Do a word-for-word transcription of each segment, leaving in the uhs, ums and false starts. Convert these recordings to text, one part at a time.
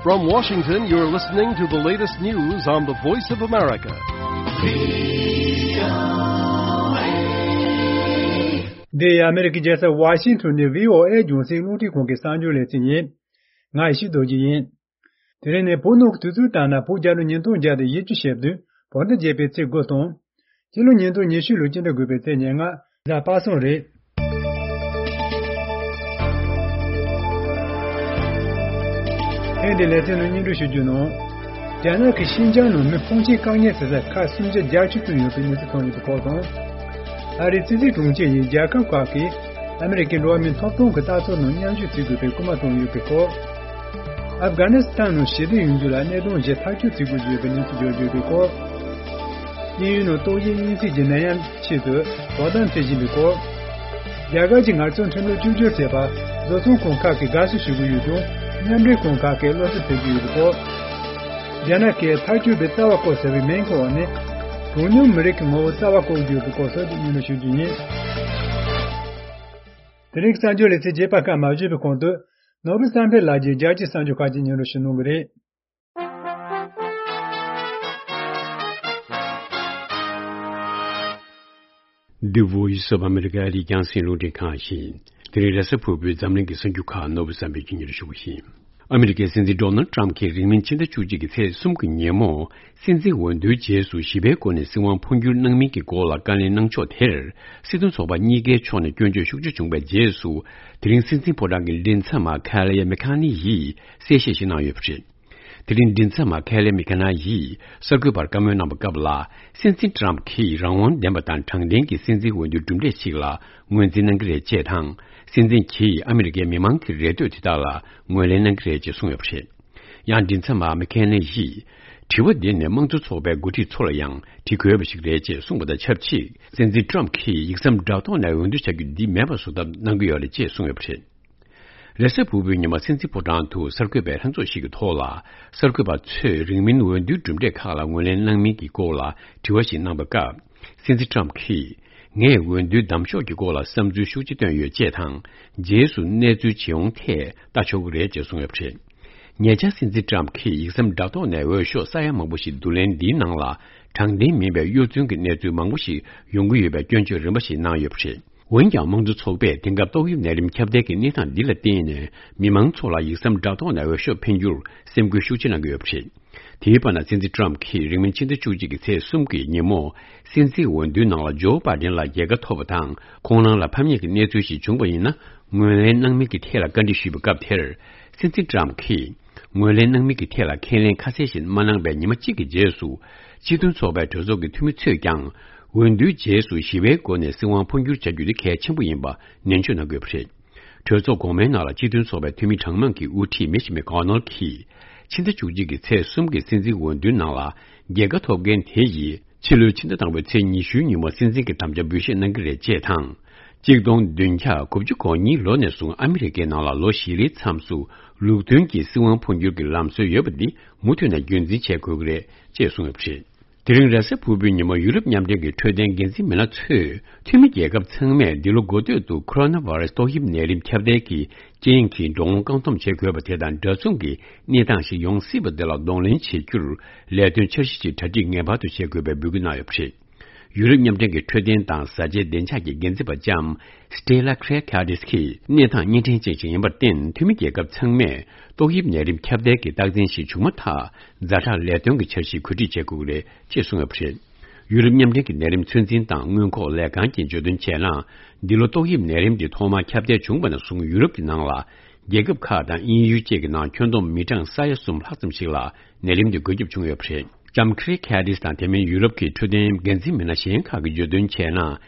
From Washington, you're listening to the latest news on the Voice of America. འདི་ཨ་མི་རི་ཀའི་རྒྱལ་ས་ཝ་ཤིང་ཊོན་ནས་བྷི་ཨོ་ཨེ་རྒྱང་སྲིང་རླུང་འཕྲིན་ཁང་གི་གསར་འགྱུར་ལེ་ཚན་ཡིན། ང་ཡེ་ཤེས་རྡོ་རྗེ་ཡིན། དེ་རིང་ནི་བོད་ནང་གི་དུས་ཚོད་ལྟར་ན་བོད་རྒྱལ་ལོ་ཉིས་སྟོང་བརྒྱ་དང་བཞི་བཅུ་ཞེ་བདུན་བོད་ཟླ་བརྒྱད་པའི་ཚེས་དགུ་དང་། སྤྱི་ལོ་ཉིས་སྟོང་ཉི་ཤུ་ལོའི་སྤྱི་ཟླ་དགུ་པའི་ཚེས་ཉེར་ལྔ། གཟའ་པ་སངས་རེད། ཐེངས་འདིའི་ལེ་ཚན་ནང་སྙན་སྒྲོན་ཞུ་རྒྱུ་ནང་། རྒྱ་ནག་གིས་ཤིན་ཅང་ནང་མི་ཕོན་ཆེན་བཀག་ཉར་བྱེད་ས་ཁག་སུམ་བརྒྱ་བརྒྱད་ཅུ་བཙུགས་ཡོད་པའི་གནས་ཚུལ་ཐོན་ཡོད་པའི་སྐོར་དང་། ཨ་རིའི་སྲིད་འཛིན་དྲུང་ཆེ་ཡིས་རྒྱལ་ཁབ་ཁག་གིས་ཨ་མི་རི་ཀའི་འགྲོ་བ་མིའི་ཐོབ་ཐང་གི་ལྟ་ཚུལ་ནང་མཉམ་ཞུགས་བྱེད་དགོས་པའི་སྐུལ་མ་བཏང་ཡོད་པའི་སྐོར། ཨབ་གྷ་ནི་སི་ཐན་ནང་ཞི་བདེ་ཡོང་རྒྱུ་ལ་གནད་དོན་བཞི་ཐག་གཅོད་བྱེད་དགོས་ཀྱི་ཡོད་པའི་གནས་ཚུལ་བརྗོད་ཡོད་པའི་སྐོར། དབྱིན་ཡུལ་ནང་ཏོག་དབྱིབས་གཉན་སྲིན་གྱི་ནད་ཡམས་ཆེད་དུ་དོ་དམ་བྱེད་བཞིན་པའི་སྐོར། རྒྱ་གར་གྱི་ངལ་རྩོལ་ཁྲིམས་ལུགས་བཅོས་སྒྱུར་བྱས་པར་བཟོ་ཚོང་ཁང་ཁག་གིས་དགའ་བསུ་ཞུ་གི་ཡོད་ཀྱང་མཉམ་འབྲེལ་ཁང་ཁག་གིས་བློ་སེམས་འཚབ་ཀྱི་ཡོད་པའི་སྐོར། རྒྱ་ནག་གིས་མཐར་སྐྱོད་པའི་རྩ་བ་བཀོད་ཟེར་བའི་མིང་ཐོག་ནས་གྲངས་ཉུང་མི་རིགས་ཀྱི་ངོ་བོ་རྩ་བ་བཀོད་ཀྱི་ཡོད་པའི་སྐོར་སོགས་ཀྱི་སྙན་སྒྲོན་ཞུ་རྒྱུ་ཡིན། དེ་རིང་གི་གསར་འགྱུར་ལེ་ཚན་རྒྱས་པ་སྐབས་མ་བརྗོད་པའི་གོང་དུ། ནོར་བུ་བསམ་འཕེལ་ལགས་ཀྱིས་རྒྱལ་སྤྱིའི་གསར་འགྱུར་ཁག་ཅིག་སྙན་སྒྲོན་ཞུ་གནང་གི་རེད། འདི་Voice of America ཨ་རིའི་རྒྱང་སྲིང་རླུང་འཕྲིན་ཁང་ཡིན། དེ་རིང་རེས་གཟའ་ཕུར་བུའི་འཛམ་གླིང་གི་གསར་འགྱུར་ཁག་ནོར་བུ་བསམ་འཕེལ་གྱིས་སྙན་སྒྲོན་ཞུ་གི་ཡིན། ཨ་མི་རི་ཀའི་སྲིད་འཛིན་ཌོ་ནལ་ཊམ་གྱིས་རིང་མིན་ཕྱི་ཟླ་བཅུ་གཅིག་གི་ཚེས་གསུམ་གྱི་ཉིན་མོ། སྲིད་འཛིན་འོས་བསྡུའི་རྗེས་སུ་ཞི་བའི་སྒོ་ནས་སྲིད་དབང་འཕོ་འགྱུར་གནང་མིན་གྱི་སྐོར་ལ་བཀའ་ལན་གནང་ཕྱོགས་དེར། སྲིད་དོན་ཚོགས་པ་གཉིས་ཀའི་ཕྱོགས་ནས་སྐྱོན་བརྗོད་ཤུགས་ཆེ་བྱུང་བའི་རྗེས་སུ། དེ་རིང་སྲིད་འཛིན་ཕོ་བྲང་གི་མགྲིན་ཚབ་མ་ཁ་ལེ་མི་ཁ་ནི་ཡིས་གསལ་བཤད་ཞིག་གནང་ཡོད་པ་རེད། དེ་རིང་མགྲིན་ཚབ་མ་ཁ་ལེ་མི་ཁ་ན་ཡིས་གསར་འགོད་པར་བཀའ་མོལ་གནང་བའི་སྐབས་ལ། སྲིད་འཛིན་ཊམ་གྱིས་རང་དབང་ལྡན་པ་དང་དྲང་བདེན་གྱི་སྲིད་འཛིན་འོས་བསྡུའི་གྲུབ་འབྲས་ཤིག་ལ་ངོས་འཛིན་གནང་གི་རེད་ཅེས་དང་། སྲིད་འཛིན་གྱིས་ཨ་མི་རི་ཀའི་མི་མང་གི་རེ་འདོད་དེ་དག་ལ་ངོས་ལེན་གནང་གི་རེད་ཅེས་གསུངས་ཡོད་པ་རེད། ཡང་མགྲིན་ཚབ་མ་མི་ཁེ་ནེ་ཡིས། དྲི་བ་འདི་ནི་དམངས་གཙོ་ཚོགས་པའི་འགོ་ཁྲིད་ཚོ་ལ་ཡང་དྲི་དགོས་པ་ཞིག་རེད་ཅེས་གསུངས་པ་དང་ཆབས་ཅིག་སྲིད་འཛིན་ཊམ་གྱིས་ཡིག་ཟམ་དྲ་ཐོག་ནས་འོས་བསྡུ་བྱ་རྒྱུ་འདི་མེད་པ་བཟོ་ཐབས་གནང་གི་ཡོད་རེད་ཅེས་གསུངས་ཡོད་པ་རེད། རེས་གཟའ་ཕུར་བུའི་ཉིན་མ་སྲིད་འཛིན་ཕོ་བྲང་དུ་གསར་འགོད་པའི་ལྷན་ཚོགས་ཤིག་གི་ཐོག་ལ། གསར་འགོད་པ་ཚོས་རིང་མིན་འོས་བསྡུའི་གྲུབ་འབྲས་ཁག་ལ་ངོས་ལེན་གནང་མིན་གྱི་སྐོར་ལ་དྲི་བ་ཞིག་གནང་བའི་སྐབས། སྲིད་འཛིན་ཊམ་གྱིས། ངས་འོས་བསྡུའི་གདམ་ཕྱོགས་ཀྱི་སྐོར་ལ་བསམ་ཚུལ་ཤུགས་ཆེ་བཏོན་ཡོད་ཅེས་དང་། རྗེས་སུ་གནས་ཚུལ་ཇི་ཡོང་ཐད་ལྟ་ཆོག་གི་རེད་ཅེས་གསུངས་ཡོད་པ་རེད། ཉེ་ཆར་སྲིད་འཛིན་ཊམ་གྱིས་ཡིག་ཟམ་དྲ་ཐོག་ནས་འོས་ཤོག་ས་ཡ་མང་པོ་ཞིག་བསྡུ་ལེན་འདིའི་ནང་ལ་དྲང་བདེན་མིན་པའི་གཡོ་རྫུན་གྱི་གནས་ཚུལ་མང་པོ་ཞིག་ཡོང་གི་ཡོད་པའི་སྐྱོན་བརྗོད་རིམ་པ་ཞིག་གནང་ཡོད་པ་རེད། འོན་ཀྱང་དམངས་གཙོ་ཚོགས་པས་དེང་སྐབས་ཏོག་དབྱིབས་ནད་རིམས་ཁྱབ་གདལ་གྱི་གནས་སྟངས་འདི་ལ་བརྟེན་ནས་མི་མང་ཚོ་ལ་ཡིག་ཟམ་དྲ་ཐོག་ནས་འོས་ཤོག་འཕེན་རྒྱུར་སེམས་ཁུར་ཤུགས་ཆེ་གནང་གི་ཡོད་པ་རེད། དེའི་བར་ན་སྲིད་འཛིན་ཊམ་གྱིས་རིང་མིན་ཕྱི་ཟླ་བཅུ་གཅིག་གི་ཚེས་གསུམ་གྱི་ཉིན་མོ། སྲིད་འཛིན་འོས་བསྡུའི་ནང་ལ་ཇོ་བྷའི་ཌེན་ལ་རྒྱལ་ཁ་ཐོབ་པ་དང་ཁོང་རང་ལ་ཕམ་ཉེས་ཀྱི་གནས་ཚུལ་ཞིག་བྱུང་བ་ཡིན་ན་ངོས་ལེན་གནང་མིན་གྱི་ཐད་ལ་བཀའ་འདྲི་ཞུས་པའི་སྐབས་དེར། སྲིད་འཛིན་ཊམ་གྱིས། ངོས་ལེན་གནང་མིན་གྱི་ཐད་ལ་ཁས་ལེན་ཁ་གསལ་ཞིག་མ་གནང་བའི་ཉི་མ་གཅིག་གི་རྗེས་སུ། སྤྱི་མཐུན་ཚོགས་པའི་གྲོས་ཚོགས་ཀྱི་འཐུས་མི་ཚོས་ཀྱང་། འོས་བསྡུའི་རྗེས་སུ་ཞི་བའི་སྒོ་ནས་སྲིད་དབང་འཕོ་འགྱུར་བྱ་རྒྱུ་དེ་གལ་ཆེན་པོ་ཡིན་པ་ནན་བརྗོད་གནང་དགོས་པ་རེད། གྲོས་ཚོགས་གོང་མའི་ནང་ལ་སྤྱི་མཐུན་ཚོགས་པའི་འཐུས་མི་གྲངས་མང་གིས་དབུ་ཁྲིད་མི་ཤི་མི་ཀོ་ནལ་གྱིས། ཕྱི་ཟླ་བཅུ་གཅིག་གི་ཚེས་གསུམ་གྱི་སྲིད་འཛིན་འོས་བསྡུའི་ནང་ལ་རྒྱལ་ཁ་ཐོབ་མཁན་དེ་ཡིས། ཕྱི་ལོའི་ཕྱི་ཟླ་དང་པོའི་ཚེས་ཉི་ཤུའི་ཉིན་མོ་སྲིད་འཛིན་གྱི་དམ་བཅའ་འབུལ་བཞེས་གནང་གི་རེད་ཅེས་དང་། གཅིག་སྟོང་བདུན་བརྒྱ་དགུ་བཅུ་གོ་གཉིས་ལོ་ནས་བཟུང་ཨ་མི་རི་ཀའི་ནང་ལ་ལོ་བཞི་རེའི་མཚམས་སུ་ལུགས་མཐུན་གྱི་སྲིད་དབང་འཕོ་འགྱུར་གྱི་ལམ་སྲོལ་ཡོད་པ་འདི་མུ་མཐུད་ནས་རྒྱུན་འཛིན་བྱེད་དགོས་ཀྱི་རེད་ཅེས་གསུངས་ཡོད་པ་རེད། དེ་རིང་རེས་གཟའ་ཕུར་བུའི་ཉིན་མོ་ཡུ་རོབ་མཉམ་འབྲེལ་གྱི་འཕྲོད་བསྟེན་འགན་འཛིན་མི་སྣ་ཚོས་འཐུས་མི་རྒྱལ་ཁབ་ཚང་མས་འདི་ལོ་འགོ་སྟོད་དུ་ཁོ་རོ་ན་བྷ་རེ་སི་ཏོག་དབྱིབས་ནད་རིམས་ཁྱབ་གདལ་གྱི་རྐྱེན་གྱིས་འགྲོ་འོང་བཀག་སྡོམ་བྱེད་དགོས་པ་དེ་དང་འདྲ་མཚུངས་ཀྱི་གནས་སྟངས་ཤིག་ཡོང་སྲིད་པ་དེ་ལ་གདོང་ལེན་བྱེད་རྒྱུར་ལས་དོན་འཆར་གཞི་ཅིག་གྲ་སྒྲིག་ངེས་པར་དུ་བྱེད་དགོས་པའི་འབོད་སྐུལ་གནང་ཡོད་པ་རེད། ཡུ་རོབ་མཉམ་འབྲེལ་གྱི་འཕྲོད་བསྟེན་དང་བཟའ་བཅའི་བདེ་འཇགས་ཀྱི་འགན་འཛིན་པ་ལྕམ་Stella Kyriakides གིས་གནས་སྟངས་གཉན་འཕྲང་ཅན་ཞིག་ཡིན་པར་བརྟེན་འཐུས་མི་རྒྱལ་ཁབ་ཚང་མས་ཏོག་དབྱིབས་ནད་རིམས་ཁྱབ་གདལ་གྱི་རྟགས་མཚན་ཞིག་བྱུང་མ་ཐག་ཛ་དྲག་ལས་དོན་གྱི་འཆར་གཞི་གོ་སྒྲིག་བྱེད་དགོས་ཀྱི་རེད་ཅེས་གསུངས་ཡོད་པ་རེད། ཡུ་རོབ་མཉམ་འབྲེལ་གྱི་ནད་རིམས་ཚོད་འཛིན་དང་སྔོན་འགོག་ལས་ཁང་གིས་བརྗོད་དོན་བྱས་ན། འདི་ལོ་ཏོག་དབྱིབས་ནད་རིམས་འདི་ཐོག་མར་ཁྱབ་གདལ་བྱུང་བ་ནས་བཟུང་ཡུ་རོབ་ཀྱི་ནང་ལ། རྒྱལ་ཁབ་ཁག་དང་དབྱིན་ཡུལ་བཅས་ཀྱི་ནང་ཁྱོན་བསྡོམས་མི་གྲངས་ས་ཡ་གསུམ་ལྷག་ཙམ་ཞིག་ལ་ནད་རིམས་འདི་འགོས་ཁྱབ་བྱུང་ཡོད་པ་རེད། ལྕམ་ཁི་རི་ཁེ་ཏིས་དང་དེ་མིན་ཡུ་རོབ་ཀྱི་འཕྲོད་བསྟེན་འགན་འཛིན་མི་སྣ་གཞན་ཁག་གིས་བརྗོད་དོན་བྱས་ན།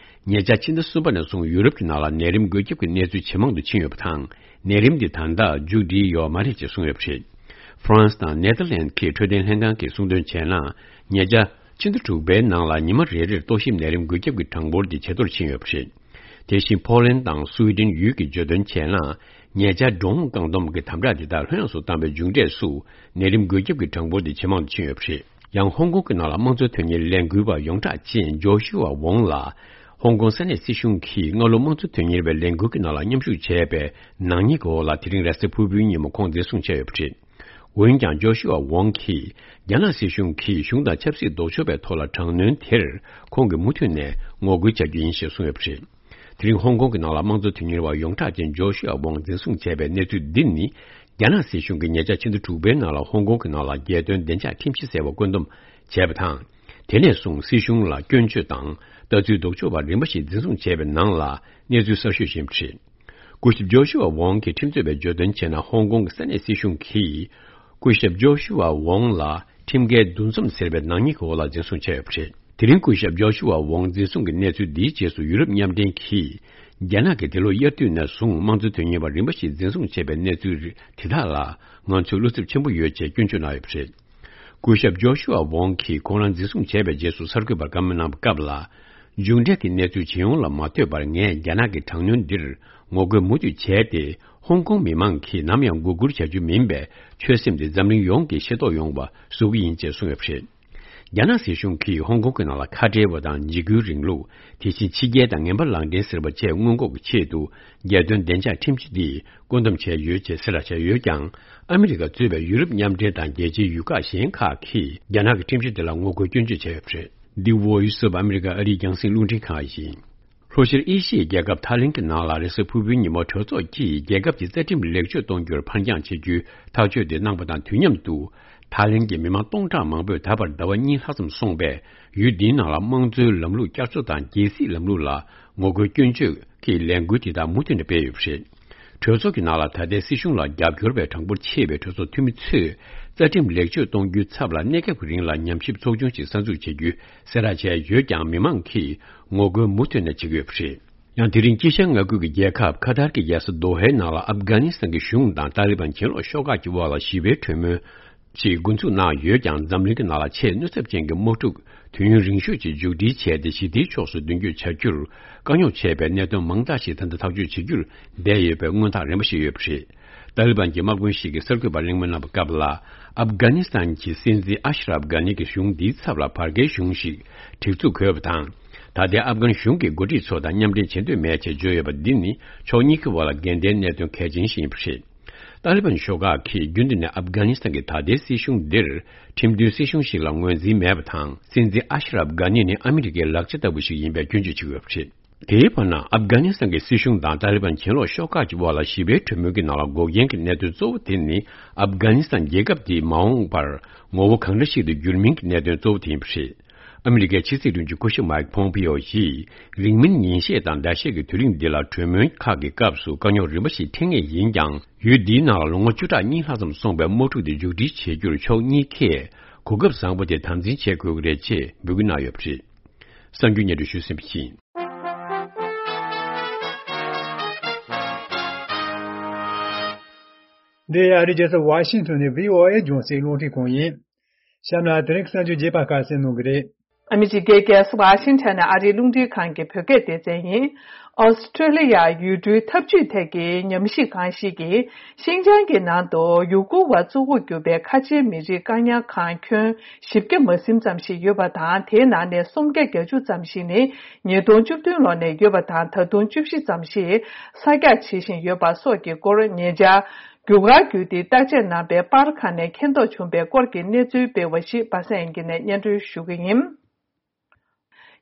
ཉེ་ཆར་ཕྱི་ཟླ་གསུམ་པ་ནས་བཟུང་ཡུ་རོབ་ཀྱི་ནང་ལ་ནད་རིམས་འགོས་ཁྱབ་ཀྱི་གནས་ཚུལ་ཇེ་མང་དུ་ཕྱིན་ཡོད་པ་དང་། ནད་རིམས་འདི་ད་ལྟ་མཇུག་སྒྲིལ་ཡོད་མ་རེད་ཅེས་གསུངས་ཡོད་པ་རེད། ཧྥ་རན་སི་དང་ནེ་ཐར་ལན་གྱི་འཕྲོད་བསྟེན་ལྷན་ཁང་གིས་གསུངས་དོན་བྱས་ན། ཉེ་ཆར་ཕྱི་ཟླ་དྲུག་པའི་ནང་ལ་ཉི་མ་རེ་རེར་ཏོག་དབྱིབས་ནད་རིམས་འགོས་ཁྱབ་ཀྱི་གྲངས་འབོར་འདི་ཇེ་མཐོར་ཕྱིན་ཡོད་པ་རེད། དེ་བཞིན་ཕོ་ལན་དང་སུའེ་ཏེན་ཡུལ་གྱིས་བརྗོད་དོན་བྱས་ན། ཉེ་ཆར་འགྲོ་འོང་བཀག་སྡོམ་གྱི་དམ་དྲག་འདི་དག་ལྷོད་ཡངས་སུ་བཏང་བའི་མཇུག་འབྲས་སུ། ནད་རིམས་འགོས་ཁྱབ་ཀྱི་གྲངས་འབོར་འདི་ཇེ་མང་དུ་ཕྱིན་ཡོད་པ་རེད། ཡང་ཧོང་ཀོང་གི་ནང་ལ་དམངས་གཙོ་དོན་གཉེར་ལས་འགུལ་བ་ཡོངས་གྲགས་ཅན་ཇོ་ཤུ་ཝ་ཝོང་ལ། ཧོང་ཀོང་ས་གནས་སྲིད་གཞུང་གིས་སྔ་ལོ་དམངས་གཙོ་དོན་གཉེར་བའི་ལས་འགུལ་གྱི་ནང་ལ་མཉམ་ཞུགས་བྱས་པའི་ནག་ཉེས་ཀྱི་འོག་ལ་དེ་རིང་རེས་གཟའ་ཕུར་བུའི་ཉིན་མོ་ཁོང་འཛིན་བཟུང་བྱས་ཡོད་པ་རེད། འོན་ཀྱང་ཇོ་ཤུ་ཨ་ཝང་གིས་རྒྱ་ནག་སྲིད་གཞུང་གིས་གཞུང་དང་ཆབ་སྲིད་ལྡོག་ཕྱོགས་པའི་ཐོག་ལ་དྲག་གནོན་དེར་ཁོང་གིས་མུ་མཐུད་ནས་ངོ་རྒོལ་བྱ་རྒྱུ་ཡིན་ཞེས་གསུངས་ཡོད་པ་རེད། དེ་རིང་ཧོང་ཀོང་གི་ནང་ལ་དམངས་གཙོ་དོན་གཉེར་བ་ཡོངས་གྲགས་ཅན་ཇོ་ཤུ་ཨ་ཝང་འཛིན་བཟུང་བྱས་པའི་གནས་ཚུལ་འདི་ནི། རྒྱ་ནག་སྲིད་གཞུང་གིས་ཉེ་ཆར་ཕྱི་ཟླ་དྲུག་པའི་ནང་ལ་ཧོང་ཀོང་གི་ནང་ལ་རྒྱལ་དོན་བདེ་འཇགས་ཁྲིམས་གཞི་ཟེར་བ་བཀོད་འདོམས་བྱས་པ་དང་། དེ་ནས་བཟུང་སྲིད་གཞུང་ལ་སྐྱོན་བརྗོད་དང་། ལྟ་ཚུལ་ལྡོག་ཕྱོགས་པ་རིམ་པ་ཞིག་འཛིན་བཟུང་བྱས་པའི་ནང་ལ་གནས་ཚུལ་གསར་ཤོས་ཤིག་ཡིན་པ་རེད། སྐུ་ཞབས་ཇོ་ཤུ་ཨ་ཝང་གིས་ཁྲིམས་རྩོད་པའི་བརྗོད་དོན་བྱས་ན། ཧོང་ཀོང་གི་ས་གནས་སྲིད་གཞུང་གིས་སྐུ་ཞབས་ཇོ་ཤུ་ཨ་ཝང་ལ་ཁྲིམས་འགལ་འདུ་འཛོམས་ཟེར་བའི་ནག་ཉེས་ཀྱི་འོག་ལ་འཛིན་བཟུང་བྱས་ཡོད་པ་རེད། དེ་རིང་སྐུ་ཞབས་ཇོ་ཤུ་ཨ་ཝང་འཛིན་བཟུང་གི་གནས་ཚུལ་འདིའི་རྗེས་སུ་ཡུ་རོབ་མཉམ་འབྲེལ་གྱིས་རྒྱ་ནག་གིས་འདི་ལོ་དབྱར་དུས་ནས་བཟུང་དམངས་གཙོ་དོན་གཉེར་བ་རིམ་པ་ཞིག་འཛིན་བཟུང་བྱས་པའི་གནས་ཚུལ་དེ་དག་ལ་ང་ཚོས་བློ་འཚབ་ཆེན་པོ་ཡོད་ཅེས་སྐྱོན་བརྗོད་གནང་ཡོད་པ་རེད། སྐུ་ཞབས་ཇོ་ཤུ་ཨ་ཝང་གིས་ཁོང་རང་འཛིན་བཟུང་བྱས་པའི་རྗེས་སུ་གསར་འགོད་པར་བཀའ་མོལ་གནང་བའི་སྐབས་ལ། མཇུག་འབྲས་ཀྱི་གནས་ཚུལ་ཇི་ཡོང་ལ་མ་ལྟོས་པར། ངས་རྒྱ་ནག་གི་དྲག་གནོན་འདིར་ངོ་རྒོལ་མུ་མཐུད་བྱས་ཏེ། ཧོང་ཀོང་མི་མང་གིས་ནམ་ཡང་མགོ་སྒུར་བྱ་རྒྱུ་མིན་པའི་ཆོད་སེམས་དེ་འཛམ་གླིང་ཡོངས་ཀྱིས་ཤེས་རྟོགས་ཡོང་བ་བཟོ་གི་ཡིན་ཅེས་གསུངས་ཡོད་པ་རེད། རྒྱ་ནག་སྲིད་གཞུང་གིས་ཧོང་ཀོང་གི་ནང་ལ་ཁ་བྲལ་བ་དང་འཇིགས་སྐུལ་རིང་ལུགས། དེ་བཞིན་ཕྱི་རྒྱལ་དང་ངན་པ་ལག་འབྲེལ་ཟེར་བ་བཅས་སྔོན་འགོག་གི་ཆེད་དུ། རྒྱལ་དོན་བདེ་འཇགས་ཁྲིམས་གཞི་འདི་བཀོད་འདོམས་བྱས་ཡོད་ཅེས་གསལ་བསྒྲགས་བྱས་ཡོད་ཀྱང་། ཨ་མི་རི་ཀ་གཙོས་པའི་ཡུ་རོབ་མཉམ་འབྲེལ་དང་རྒྱལ་སྤྱིའི་ཡུལ་ཁག་གཞན་ཁག་གིས་རྒྱ་ནག་གི་ཁྲིམས་གཞི་འདི་ལ་ངོ་རྒོལ་སྐྱོན་བརྗོད་བྱས་ཡོད་པ་རེད། འདི་Voice of America ཨ་རིའི་རྒྱང་སྲིང་རླུང་འཕྲིན་ཁང་ཡིན། ལྷོ་ཤར་ཨེ་ཤི་ཡའི་རྒྱལ་ཁབ་ཐའི་ལེན་གྱི་ནང་ལ་རེས་གཟའ་ཕུར་བུའི་ཉིན་མོ་གྲོས་ཚོགས་ཀྱིས་རྒྱལ་ཁབ་ཀྱི་རྩ་ཁྲིམས་ལེགས་བཅོས་གཏོང་རྒྱུར་ཕར་འགྱངས་བྱེད་རྒྱུའི་ཐག་གཅོད་དེ་གནང་པ་དང་དུས་མཉམ་དུ། ཐའི་ལེན་གྱི་མི་མང་སྟོང་ཕྲག་མང་པོས་ད་བར་ཟླ་བ་གཉིས་ལྷག་ཙམ་སོང་པའི་ཡུལ་འདིའི་ནང་ལ་དམངས་གཙོའི་ལམ་ལུགས་བསྐྱར་གསོ་དང་རྒྱལ་སྲིད་ལམ་ལུགས་ལ་ངོ་རྒོལ་སྐྱོན་བརྗོད་ཀྱི་ལས་འགུལ་དེ་དག་མུ་མཐུད་ནས་སྤེལ་ཡོད་པ་རེད། གྲོས་ཚོགས་ཀྱི་ནང་ལ་ད་ལྟའི་སྲིད་གཞུང་ལ་རྒྱབ་སྐྱོར་བའི་གྲངས་འབོར་ཆེ་བའི་གྲོས་ཚོགས་འཐུས་མི་ཚོས་རྩ་ཁྲིམས་ལེགས་བཅོས་གཏོང་རྒྱུའི་ཚབ་ལ་གནས་སྐབས་ཀྱི་རིང་ལ་ཉམས་ཞིབ་ཚོགས་ཆུང་ཞིག་གསར་འཛུགས་བྱེད་རྒྱུའི་གསལ་བསྒྲགས་བྱས་ཡོད་ཀྱང་། མི་མང་གིས་ངོ་རྒོལ་མུ་མཐུད་ནས་བྱེད་ཀྱི་ཡོད་པ་རེད། ཡང་དེ་རིང་དཀྱིལ་ཤར་མངའ་ཁུལ་གྱི་རྒྱལ་ཁབ་ཁ་ཐར་གྱི་རྒྱལ་ས་དོ་ཧའི་ནང་ལ་ཨབ་གྷ་ནི་སི་ཐན་གྱི་གཞུང་དང་ཏཱ་ལི་བན་གྱེན་ལོག་ཤོག་ཁག་གི་དབར་ལ་ཞི་བའི་གྲོས་མོལ་ཞིག་འགོ་འཛུགས་གནང་ཡོད་ཀྱང་། འཛམ་གླིང་གི་ནང་ལ་ཆེས་གནོད་ཚབས་ཅན་གྱི་དམག་འཁྲུག་དུས་ཡུན་རིང་ཤོས་ཅིག་མཇུག་སྒྲིལ་བྱས་ཏེ། ཞི་བདེའི་ཕྱོགས་སུ་མདུན་སྐྱོད་བྱ་རྒྱུར་དཀའ་རྙོག་ཆེ་བའི་གནད་དོན་མང་དག་ཞིག་ད་ལྟ་ཐག་གཅོད་བྱེད་རྒྱུར་འབད་ཡོད་པའི་མངོན་རྟགས་རིམ་པ་ཞིག་ཡོད་པ་རེད། ཏཱ་ལི་བན་གྱི་དམག་དཔོན་ཞིག་གིས་གསར་འགོད་པར་གླེང་མོལ་གནང་བའི་སྐབས་ལ། ཨབ་གྷ་ནི་སི་ཐན་གྱི་སྲིད་འཛིན་ཨ་ཤ་ར་ཨབ་གྷ་ནི་གྱི་གཞུང་འདིའི་ཚབ་ལ་བར་བརྒལ་གཞུང་ཞིག་སྒྲིག་འཛུགས་དགོས་པ་དང་། ད་ལྟའི་ཨབ་གྷན་གཞུང་གི་འགོ་ཁྲིད་ཚོ་དང་མཉམ་འབྲེལ་བྱེད་འདོད་མེད་ཅེས་བརྗོད་ཡོད་པ་འདི་ནི་ཕྱོགས་གཉིས་ཀྱི་དབར་ལ་འགལ་ཟླའི་གནད་དོན་གལ་ཆེན་ཞིག་ཡིན་པ་རེད། ཏཱ་ལི་བན་ཤོག་ཁག་གིས་རྒྱུན་དུ་ནས་ཨབ་གྷ་ནི་སི་ཐན་གྱི་ད་ལྟའི་སྲིད་གཞུང་འདིར་ཁྲིམས་མཐུན་སྲིད་གཞུང་ཞིག་ལ་ངོས་འཛིན་མེད་པ་དང་། སྲིད་འཛིན་ཨ་ཤ་ར་ཨབ་གྷ་ནི་ནི་ཨ་མི་རི་ཀའི་ལག་ཆ་ལྟ་བུ་ཞིག་ཡིན་པའི་སྐྱོན་བརྗོད་བྱེད་ཀྱི་ཡོད་པ་རེད། དེའི་བར་ན། ཨབ་གྷ་ནི་སི་ཐན་གྱི་སྲིད་གཞུང་དང་ཏཱ་ལི་བན་གྱེན་ལོག་ཤོག་ཁག་གི་དབར་ལ་ཞི་བའི་གྲོས་མོལ་གྱི་ནང་ལ་འགོག་རྐྱེན་གྱི་གནད་དོན་གཙོ་བོ་དེ་ནི། ཨབ་གྷ་ནི་སི་ཐན་རྒྱལ་ཁབ་འདི་མ་འོངས་པར་ངོ་བོ་གང་འདྲ་ཞིག་ཏུ་འགྱུར་མིན་གྱི་གནད་དོན་གཙོ་བོ་དེ་ཡིན་པ་རེད། ཨ་མི་རི་ཀའི་ཕྱི་སྲིད་དྲུང་ཆེ་སྐུ་ཞབས་མའིག་ཕོམ་པིའོ་ཡིས། རིང་མིན་ཉིན་ཤས་དང་ཟླ་ཤས་ཀྱི་དུས་རིང་འདི་ལ་གྲོས་མོལ་ཁག་གི་སྐབས་སུ་དཀའ་རྙོག་རིམ་པ་ཞིག་འཕྲད་ངེས་ཡིན་ཀྱང་། ཡུལ་འདིའི་ནང་ལ་ལོ་ངོ་བཅུ་ཕྲག་གཉིས་ལྷག་ཙམ་སོང་པའི་དམག་འཁྲུག་དེ་མཇུག་སྒྲིལ་བྱེད་རྒྱུར་ཕྱོགས་གཉིས་ཀས་གོ་སྐབས་བཟང་པོ་དེ་དམ་འཛིན་བྱེད་དགོས་ཀྱི་རེད་ཅེས་འབོད་སྐུལ་གནང་ཡོད་པ་རེད། གསར་འགྱུར་སྙན་སྒྲོན་ཞུས་ཟིན་པ་ཡིན། འདི་ཨ་རིའི་རྒྱལ་ས་ཝ་ཤིང་ཊོན་ནས་བྷི་ཨོ་ཨེ་རྒྱང་སྲིང་རླུང་འཕྲིན་ཁང་ཡིན། གཤམ་ལ་དེ་རིང་གི་གསར་འགྱུར་རྒྱས་པ་ཁ་གསལ་གནང་གི་རེད། ཨ་མི་རི་ཀའི་རྒྱལ་ས་ཝ་ཤིང་ཊོན་ནས་ཨ་རིའི་རླུང་འཕྲིན་ཁང་གི་བོད་སྐད་སྡེ་ཚན་ཡིན། ཨོ་སི་ཀྲོ་ལི་ཡ་ཡུལ་གྲུའི་འཐབ་ཇུས་ཐད་ཀྱི་ཉམས་ཞིབ་ཁང་ཞིག་གིས། ཤིན་ཅང་གི་ནང་དུ་ཡུ་གུར་བ་གཙོ་བོར་གྱུར་པའི་ཁ་ཆེའི་མི་རིགས་བཀག་ཉར་ཁང་ཁྱོན་བཞི་བརྒྱ་མ་ཟིན་ཙམ་ཞིག་ཡོད་པ་དང་། དེའི་ནང་ནས་སུམ་བརྒྱ་བརྒྱད་ཅུ་ཙམ་ཞིག་ནི་ཉིས་སྟོང་བཅུ་བདུན་ལོ་ནས་ཡོད་པ་དང་། ད་དུང་བཅུ་བཞི་ཙམ་ཞིག་གསར་རྒྱག་བྱེད་བཞིན་ཡོད་པ་སོགས་ཀྱི་སྐོར་ཉེ་ཆར་རྒྱུ་སྐར་བརྒྱུད་དེ་བརྟག་དཔྱད་གནང་པའི་པར་ཁང་ནས་མཁྱེན་རྟོགས་བྱུང་པའི་སྐོར་གྱི་གནས་ཚུལ་སྤེལ་བ་ཞིག་པ་སངས་དབྱངས་སྐྱིད་ནས་སྙན་སྒྲོན་ཞུ་གི་ཡིན།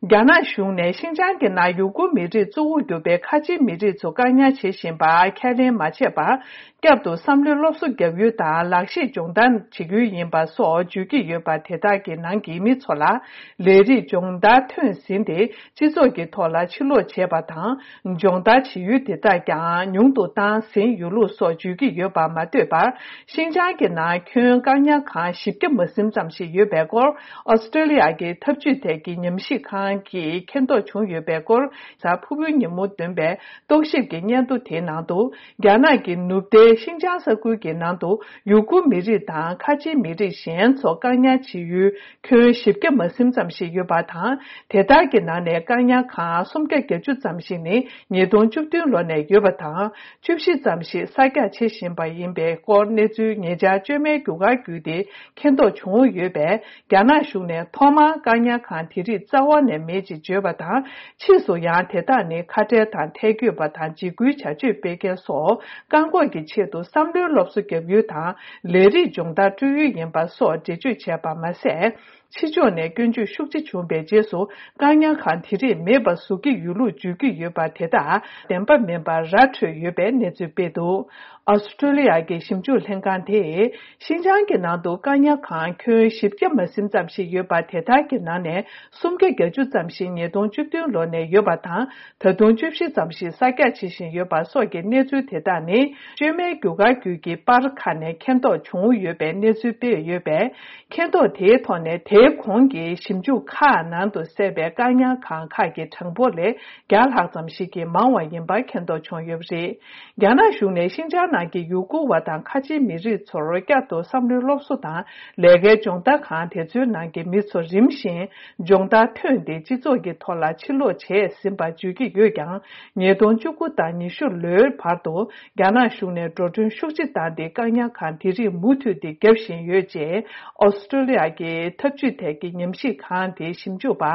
རྒྱ་ནག་གཞུང་ནས་ཤིན་ཅང་གི་ནང་ཡུ་གུར་མི་རིགས་གཙོ་བོར་གྱུར་པའི་ཁ་ཆེའི་མི་རིགས་ཚོ་བཀག་ཉར་བྱེད་བཞིན་པར་ཁས་ལེན་མ་བྱས་པར། བསྐྱར་དུ་བསམ་བློའི་སློབ་གསོ་བརྒྱབ་ཡུལ་དང་ལག་ཤེས་སྦྱོང་བརྡར་བྱེད་ཡུལ་ཡིན་པ་སོགས་བརྗོད་ཀྱི་ཡོད་པ། དེ་དག་གི་ནང་གི་མི་ཚོ་ལ་ལས་རིགས་སྦྱོང་བརྡར་ཐོན་ཟིན་ཏེ། སྤྱི་ཚོགས་ཀྱི་ཐོག་ལ་ཕྱིར་ལོག་བྱས་པ་དང་། སྦྱོང་བརྡར་བྱེད་ཡུལ་དེ་དག་ཀྱང་ཉུང་དུ་བཏང་ཟིན་ཡོད་ལུགས་སོགས་བརྗོད་ཀྱི་ཡོད་པ་མ་ཟད་པར། ཤིན་ཅང་གི་ནང་ཁྱོན་བཀག་ཉར་ཁང་བཞི་བརྒྱ་མ་ཟིན་ཙམ་ཞིག་ཡོད་པའི་སྐོར། ཨོ་སི་ཀྲོ་ལི་ཡ་གི་འཐབ་ཇུས་ཐད་ཀྱི་ཉམས་ཞིབ་ཁང་གིས་མཁྱེན་རྟོགས་བྱུང་ཡོད་པའི་སྐོར། གཟའ་ཕུར་བུའི་ཉིན་མོ་བཏོན་པའི་རྟོག་ཞིབ་ཀྱི་སྙན་ཐོ་དེའི་ནང་དུ། རྒྱ་ནག་གི་ནུབ་མཐའི་ཤིན་ཅང་ས་ཁུལ་གྱི་ནང་དུ་ཡུ་གུར་མི་རིགས་དང་ཁ་ཆེའི་མི་རིགས་གཞན་ཚོ་བཀག་ཉར་བྱེད་ཡུལ་ཁྱོན་བཞི་བརྒྱ་མ་ཟིན་ཙམ་ཞིག་ཡོད་པ་དང་། དེ་དག་གི་ནང་ནས་བཀག་ཉར་ཁང་སུམ་བརྒྱ་བརྒྱད་ཅུ་ཙམ་ཞིག་ནི་ཉིས་སྟོང་བཅུ་བདུན་ལོ་ནས་ཡོད་པ་དང་། བཅུ་བཞི་ཙམ་ཞིག་གསར་རྒྱག་བྱེད་བཞིན་པ་ཡིན་པའི་སྐོར་གནས་ཚུལ་ཉེ་ཆར་བཅོས་མའི་རྒྱུ་སྐར་བརྒྱུད་དེ་མཁྱེན་རྟོགས་བྱུང་ཡོད་པས། རྒྱ་ནག་གཞུང་ནས་ཐོག་མར་བཀག་ཉར་ཁང་དེ་རིགས་རྩ་བ་ནས་ མེད་ཅེས་བརྗོད་པ་དང་། ཕྱིས་སུ་ཡང་དེ་དག་ནི་ཁ་བྲལ་དང་ཐལ་འགྱོད་པ་དང་འཇིགས་སྐུལ་བྱ་སྤྱོད་སྤེལ་མཁན་སོགས་བཀག་འགོག་གི་ཆེད་དུ་བསམ་བློའི་སློབ་གསོ་བརྒྱབ་ཡུལ་དང་ལས་རིགས་སྦྱོང་བརྡར་སྤྲོད་ཡུལ་ཡིན་པ་སོགས་འགྲེལ་བརྗོད་བྱས་པ་མ་ཟད། ཕྱི་ཕྱོགས་ནས་སྐྱོན་བརྗོད་ཤུགས་ཆེ་བྱུང་བའི་རྗེས་སུ་བཀག་ཉར་ཁང་དེ་རིགས་མེད་པ་བཟོ་གི་ཡོད་ལུགས་བརྗོད་ཀྱི་ཡོད་པ་དེ་དག་བདེན་པ་མིན་པ་ར་འཕྲོད་ཡོད་པའི་གནས་ཚུལ་སྤེལ་འདུག་ཨོ་སི་ཀྲོ་ལི་ཡ་གི་ཞིབ་འཇུག་ལྷན་ཁང་དེས། ཤིན་ཅང་གི་ནང་དུ་བཀག་ཉར་ཁང་ཁྱོན་བཞི་བརྒྱ་མ་ཟིན་ཙམ་ཞིག་ཡོད་པ་དེ་དག་གི་ནང་ནས་སུམ་བརྒྱ་བརྒྱད་ཅུ་ཙམ་ཞིག་ཉིས་སྟོང་བཅུ་བདུན་ལོ་ནས་ཡོད་པ་དང་། ད་དུང་བཅུ་བཞི་ཙམ་ཞིག་གསར་རྒྱག་བྱེད་བཞིན་ཡོད་པ་སོགས་ཀྱི་གནས་ཚུལ་དེ་དག་ནི། བཅོས་མའི་རྒྱུ་སྐར་བརྒྱུད་ཀྱི་པར་ཁག་ནས་མཁྱེན་རྟོགས་བྱུང་ཡོད་པའི་གནས་ཚུལ་སྤེལ་ཡོད་པས། མཁྱེན་རྟོགས་དེའི་ཐོག་ནས་དེའི་གོང་གི་ཞིབ་འཇུག་ཁག་ནང་དུ་གསལ་བའི་བཀག་ཉར་ཁང་ཁག་གི་གྲངས་འབོར་ལས་བརྒྱ་ལྷག་ཙམ་ཞིག་གིས་མང་བ་ཡིན་པ་མཁྱེན་རྟོགས་བྱུང་ཡོད་པ་རེད། རྒྱ་ནག་གཞུང་ནས་ཤིན་ཅང་ནང་གི་ཡུ་གུར་བ་དང་ཁ་ཆེའི་མི་རིགས་ཚོར་བསྐྱར་དུ་བསམ་བློའི་སློབ་གསོ་དང་ལས་ཀའི་སྦྱོང་བརྡར་ཁང་དེ་ཚོའི་ནང་གི་མི་ཚོ་རིམ་བཞིན་སྦྱོང་བརྡར་ཐོན་ཏེ་སྤྱི་ཚོགས་ཀྱི་ཐོག་ལ་ཕྱིར་ལོག་བྱས་ཟིན་པ་བརྗོད་ཀྱི་ཡོད་ཀྱང་། ཉིས་སྟོང་བཅུ་དགུ་དང་ཉི་ཤུ་ལོའི་བར་དུ་རྒྱ་ནག་གཞུང་ནས་འགྲོ་གྲོན་ཤུགས་ཆེ་བཏང་སྟེ་བཀག་ཉར་ཁང་དེ་རིགས་མུ་མཐུད་དེ་བརྒྱབ་བཞིན་ཡོད་ཅེས་ཨོ་སི་ཀྲོ་ལི་ཡ་གི་འཐབ་ཇུས་ཐད་ཀྱི་ཉམས་ཞིབ་ཁང་དེའི་ཞིབ་འཇུག་པ་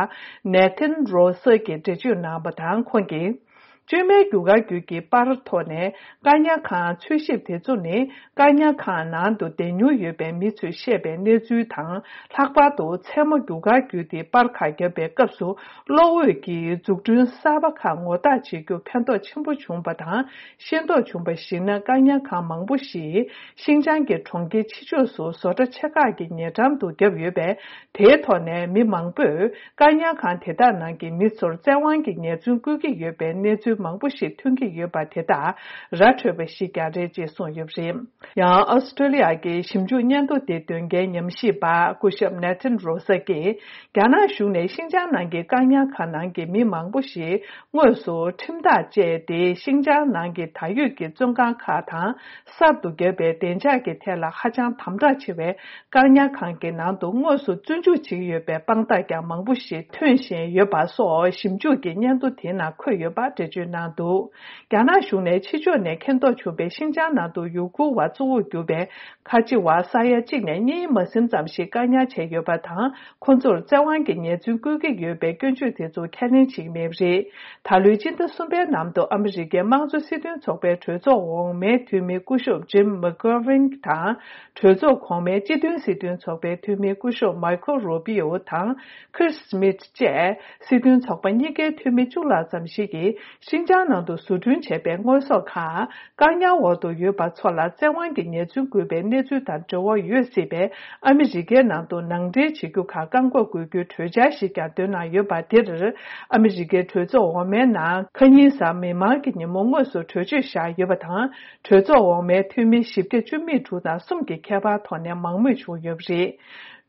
ནེ་ཐན་རོ་སར་གྱིས་འགྲེལ་བརྗོད་གནང་བ་དང་། ཁོང་གིས། བཅོས་མའི་རྒྱུ་སྐར་བརྒྱུད་ཀྱི་པར་ཐོག་ནས་བཀག་ཉར་ཁང་འཚོལ་ཞིབ་དེ་ཚོ་ནི། བཀག་ཉར་ཁང་ནང་དུ་བསྡད་མྱོང་ཡོད་པའི་མི་ཚོས་བཤད་པའི་གནས་ཚུལ་དང་། ལྷག་པར་དུ་མཚན་མོ་རྒྱུ་སྐར་བརྒྱུད་དེ་པར་ཁག་བརྒྱབ་པའི་སྐབས་སུ། གློག་འོད་ཀྱི་འཛུགས་སྐྲུན་གསར་པ་ཁག་ངོ་རྟགས་བྱེད་རྒྱུ་ཕན་ཐོགས་ཆེན་པོ་བྱུང་བ་དང་། ཤེས་རྟོགས་བྱུང་བར་གཞིགས་ན། བཀག་ཉར་ཁང་མང་པོ་ཞིག་ཤིན་ཅང་གི་གྲོང་ཁྱེར་ཕྱི་ཕྱོགས་སུ་བཟོ་གྲྭ་ཆེ་ཁག་གི་ཉེ་འགྲམ་དུ་བརྒྱབ་ཡོད་པས། དེའི་ཐོག་ནས་མི་མང་པོས། བཀག་ཉར་ཁང་དེ་དག་ནང་གི་མི་ཚོར་བཙན་དབང་གིས་ཉེས་རྩོད་བཀོད་ཀྱི་ཡོད་པའི་གནས་ཚུལ་མང་པོ་ཞིག་ཐོན་གྱི་ཡོད་པ་དེ་དག་ར་འཕྲོད་པ་ཞིག་ཀྱང་རེད་ཅེས་གསུངས་ཡོད་པ་རེད། ཡང་ཨོ་སི་ཀྲོ་ལི་ཡ་གི་ཞིབ་འཇུག་སྙན་ཐོ་དེ་འདོན་མཁན་ཉམས་ཞིབ་པ་སྐུ་ཞབས་ནེ་ཐན་རོ་སར་གྱིས། རྒྱ་ནག་གཞུང་ནས་ཤིན་ཅང་ནང་གི་བཀག་ཉར་ཁང་ནང་གི་མི་མང་པོ་ཞིག་དངོས་སུ་ཁྲིམས་ཐག་བཅད་དེ། ཤིན་ཅང་ནང་གི་ད་ཡོད་ཀྱི་བཙོན་ཁང་ཁག་དང་། གསར་དུ་བརྒྱབ་པའི་བདེ་འཇགས་ཀྱི་ཐད་ལ་ཧ་ཅང་དམ་དྲག་ཆེ་བའི་བཀག་ཉར་ཁང་གི་ནང་དུ་དངོས་སུ་བཙོན་འཇུག་བྱེད་ཀྱི་ཡོད་པའི་དཔང་རྟགས་ཀྱང་མང་པོ་ཞིག་ཐོན་བཞིན་ཡོད་པ་སོགས་ཞིབ་འཇུག་གི་སྙན་ཐོ་དེའི་ནང་འཁོད་ཡོད་པ་འགྲེལ་བརྗོད་གནང་འདུག་རྒྱ་ནག་གཞུང་ནས་ཕྱི་ཕྱོགས་ནས་མཁྱེན་རྟོགས་བྱུང་བའི་ཤིན་ཅང་ནང་དུ་ཡུ་གུར་བ་གཙོ་བོར་གྱུར་པའི་ཁ་ཆེ་བ་ས་ཡ་གཅིག་ནས་གཉིས་མ་ཟིན་ཙམ་ཞིག་བཀག་ཉར་བྱས་ཡོད་པ་དང་། ཁོ་ཚོར་བཙན་དབང་གིས་ཉེས་རྩོད་བཀོད་ཀྱི་ཡོད་པའི་སྐྱོན་བརྗོད་དེ་ཚོ་ཁས་ལེན་བྱེད་ཀྱི་མེད་པ་རེད། ད་ལོའི་སྤྱི་ཟླ་གསུམ་པའི་ནང་དུ་ཨ་མི་རི་ཀའི་དམངས་གཙོ་སྲིད་དོན་ཚོགས་པའི་གྲོས་ཚོགས་འོག་མའི་འཐུས་མི་སྐུ་ཞབས་ཇིམ་མེག་གྷོ་ཝིན་དང་། གྲོས་ཚོགས་གོང་མའི་སྤྱི་མཐུན་སྲིད་དོན་ཚོགས་པའི་འཐུས་མི་སྐུ་ཞབས་མའི་ཁོ་རུ་པི་ཨོ་དང་། ཁིར་སི་མིད་བཅས་སྲིད་དོན་ཚོགས་པ་གཉིས་ཀའི་འཐུས་མི་བཅུ་ལྷག་ཙམ་ཞིག་གིས། ཤིན་ཅང་ནང་དུ་བཟོ་སྐྲུན་བྱས་པའི་དངོས་ཟོག་ཁག་བཀག་ཉར་འོག་ཏུ་ཡོད་པ་ཚོ་ལ་བཙན་དབང་གིས་ཉེས་རྩོད་བཀོད་པའི་གནས་ཚུལ་དང་འབྲེལ་བ་ཡོད་སྲིད་པས། ཨ་མི་རི་ཀའི་ནང་དུ་ནང་འདྲེན་བྱེད་རྒྱུ་ཁག་བཀག་འགོག་དགོས་རྒྱུའི་གྲོས་འཆར་ཞིག་ཀྱང་འདོན་གནང་ཡོད་པ་དེར། ཨ་མི་རི་ཀའི་གྲོས་ཚོགས་འོག་མའི་ནང་ཁ་ཉིན་གཟའ་མིག་དམར་གྱི་ཉིན་མོ་དངོས་སུ་གྲོས་ཆོད་བཞག་ཡོད་པ་དང་། གྲོས་ཚོགས་འོག་མའི་འཐུས་མི་བཞི་བརྒྱ་བཅུ་མེད་དྲུག་དང་གསུམ་གྱི་ཁྱད་པར་ཐོག་ནས་མང་མོས་བྱུང་ཡོད་པ་རེད།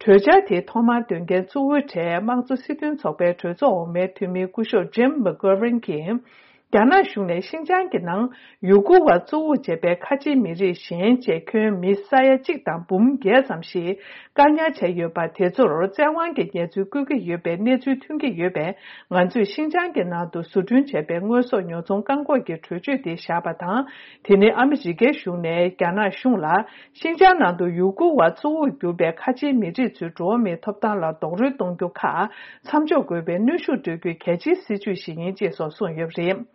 གྲོས་འཆར་དེ་ཐོག་མར་འདོན་མཁན་གཙོ་བོའི་གྲས་དམངས་གཙོ་སྲིད་དོན་ཚོགས་པའི་གྲོས་ཚོགས་འོག་མའི་འཐུས་མི་སྐུ་ཞབས་ཇིམ་མེག་གྷོ་ཝིན་གྱིས། རྒྱ་ནག་གཞུང་ནས་ཤིན་ཅང་གི་ནང་ཡུ་གུར་བ་གཙོ་བོར་བྱས་པའི་ཁ་ཆེའི་མི་རིགས་གཞན་བཅས་ཁྱོན་མི་ས་ཡ་གཅིག་དང་འབུམ་བརྒྱད་ཙམ་ཞིག་བཀག་ཉར་བྱས་ཡོད་པ་དེ་ཚོར་བཙན་དབང་གིས་ཉེས་རྩོད་བཀོད་ཀྱི་ཡོད་པའི་གནས་ཚུལ་ཐོན་གྱི་ཡོད་པས། ང་ཚོས་ཤིན་ཅང་གི་ནང་དུ་བཟོ་སྐྲུན་བྱས་པའི་དངོས་ཟོག་ཉོ་ཚོང་བཀག་འགོག་གི་གྲོས་ཆོད་དེ་བཞག་པ་དང་། དེ་ནི་ཨ་མི་རི་ཀའི་གཞུང་ནས་རྒྱ་ནག་གཞུང་ལ། ཤིན་ཅང་ནང་དུ་ཡུ་གུར་བ་གཙོ་བོར་གྱུར་པའི་ཁ་ཆེའི་མི་རིགས་ཚོའི་འགྲོ་བ་མིའི་ཐོབ་ཐང་ལ་རྡོག་རོལ་གཏོང་རྒྱུ་ཁག་མཚམས་འཇོག་དགོས་པའི་གནོན་ཤུགས་སྤྲོད་རྒྱུའི་གལ་ཆེའི་སྲིད་ཇུས་ཤིག་ཡིན་ཅེས་སོགས་གསུངས་ཡོད་པ་རེད།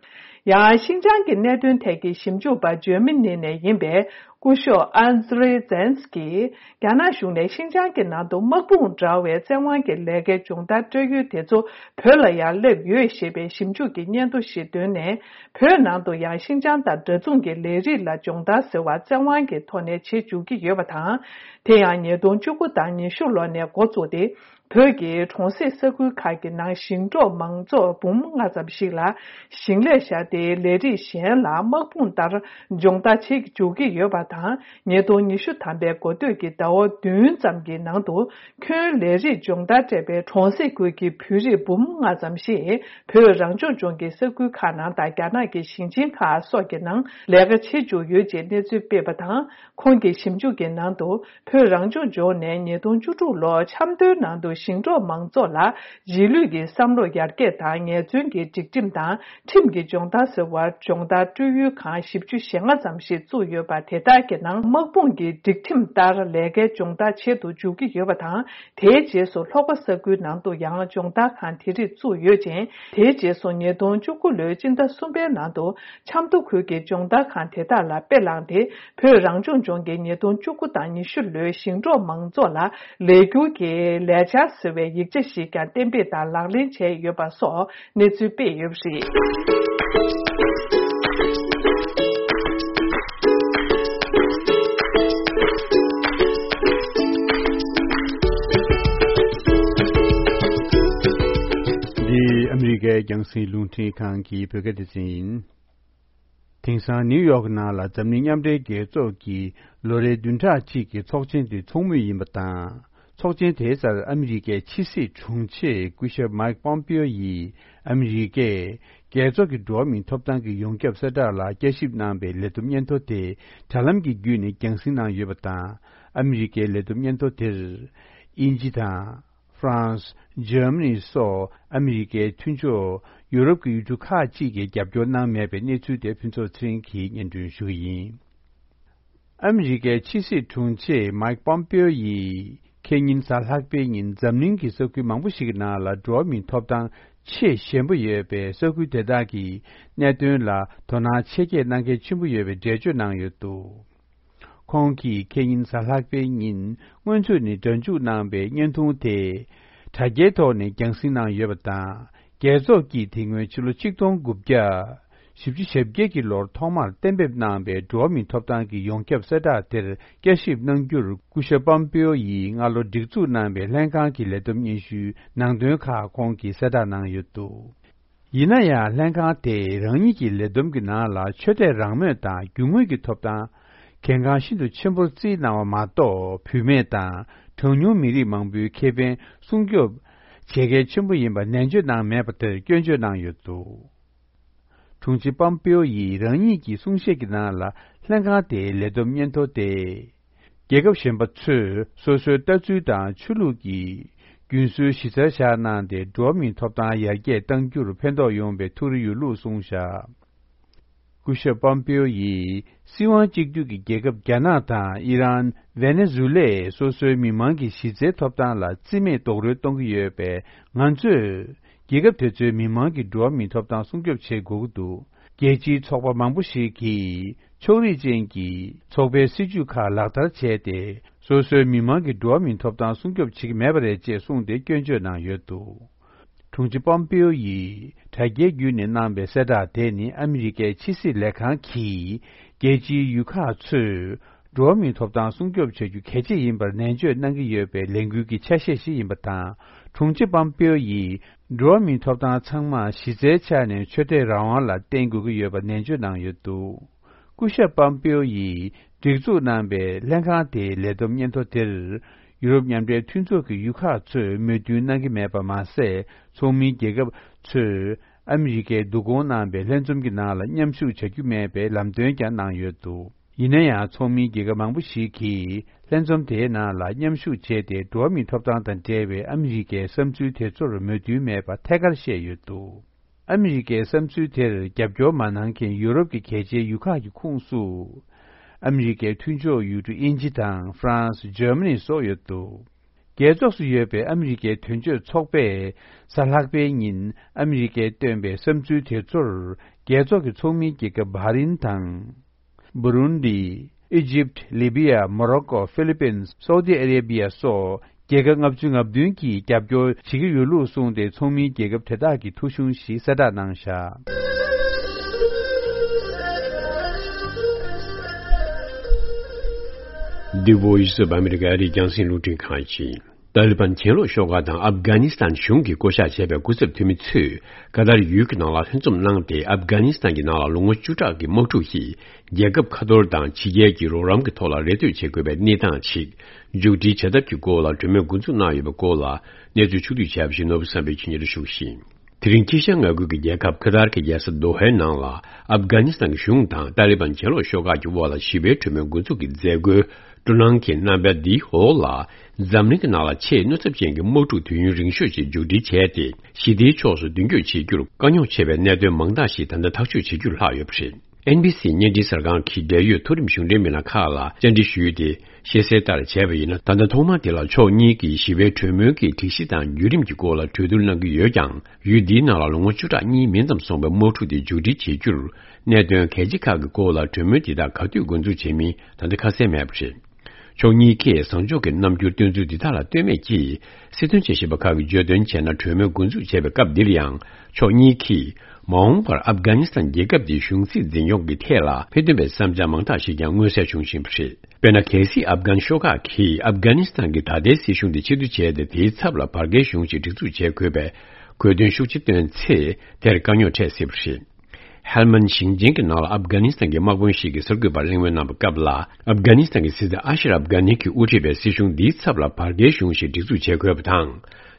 ཡང་ཤིན་ཅང་གི་གནད་དོན་ཐད་ཀྱི་ཞིབ་འཇུག་པ་འཇར་མ་ནི་ནས་ཡིན་པའི་སྐུ་ཞབས་ཨན་ཛི་རེ་ཛན་སི་ཀྱིས། རྒྱ་ནག་གཞུང་ནས་ཤིན་ཅང་གི་ནང་དུ་དམག་དཔུང་འདྲ་བའི་བཙན་དབང་གི་ལས་ཀའི་སྦྱོང་བརྡར་སྤྲོད་ཡུལ་དེ་ཚོ་བོད་ལ་ཡང་སླེབས་ཡོད་ཞེས་པའི་ཞིབ་འཇུག་གི་སྙན་ཐོ་ཞིག་བཏོན་ནས། བོད་ནང་དུ་ཡང་ཤིན་ཅང་དང་འདྲ་མཚུངས་ཀྱི་ལས་རིགས་ལ་སྦྱོང་བརྡར་ཟེར་བ་བཙན་དབང་གི་ཐོག་ནས་བྱེད་འཇུག་གི་ཡོད་པ་དང་། དེ་ཡང་ཉིས་སྟོང་བཅུ་དགུ་དང་ཉི་ཤུ་ལོ་ནས་འགོ་བཙུགས་ཏེ། བོད་ཀྱི་གྲོང་གསེབ་ས་ཁུལ་ཁག་གི་ནང་ཞིང་འབྲོག་མང་ཚོགས་འབུམ་ལྔ་ཙམ་ཞིག་ལ་ཞིང་ལས་བཞག་སྟེ། ལས་རིགས་གཞན་ལ་དམག་དཔུང་ལྟར་སྦྱོང་བརྡར་བྱེད་འཇུག་གི་ཡོད་པ་དང་། ཉིས་སྟོང་ཉི་ཤུ་ཐམ་པའི་འགོ་སྟོད་ཀྱི་ཟླ་བ་བདུན་ཙམ་གྱི་ནང་དུ། ཁྱོན་ལས་རིགས་སྦྱོང་བརྡར་སྤྲད་པའི་གྲོང་གསེབ་ཁུལ་གྱི་བོད་རིགས་འབུམ་ལྔ་ཙམ་ཞིག་བོད་རང་སྐྱོང་ལྗོངས་ཀྱི་ས་ཁུལ་ཁག་ནང་དང་། རྒྱ་ནག་གི་ཞིང་ཆེན་ཁག་སོགས་ཀྱི་ནང་ལས་ཀ་བྱེད་བཅུག་ཡོད་ཅེས་གནས་ཚུལ་སྤེལ་བ་དང་། ཁོང་གིས་ཞིབ་འཇུག་གི་ནང་དུ། བོད་རང་སྐྱོང་ལྗོངས་ནས་ཉིས་སྟོང་བཅུ་དྲུག་ལོར་ཆབ་མདོའི་ནང་དུ་ ཞིང་འབྲོག་མང་ཚོགས་ལ་རྗེས་ལུས་ཀྱི་བསམ་བློ་ཡར་རྒྱས་དང་ངལ་རྩོལ་གྱི་སྒྲིག་ཁྲིམས་དང་ཁྲིམས་ཀྱི་སྦྱོང་བརྡར་ཟེར་བར་སྦྱོང་བརྡར་སྤྲོད་ཡུལ་ཁང་བཞི་བཅུ་ཞེ་ལྔ་ཙམ་ཞིག་བཙུགས་ཡོད་པ། དེ་དག་གི་ནང་དམག་དཔུང་གི་སྒྲིག་ཁྲིམས་ལྟར་ལས་ཀའི་སྦྱོང་བརྡར་བྱེད་དུ་འཇུག་གི་ཡོད་པ་དང་། དེའི་རྗེས་སུ་ལྷོ་ཁ་ས་ཁུལ་ནང་དུ་ཡང་སྦྱོང་བརྡར་ཁང་དེ་རིགས་བཙུགས་ཡོད་ཅིང་། དེའི་རྗེས་སུ་ཉིས་སྟོང་བཅུ་དགུ་ལོའི་སྤྱི་ཟླ་གསུམ་པའི་ནང་དུ་ཆབ་མདོ་ཁུལ་གྱི་སྦྱོང་བརྡར་ཁང་དེ་དག་ལ་དཔེ་བླངས་ཏེ། བོད་རང་སྐྱོང་ལྗོངས་ཀྱི་ཉིས་སྟོང་བཅུ་དགུ་དང་ཉི་ཤུ་ལོའི་ཞིང་འབྲོག་མང་ཚོགས་ལ་ལས་སྒྱུར་གྱི་ལས་འཆར་ཟེར་བའི་ཡིག་ཆ་ཞིག་ཀྱང་གཏན་འབེབས་དང་ལག་ལེན་བྱས་ཡོད་པ་སོགས་གནས་ཚུལ་སྤེལ་ཡོད་པ་རེད། འདི་ཨ་མི་རི་ཀའི་རྒྱང་སྲིང་རླུང་འཕྲིན་ཁང་གི་བོད་སྐད་སྡེ་ཚན་ཡིན། དེང་སང་ནིའུ་ཡོག་ནང་ལ་འཛམ་གླིང་མཉམ་འབྲེལ་རྒྱལ་ཚོགས་ཀྱི་ལོ་རེའི་བདུན་ཕྲག་གཅིག་གི་ཚོགས་ཆེན་དེ་ཚོགས་མུས་ཡིན་པ་དང་། ཚོགས་ཆེན་དེའི་སར་ཨ་མི་རི་ཀའི་ཕྱི་སྲིད་དྲུང་ཆེ་སྐུ་ཞབས་མའིག་པོམ་པིའོ་ཡིས་ཨ་མི་རི་ཀས་རྒྱལ་ཚོགས་ཀྱི་འགྲོ་བ་མིའི་ཐོབ་ཐང་གི་ཡོངས་ཁྱབ་གསལ་བསྒྲགས་ལ་བསྐྱར་ཞིབ་གནང་བའི་ལས་བསྡོམས་སྙན་ཐོ་དེ་དྲ་ལམ་གྱི་བརྒྱུད་ནས་རྒྱང་སྲིང་གནང་ཡོད་པ་དང་། ཨ་མི་རི་ཀའི་ལས་བསྡོམས་སྙན་ཐོ་དེར་དབྱིན་ཇི་དང་། ཧྥ་རན་སི། འཇར་མ་ནི་སོགས་ཨ་མི་རི་ཀའི་མཐུན་ཕྱོགས་ཡུ་རོབ་ཀྱི་ཡུལ་གྲུ་ཁག་ཅིག་གིས་རྒྱབ་སྐྱོར་གནང་མེད་པའི་གནས་ཚུལ་དེ་ཕུན་ཚོགས་ཚེ་རིང་གིས་སྙན་སྒྲོན་ཞུ་གི་ཡིན། ཨ་མི་རི་ཀའི་ཕྱི་སྲིད་དྲུང་ཆེ་མའིག་པོམ་པེའོ་ཡིས་ཁེ་ཉིན་གཟའ་ལྷག་པའི་ཉིན་འཛམ་གླིང་གི་ས་ཁུལ་མང་པོ་ཞིག་གི་ནང་ལ་འགྲོ་བ་མིའི་ཐོབ་ཐང་ཆེས་ཞན་པོ་ཡོད་པའི་ས་ཁུལ་དེ་དག་གི་གནད་དོན་ལ་དོ་སྣང་ཆེ་བསྐྱེད་གནང་གལ་ཆེན་པོ་ཡོད་པའི་འགྲེལ་བརྗོད་གནང་ཡོད་འདུག། ཁོང་གིས་ཁེ་ཉིན་གཟའ་ལྷག་པའི་ཉིན་སྔོན་ཚུད་ནས་སྒྲ་འཇུག་གནང་བའི་བརྙན་ཐུང་དེ་དྲ་རྒྱའི་ཐོག་ནས་རྒྱང་སྲིང་གནང་ཡོད་པ་དང་། རྒྱལ་ཚོགས་ཀྱིས་དེ་སྔོན་ཕྱི་ལོ་ཆིག་སྟོང་དགུ་བརྒྱ་བཞི་བཅུ་ཞེ་བརྒྱད་ཀྱི་ལོར་ཐོག་མར་གཏན་འབེབས་གནང་བའི་འགྲོ་བ་མིའི་ཐོབ་ཐང་གི་ཡོངས་ཁྱབ་གསལ་བསྒྲགས་དེར་བསྐྱར་ཞིབ་གནང་རྒྱུར་སྐུ་ཞབས་པམ་པེའོ་ཡིས་སྔ་ལོ་སྒྲིག་འཛུགས་གནང་བའི་ལྷན་ཁང་གི་ལས་བསྡོམས་སྙན་ཞུའི་ནང་དོན་ཁག་ཁོང་གིས་གསལ་བསྒྲགས་གནང་ཡོད་འདུག། ཡིན་ན་ཡང་ལྷན་ཁང་དེས་རང་ཉིད་ཀྱི་ལས་བསྡོམས་ཀྱི་ནང་ལ་ཆོས་དད་རང་མོས་དང་རྒྱུ་དངོས་ཀྱི་ཐོབ་ཐང་། གལ་འགངས་ཤིན་ཏུ་ཆེན་པོར་བརྩིས་གནང་བ་མ་གཏོགས། བུད་མེད་དང་གྲངས་ཉུང་མི་རིགས་མང་པོའི་ཁེ་ཕན་སྲུང་སྐྱོབ་བྱེད་གལ་ཆེན་པོ་ཡིན་པ་ནན་བརྗོད་གནང་མེད་པ་དེར་སྐྱོན་བརྗོད་གནང་ཡོད་འདུག། དྲུང་ཆེ་པམ་པེའོ་ཡིས་རང་ཉིད་ཀྱི་གསུང་བཤད་ཀྱི་ནང་ལ་ལྷན་ཁང་དེའི་ལས་བསྡོམས་སྙན་ཐོ་དེ། རྒྱལ་ཁབ་གཞན་པ་ཚོས་སོ་སོའི་ལྟ་ཚུལ་དང་ཆོས་ལུགས་ཀྱི་རྒྱུན་སྲོལ་གཞི་རྩར་བཞག་གནང་སྟེ། འགྲོ་བ་མིའི་ཐོབ་ཐང་ཡར་རྒྱས་གཏང་རྒྱུར་ཕན་ཐོགས་ཡོང་བའི་ཐུགས་རེ་ཡོད་ལུགས་གསུངས་བཞག། སྐུ་ཞབས་པམ་པེའོ་ཡིས་སྲིད་དབང་གཅིག་སྡུད་ཀྱི་རྒྱལ་ཁབ་རྒྱ་ནག་དང་ཨི་རན། ཝེ་ནེ་ཛུ་ལས་སོ་སོའི་མི་མང་གི་གཞི་རྩའི་ཐོབ་ཐང་ལ་རྩིས་མེད་རྡོག་རོལ་གཏོང་གི་ཡོད་པས། ང་ཚོས་རྒྱལ་ཁབ་དེ་ཚོའི་མི་མང་གི་འགྲོ་བ་མིའི་ཐོབ་ཐང་སྲུང་སྐྱོབ་བྱེད་དགོས་ཀྱི་འདུག། རྒྱལ་སྤྱིའི་ཚོགས་པ་མང་པོ་ཞིག་གིས་ཕྱོགས་རིས་ཅན་གྱི་ཚོགས་པའི་སྲིད་ཇུས་ཁག་ལག་བསྟར་བྱས་ཏེ། སོ་སོའི་མི་མང་གི་འགྲོ་བ་མིའི་ཐོབ་ཐང་སྲུང་སྐྱོབ་བྱེད་ཀྱི་མེད་པ་རེད་ཅེས་གསུངས་ཏེ་སྐྱོན་བརྗོད་གནང་ཡོད་འདུག། དྲུང་ཆེ་པོམ་པེའོ་ཡིས་དྲ་རྒྱའི་བརྒྱུད་ནས་གནང་བའི་གསལ་བསྒྲགས་དེ་ནི། ཨ་མི་རི་ཀའི་ཕྱི་སྲིད་ལས་ཁང་གིས་རྒྱལ་སྤྱིའི་ཡུལ་ཁག་ཚོས་འགྲོ་བ་མིའི་ཐོབ་ཐང་སྲུང་སྐྱོབ་བྱ་རྒྱུ་གལ་ཆེ་ཡིན་པར་ནན་བརྗོད་གནང་གི་ཡོད་པའི་ལས་འགུལ་གྱི་ཆ་ཤས་ཤིག་ཡིན་པ་དང་། དྲུང་ཆེ་པོམ་པེའོ་ཡིས། འགྲོ་བ་མིའི་ཐོབ་ཐང་ཚང་མ་གཞི་རྩའི་ཆ་ནས་ཆོས་དད་རང་དབང་ལ་བརྟེན་དགོས་ཀྱི་ཡོད་པ་ནན་བརྗོད་གནང་ཡོད་འདུག། སྐུ་ཞབས་པམ་པེའོ་ཡིས་སྒྲིག་འཛུགས་གནང་པའི་ལྷན་ཁང་དེའི་ལས་བསྡོམས་སྙན་ཐོ་དེར། ཡུ་རོབ་མཉམ་འབྲེལ་མཐུན་ཚོགས་ཀྱི་ཡུལ་ཁག་ཚོས་མོས་མཐུན་གནང་གི་མེད་པ་མ་ཟད། ཚོགས་མིའི་རྒྱལ་ཁབ་ཚོས་ཨ་མི་རི་ཀས་བསྡུ་སྐོང་གནང་པའི་ལྷན་འཛོམས་ཀྱི་ནང་ལ་མཉམ་ཞུགས་བྱ་རྒྱུ་མེད་པའི་ལམ་སྟོན་ཀྱང་གནང་ཡོད་འདུག། ཡིན་ན་ཡང་། ཚོགས་མིའི་རྒྱལ་ཁབ་མང་པོ་ཞིག་གིས་ལྷན་འཛོམས་དེའི་ནང་ལ་མཉམ་ཞུགས་བྱས་ཏེ། འགྲོ་བ་མིའི་ཐོབ་ཐང་དང་འབྲེལ་བའི་ཨ་མི་རི་ཀའི་བསམ་ཚུལ་དེ་ཚོར་མོས་མཐུན་མེད་པ་ཐད་ཀར་བཤད་ཡོད་འདུག། ཨ་མི་རི་ཀའི་བསམ་ཚུལ་དེར་རྒྱབ་སྐྱོར་མ་གནང་མཁན་ཡུ་རོབ་ཀྱི་གལ་ཆེའི་ཡུལ་ཁག་གི་ཁོངས་སུ། ཨ་མི་རི་ཀའི་མཐུན་ཕྱོགས་ཡུལ་གྲུ་དབྱིན་ཇི་དང་། ཧྥ་རན་སི། འཇར་མ་ནི་སོགས་ཡོད་འདུག། རྒྱལ་ཚོགས་སུ་ཡོད་པའི་ཨ་མི་རི་ཀའི་དོན་གཅོད་ཚོགས་པས་གཟའ་ལྷག་པའི་ཉིན་ཨ་མི་རི་ཀས་བཏོན་པའི་བསམ་ཚུལ་དེ་ཚོར། རྒྱལ་ཚོགས་ཀྱི་ཚོགས་མིའི་རྒྱལ་ཁབ་བྷ་རིན་དང་། བུ་རུན་ཌི། ཨི་ཇིབ། ལི་བི་ཡ། མོ་རོ་ཀོ། ཧྥི་ལི་པིན། སའུ་ཏི་ཨ་རེ་བི་ཡ་སོགས་རྒྱལ་ཁབ་ལྔ་བཅུ་ང་བདུན་གྱིས་རྒྱབ་སྐྱོར་བྱེད་ཀྱི་ཡོད་ལུགས་གསུངས་ཏེ། ཚོགས་མིའི་རྒྱལ་ཁབ་དེ་དག་གི་ཐོ་གཞུང་ཞིག་གསལ་བསྒྲགས་གནང་བཞག། འདི་Voice of America ཨ་རིའི་རྒྱང་སྲིང་རླུང་འཕྲིན་ཁང་ཡིན། ཏཱ་ལི་བན་གྱེན་ལོག་ཤོག་ཁག་དང་ཨབ་གྷ་ནི་སི་ཐན་གཞུང་གིས་བསྐོ་གཞག་བྱས་པའི་སྐུ་ཚབ་འཐུས་མི་ཚོས་ཀ་ཏར་ཡུལ་གྱི་ནང་ལ་ལྷན་འཛོམས་གནང་སྟེ། ཨབ་གྷ་ནི་སི་ཐན་གྱི་ནང་ལ་ལོ་ངོ་བཅུ་ཕྲག་གི་དམག་འཁྲུག་གིས་རྒྱལ་ཁབ་ཁ་ཐོར་དང་ཕྱི་རྒྱལ་གྱི་རོགས་རམ་གྱི་ཐོག་ལ་རེ་ལྟོས་བྱེད་དགོས་པའི་གནས་སྟངས་ཤིག་མཇུག་སྒྲིལ་བྱ་ཐབས་ཀྱི་སྐོར་ལ་གྲོས་མོལ་འགོ་འཛུགས་གནང་ཡོད་པའི་སྐོར་ལ་གནས་ཚུལ་ཕྱོགས་བསྡུས་བྱས་པ་ཞིག་ནོར་བུ་བསམ་འཕེལ་གྱིས་སྙན་སྒྲོན་ཞུ་གི་ཡིན། དེ་རིང་དཀྱིལ་ཤར་མངའ་ཁུལ་གྱི་རྒྱལ་ཁབ་ཁ་ཏར་གྱི་རྒྱལ་ས་དོ་ཧའི་ནང་ལ་ཨབ་གྷ་ནི་སི་ཐན་གྱི་གཞུང་དང་ཏཱ་ལི་བན་གྱེན་ལོག་ཤོག་ཁག་གི་དབར་ལ་ཞི་བའི་གྲོས་མོལ་འགོ་འཛུགས་ཀྱི་མཛད་སྒོའི་ སྤྲོ་སྣང་གི་རྣམ་པ་འདིའི་འོག་ལ། འཛམ་གླིང་གི་ནང་ལ་ཆེས་གནོད་ཚབས་ཅན་གྱི་དམག་འཁྲུག་དུས་ཡུན་རིང་ཤོས་ཤིག་མཇུག་སྒྲིལ་བྱས་ཏེ། ཞི་བདེའི་ཕྱོགས་སུ་མདུན་སྐྱོད་བྱེད་རྒྱུར་དཀའ་རྙོག་ཆེ་བའི་གནད་དོན་མང་དག་ཞིག་ད་ལྟ་ཐག་གཅོད་བྱེད་རྒྱུར་ལྷག་ཡོད་པ་རེད། ཨེན་བི་སི་བརྙན་འཕྲིན་གསར་ཁང་གིས་འབྲེལ་ཡོད་མཐོ་རིམ་གཞུང་འབྲེལ་མི་སྣ་ཁག་ལ་བཅར་འདྲི་ཞུས་ཏེ། བཤད་གསལ་ལྟར་བྱས་པ་ཡིན་ན། ད་ལྟ་ཐོག་མ་དེ་ལ་ཕྱོགས་གཉིས་ཀྱིས་ཞི་བའི་གྲོས་མོལ་གྱི་སྒྲིག་གཞི་དང་བརྒྱུད་རིམ་གྱི་སྐོར་ལ་གྲོས་བསྡུར་གནང་གི་ཡོད་ཀྱང་། ཡུལ་འདིའི་ནང་ལ་ལོ་ངོ་བཅུ་ཕྲག་གཉིས་མིན་ཙམ་སོང་བའི་དམག་འཁྲུག་དེ་མཇུག་སྒྲིལ་བྱེད་རྒྱུར། གནད་དོན་གལ་ཆེ་ཁག་གི་སྐོར་ལ་གྲོས་མོལ་དེ་དག་ག་དུས་འགོ་འཛུགས་བྱེད་མིན་ད་ལྟ་ཁ་གསལ་མེད་པ་རེད། ཕྱོགས་གཉིས་ཀས་བཟང་ཕྱོགས་ཀྱི་རྣམ་འགྱུར་སྟོན་ཚུལ་འདི་དག་ལ་ལྟོས་མེད་ཀྱིས། སྲིད་དོན་དཔྱད་ཞིབ་པ་ཁག་གིས་བརྗོད་དོན་བྱས་ན། གྲོས་མོལ་འགོ་འཛུགས་བྱས་པའི་སྐབས་འདིར་ཡང་ཕྱོགས་གཉིས་ཀྱིས་མ་འོངས་པར་ཨབ་གྷ་ནི་སི་ཐན་རྒྱལ་ཁབ་དེའི་གཞུང་སྲིད་འཛིན་སྐྱོང་གི་ཐད་ལ་ཕན་ཐོགས་པའི་བསམ་འཆར་མང་དག་ཞིག་ཀྱང་མངོན་གསལ་བྱུང་བཞིན་པ་རེད། དཔེར་ན། གལ་སྲིད་ཨབ་གྷན་ཤོག་ཁག་གིས་ཨབ་གྷ་ནི་སི་ཐན་གྱི་ད་ལྟའི་སྲིད་གཞུང་དེ་ཕྱིར་བསྡུ་བྱས་ཏེ། དེའི་ཚབ་ལ་བར་བརྒལ་གཞུང་ཞིག་སྒྲིག་འཛུགས་བྱེད་དགོས་པའི་དགོས་འདུན་ཤུགས་ཆེ་བཏོན་ཚེ། དེར་དཀའ་རྙོག་འཕྲད་སྲིད་པ་རེད། ཧེལ་མན་ཞིང་ཆེན་གྱི་ནང་ལ་ཨབ་གྷ་ནི་སི་ཐན་གྱི་དམག་དཔོན་ཞིག་གིས་གསར་འགོད་པར་གླེང་མོལ་གནང་བའི་སྐབས་ལ། ཨབ་གྷ་ནི་སི་ཐན་གྱི་སྲིད་འཛིན་ཨ་ཤ་རབ་གྷ་ནི་གིས་དབུ་ཁྲིད་པའི་སྲིད་གཞུང་འདིའི་ཚབ་ལ་བར་བརྒལ་གཞུང་ཞིག་སྒྲིག་འཛུགས་བྱེད་དགོས་པ་དང་།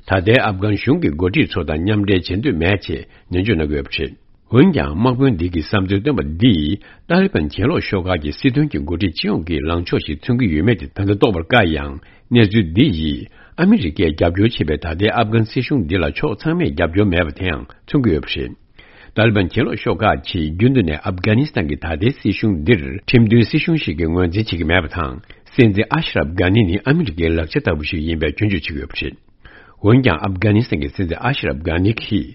ད་ལྟའི་ཨབ་གྷན་གཞུང་གི་འགོ་ཁྲིད་ཚོ་དང་མཉམ་འབྲེལ་བྱེད་འདོད་མེད་ཅེས་ནན་བརྗོད་གནང་གི་ཡོད་པ་རེད། འོན་ཀྱང་། དམག་དཔོན་འདི་གི་བསམ་ཚུལ་བཏོན་པ་འདིས། ཏཱ་ལི་བན་གྱེན་ལོག་ཤོག་ཁག་གི་སྲིད་དོན་གྱི་འགོ་ཁྲིད་སྤྱི་ཡོངས་ཀྱི་ལངས་ཕྱོགས་ཤིག་མཚོན་གྱི་ཡོད་མེད་དེ་ད་ལྟ་རྟོགས་པར་དཀའ་ཡང་། གནས་ཚུལ་འདི་ཡིས་ཨ་མི་རི་ཀས་རྒྱབ་སྐྱོར་བྱེད་པའི་ད་ལྟའི་ཨབ་གྷན་སྲིད་གཞུང་འདི་ལ་ཕྱོགས་ཚང་མས་རྒྱབ་སྐྱོར་མེད་པ་དེའང་མཚོན་གྱི་ཡོད་པ་རེད། ཏཱ་ལི་བན་གྱེན་ལོག་ཤོག་ཁག་གིས་རྒྱུན་དུ་ནས་ཨབ་གྷ་ནི་སི་ཐན་གྱི་ད་ལྟའི་སྲིད་གཞུང་འདིར་ཁྲིམས་མཐུན་སྲིད་གཞུང་ཞིག་གི་ངོས་འཛིན་བྱེད་ཀྱི་མེད་པ་དང་། སྲིད་འཛིན་ཨ་ཤ་རབ་གྷ་ནི་ནི་ཨ་མི་རི་ཀའི་ལག་ཆ་ལྟ་བུ་ཞིག་ཡིན་པའི་སྐྱོན་བརྗོད་བྱེད་ཀྱི་ཡོད་པ་རེད། འོན་ཀྱང་། ཨབ་གྷ་ནི་སི་ཐན་གྱི་སྲིད་འཛིན་ཨ་ཤ་རབ་གྷ་ནི་གིས།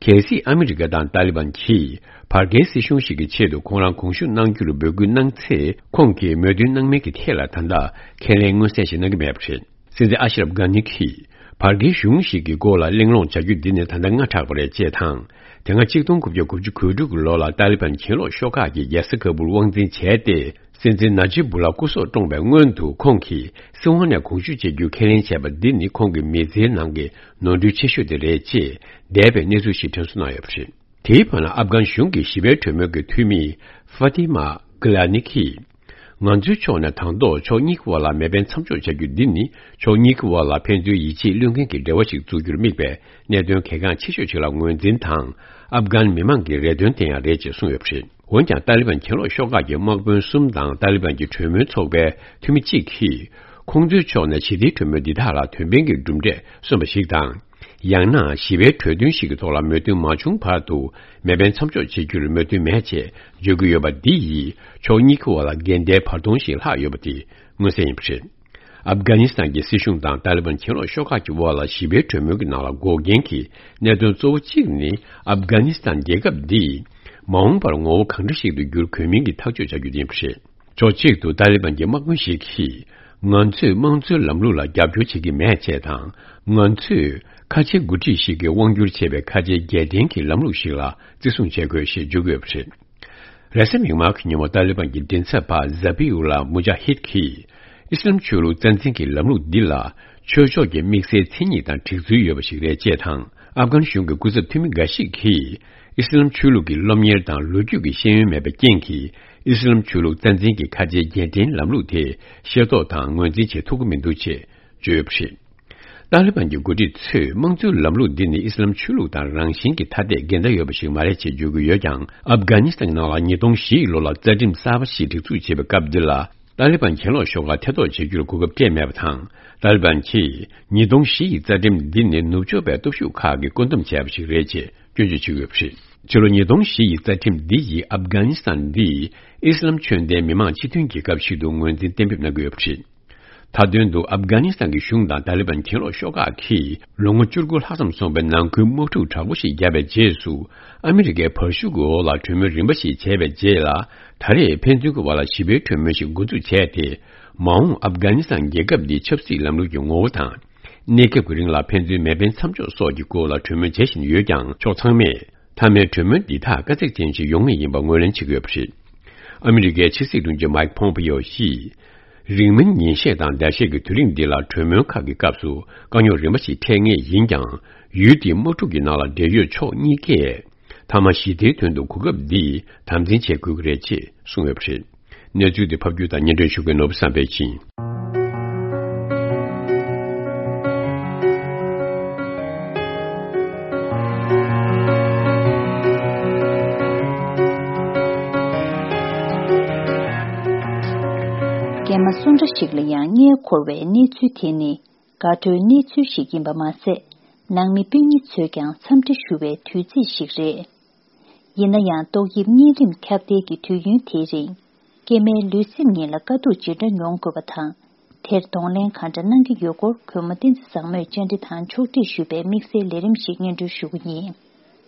གལ་སྲིད་ཨ་མི་རི་ཀ་དང་ཏཱ་ལི་བན་གྱིས་བར་བརྒལ་སྲིད་གཞུང་ཞིག་གི་ཆེད་དུ་ཁོང་རང་དགོངས་ཞུ་གནང་རྒྱུར་འབོད་སྐུལ་གནང་ཚེ། ཁོང་གིས་མོས་མཐུན་གནང་མིན་གྱི་ཐད་ལ་ད་ལྟ་ཁས་ལེན་མངོན་གསལ་ཞིག་གནང་གི་མེད་པ་རེད། སྲིད་འཛིན་ཨ་ཤ་རབ་གྷ་ནི་གིས། བར་བརྒལ་གཞུང་ཞིག་གི་སྐོར་ལ་གླེང་སློང་བྱ་རྒྱུ་འདི་ནི་ད་ལྟ་སྔ་དྲགས་པ་རེད་ཅེས་དང་། དེ་སྔ་ཆིག་སྟོང་དགུ་བརྒྱ་དགུ་བཅུ་གོ་དྲུག་གི་ལོ་ལ་ཏཱ་ལི་བན་གྱེན་ལོག་ཤོག་ཁག་གིས་རྒྱལ་ས་ཁ་བུར་དབང་འཛིན་བྱས་ཏེ། སྲིད་འཛིན་ན་ཇིབ་བུ་ལ་སྐུ་སྲོག་བཀྲོངས་པའི་སྔོན་དུ་ཁོང་གིས་སྲིད་དབང་ནས་དགོངས་ཞུ་བྱེད་རྒྱུ་ཁས་ལེན་བྱས་པ་འདི་ནི་ཁོང་གི་མི་ཚེའི་ནང་གི་ནོར་འཁྲུལ་ཆེ་ཤོས་དེ་རེད་ཅེས་འདས་པའི་གནས་ཚུལ་ཞིག་དྲན་གསོ་གནང་ཡོད་པ་རེད། དེའི་བར་ན་ཨབ་གྷན་གཞུང་གིས་ཞི་བའི་གྲོས་མོལ་གྱི་འཐུས་མི་ཧྥ་ཏི་མ་གི་ལ་ནི་གིས། ང་ཚོའི་ཕྱོགས་ནས་དང་ཐོག་ཕྱོགས་གཉིས་ཀྱི་དབར་ལ་མེ་འཕེན་མཚམས་འཇོག་བྱ་རྒྱུ་འདི་ནི་ཕྱོགས་གཉིས་ཀྱི་དབར་ལ་ཕན་ཚུན་ཡིད་ཆེས་བློས་འགེལ་གྱི་འབྲེལ་བ་ཞིག་འཛུགས་རྒྱུར་དམིགས་པའི་གནད་དོན་གལ་འགངས་ཆེ་ཤོས་ཤིག་ལ་ངོས་འཛིན་དང་། ཨབ་གྷན་མི་མང་གི་རེ་འདུན་དེ་ཡང་རེད་ཅེས་གསུངས་ཡོད་པ་རེད། འོན་ཀྱང་། ཏཱ་ལི་བན་གྱེན་ལོག་ཤོག་ཁག་གི་དམག་དཔོན་གསུམ་དང་ཏཱ་ལི་བན་གྱི་གྲོས་མོལ་ཚོགས་པའི་འཐུས་མི་གཅིག་གིས། ཁོང་ཚོའི་ཕྱོགས་ནས་ཞི་བདེའི་གྲོས་མོལ་འདི་དག་ལ་དོན་ཕན་གྱི་གྲུབ་འབྲས་སོན་པ་ཞིག་དང་། ཡང་ན་ཞི་བའི་གྲོས་མཐུན་ཞིག་གི་ཐོག་ལ་མོས་མཐུན་མ་བྱུང་བར་དུ་མེ་འཕེན་མཚམས་འཇོག་བྱེད་རྒྱུར་མོས་མཐུན་མེད་ཅེས་བརྗོད་ཀྱི་ཡོད་པ་འདི་ཡིས་ཕྱོགས་གཉིས་ཀྱི་དབར་ལ་འགལ་ཟླའི་བར་སྟོང་ཞིག་ལྷག་ཡོད་པ་དེ་མངོན་གསལ་ཡིན་པ་རེད། ཨབ་གྷ་ནི་སི་ཐན་གྱི་སྲིད་གཞུང་དང་ཏཱ་ལི་བན་གྱེན་ལོག་ཤོག་ཁག་གི་དབར་ལ་ཞི་བའི་གྲོས་མོལ་གྱི་ནང་ལ་འགོག་རྐྱེན་གྱི་གནད་དོན་གཙོ་བོ་གཅིག་ནི་ཨབ་གྷ་ནི་སི་ཐན་རྒྱལ་ཁབ་འདིས་མ་འོངས་པར་ངོ་བོ་གང་འདྲ་ཞིག་ཏུ་འགྱུར་དགོས་མིན་གྱི་ཐག་གཅོད་བྱ་རྒྱུ་ཡིན་པ་རེད། ཕྱོགས་གཅིག་ཏུ་ཏཱ་ལི་བན་གྱི་དམག་དཔོན་ཞིག་གིས། ང་ཚོས་དམངས་གཙོའི་ལམ་ལུགས་ལ་རྒྱབ་སྐྱོར་བྱེད་ཀྱི་མེད་ཅེས་དང་། ང་ཚོས་ཁ་ཆེའི་འགོ་ཁྲིད་ཞིག་གིས་དབང་སྒྱུར་བྱས་པའི་ཁ་ཆེའི་རྒྱལ་བསྟན་གྱི་ལམ་ལུགས་ཤིག་ལ་བརྩི་སྲུང་བྱེད་དགོས་ཞེས་བརྗོད་ཀྱི་ཡོད་པ་རེད། རེས་གཟའ་མིག་དམར་གྱི་ཉིན་མོ་ཏཱ་ལི་བན་གྱི་མགྲིན་ཚབ་པ་ཛ་བྷི་ཨུ་ལ་མུ་ཇཱ་ཧིད་ཀྱིས། ཨི་སི་ལམ་ཆོས་ལུགས་རྩ་འཛིན་གྱི་ལམ་ལུགས་འདི་ལ་ཆོས་ཕྱོགས་ཀྱི་དམིགས་བསལ་མཚན་ཉིད་དང་གྲིག་ཚུལ་ཡོད་པ་ཞིག་རེད་ཅེས་དང་། ཨབ་གྷན་གཞུང་གི་སྐུ་ཚབ་འཐུས་མི་འགའ་ཞིག་གིས། ཨི་སི་ལམ་ཆོས་ལུགས་ཀྱི་སློབ་གཉེར་དང་ལོ་རྒྱུས་ཀྱི་ཤེས་ཡོན་མེད་པའི་རྐྱེན་གྱིས། ཨི་སི་ལམ་ཆོས་ལུགས་རྩ་འཛིན་གྱི་ཁ་ཆེའི་རྒྱལ་ཕྲན་ལམ་ལུགས་དེ་ཤེས་རྟོགས་དང་ངོས་འཛིན་བྱེད་ཐུབ་ཀྱི་མི་འདུག་ཅེས་བརྗོད་ཡོད་པ་རེད། ཏཱ་ལི་བན་གྱི་འགོ་ཁྲིད་ཚོས་དམངས་གཙོའི་ལམ་ལུགས་འདི་ནི་ཨི་སི་ལམ་ཆོས་ལུགས་དང་རང་བཞིན་གྱིས་ཐ་དད་འགལ་ཟླ་ཡོད་པ་ཞིག་མ་རེད་ཅེས་བརྗོད་ཀྱི་ཡོད་ཀྱང་། ཨབ་གྷ་ནི་སི་ཐན་ནང་ལ་ཉིས་སྟོང་བཞི་ཡི་ལོ་ལ་རྩ་ཁྲིམས་གསར་པ་ཞིག་སྒྲིག་འཛུགས་བྱེད་པའི་སྐབས་འདི་ལ། ཏཱ་ལི་བན་གྱེན་ལོག་ཤོག་ཁག་ཐེ་གཏོགས་བྱེད་རྒྱུར་གོ་སྐབས་སྤྲད་མེད་པ་དང་། ཏཱ་ལི་བན་གྱིས་ཉིས་སྟོང་བཞི་ཡི་རྩ་ཁྲིམས་འདི་ནི་ནུབ་ཕྱོགས་པའི་སྟོབས་ཤུགས་ཁག་གིས་བཀོད་འདོམས་བྱས་པ་ཞིག་རེད་ཅེས་སྐྱོན་བརྗོད་བྱེད་ཀྱི་ཡོད་པ་རེད། ཕྱི་ལོ་ཉིས་སྟོང་བཞི་ཡི་རྩ་ཁྲིམས་འདི་ཡིས་ཨབ་གྷ་ནི་སི་ཐན་འདི་ཨི་སི་ལམ་ཆོས་ལྡན་མི་མང་སྤྱི་མཐུན་རྒྱལ་ཁབ་ཞིག་ཏུ་ངོས་འཛིན་གཏན་འབེབས་གནང་གི་ཡོད་པ་རེད། མཐའ་དོན་དུ་ཨབ་གྷ་ནི་སི་ཐན་གྱི་གཞུང་དང་ཏཱ་ལི་བན་གྱེན་ལོག་ཤོག་ཁག་གིས་ལོ་ངོ་བཅུ་དགུ་ལྷག་ཙམ་སོང་བའི་ནང་ཁུལ་དམག་འཁྲུག་དྲག་པོ་ཞིག་བརྒྱབ་པའི་རྗེས་སུ། ཨ་མི་རི་ཀའི་བར་ཤུགས་ཀྱི་འོག་ལ་གྲོས་མོལ་རིམ་པ་ཞིག་བྱས་པའི་རྗེས་ལ། ད་རེས་ཕན་ཚུན་གྱི་བར་ལ་ཞི་བའི་གྲོས་མོལ་ཞིག་འགོ་འཛུགས་བྱས་ཏེ། མ་འོངས་ཨབ་གྷ་ནི་སི་ཐན་རྒྱལ་ཁབ་འདིའི་ཆབ་སྲིད་ལམ་ལུགས་ཀྱི་ངོ་བོ་དང་། གནས་སྐབས་ཀྱི་རིང་ལ་ཕན་ཚུན་མེ་འཕེན་མཚམས་འཇོག་སོགས་ཀྱི་སྐོར་ལ་གྲོས་མོལ་བྱེད་བཞིན་ཡོད་ཀྱང་། ཕྱོགས་ཚང་མས་མཐའ་མའི་གྲོས་མོལ་འདི་དག་དཀའ་ཚེགས་ཅན་ཞིག་ཡོང་ངེས་ཡིན་པ་ངོས་ལེན་བྱེད་ཀྱི་ཡོད་པ་རེད། ཨ་མི་རི་ཀའི་ཕྱི་སྲིད་དྲུང་ཆེ་མའིག་ཕོམ་པེ་ཡོ་ཡིས། རིང་མིན་ཉིན་ཤས་དང་ཟླ་ཤས་ཀྱི་དུས་རིང་འདི་ལ་གྲོས་མོལ་ཁག་གི་སྐབས་སུ་དཀའ་རྙོག་རིམ་པ་ཞིག་འཕྲད་ངེས་ཡིན་ཀྱང་། ཡུལ་དེའི་དམག་འཁྲུག་གི་ནང་ལ་འབྲེལ་ཡོད་ཕྱོགས་གཉིས་ཀས། མཐའ་མ་ཞི་བདེའི་དོན་དུ་གོ་སྐབས་འདི་དམ་འཛིན་བྱེད་དགོས་ཀྱི་རེད་ཅེས་གསུངས་ཡོད་པ་རེད། གནས་ཚུལ་འདི་ཕབ་སྒྱུར་དང་སྙན་སྒྲོན་ཞུ་མཁན་ནོར་བུ་བསམ་འཕེལ་ཡིན། སྐྱེས་མ་སུ་འདྲ་ཞིག་ལ་ཡང་མངལ་འཁོར་བའི་གནས་ཚུལ་དེ་ནི་དགའ་སྤྲོའི་གནས་ཚུལ་ཞིག་ཡིན་པ་མ་ཟད། ནང་མི་སྤུན་ཉེ་ཚོས་ཀྱང་འཚམས་འདྲི་ཞུ་བའི་དུས་ཚིགས་ཤིག་རེད། ཡིན་ན་ཡང་ཏོག་དབྱིབས་གཉན་རིམས་ཁྱབ་གདལ་གྱི་དུས་ཡུན་དེའི་རིང་། སྐྱེས་མའི་ལུས་སེམས་གཉིས་ལ་དཀའ་སྡུག་ཇི་འདྲ་མྱོང་དགོས་པ་དང་། དེར་གདོང་ལེན་གང་འདྲ་གནང་གི་ཡོད་སྐོར་གུས་མོ་བསྟན་འཛིན་བཟང་མོས་བཅར་འདྲི་དང་ཕྱོགས་སྒྲིག་ཞུས་པའི་དམིགས་བསལ་ལས་རིམ་ཞིག་སྙན་སྒྲོན་ཞུ་གི་ཡིན།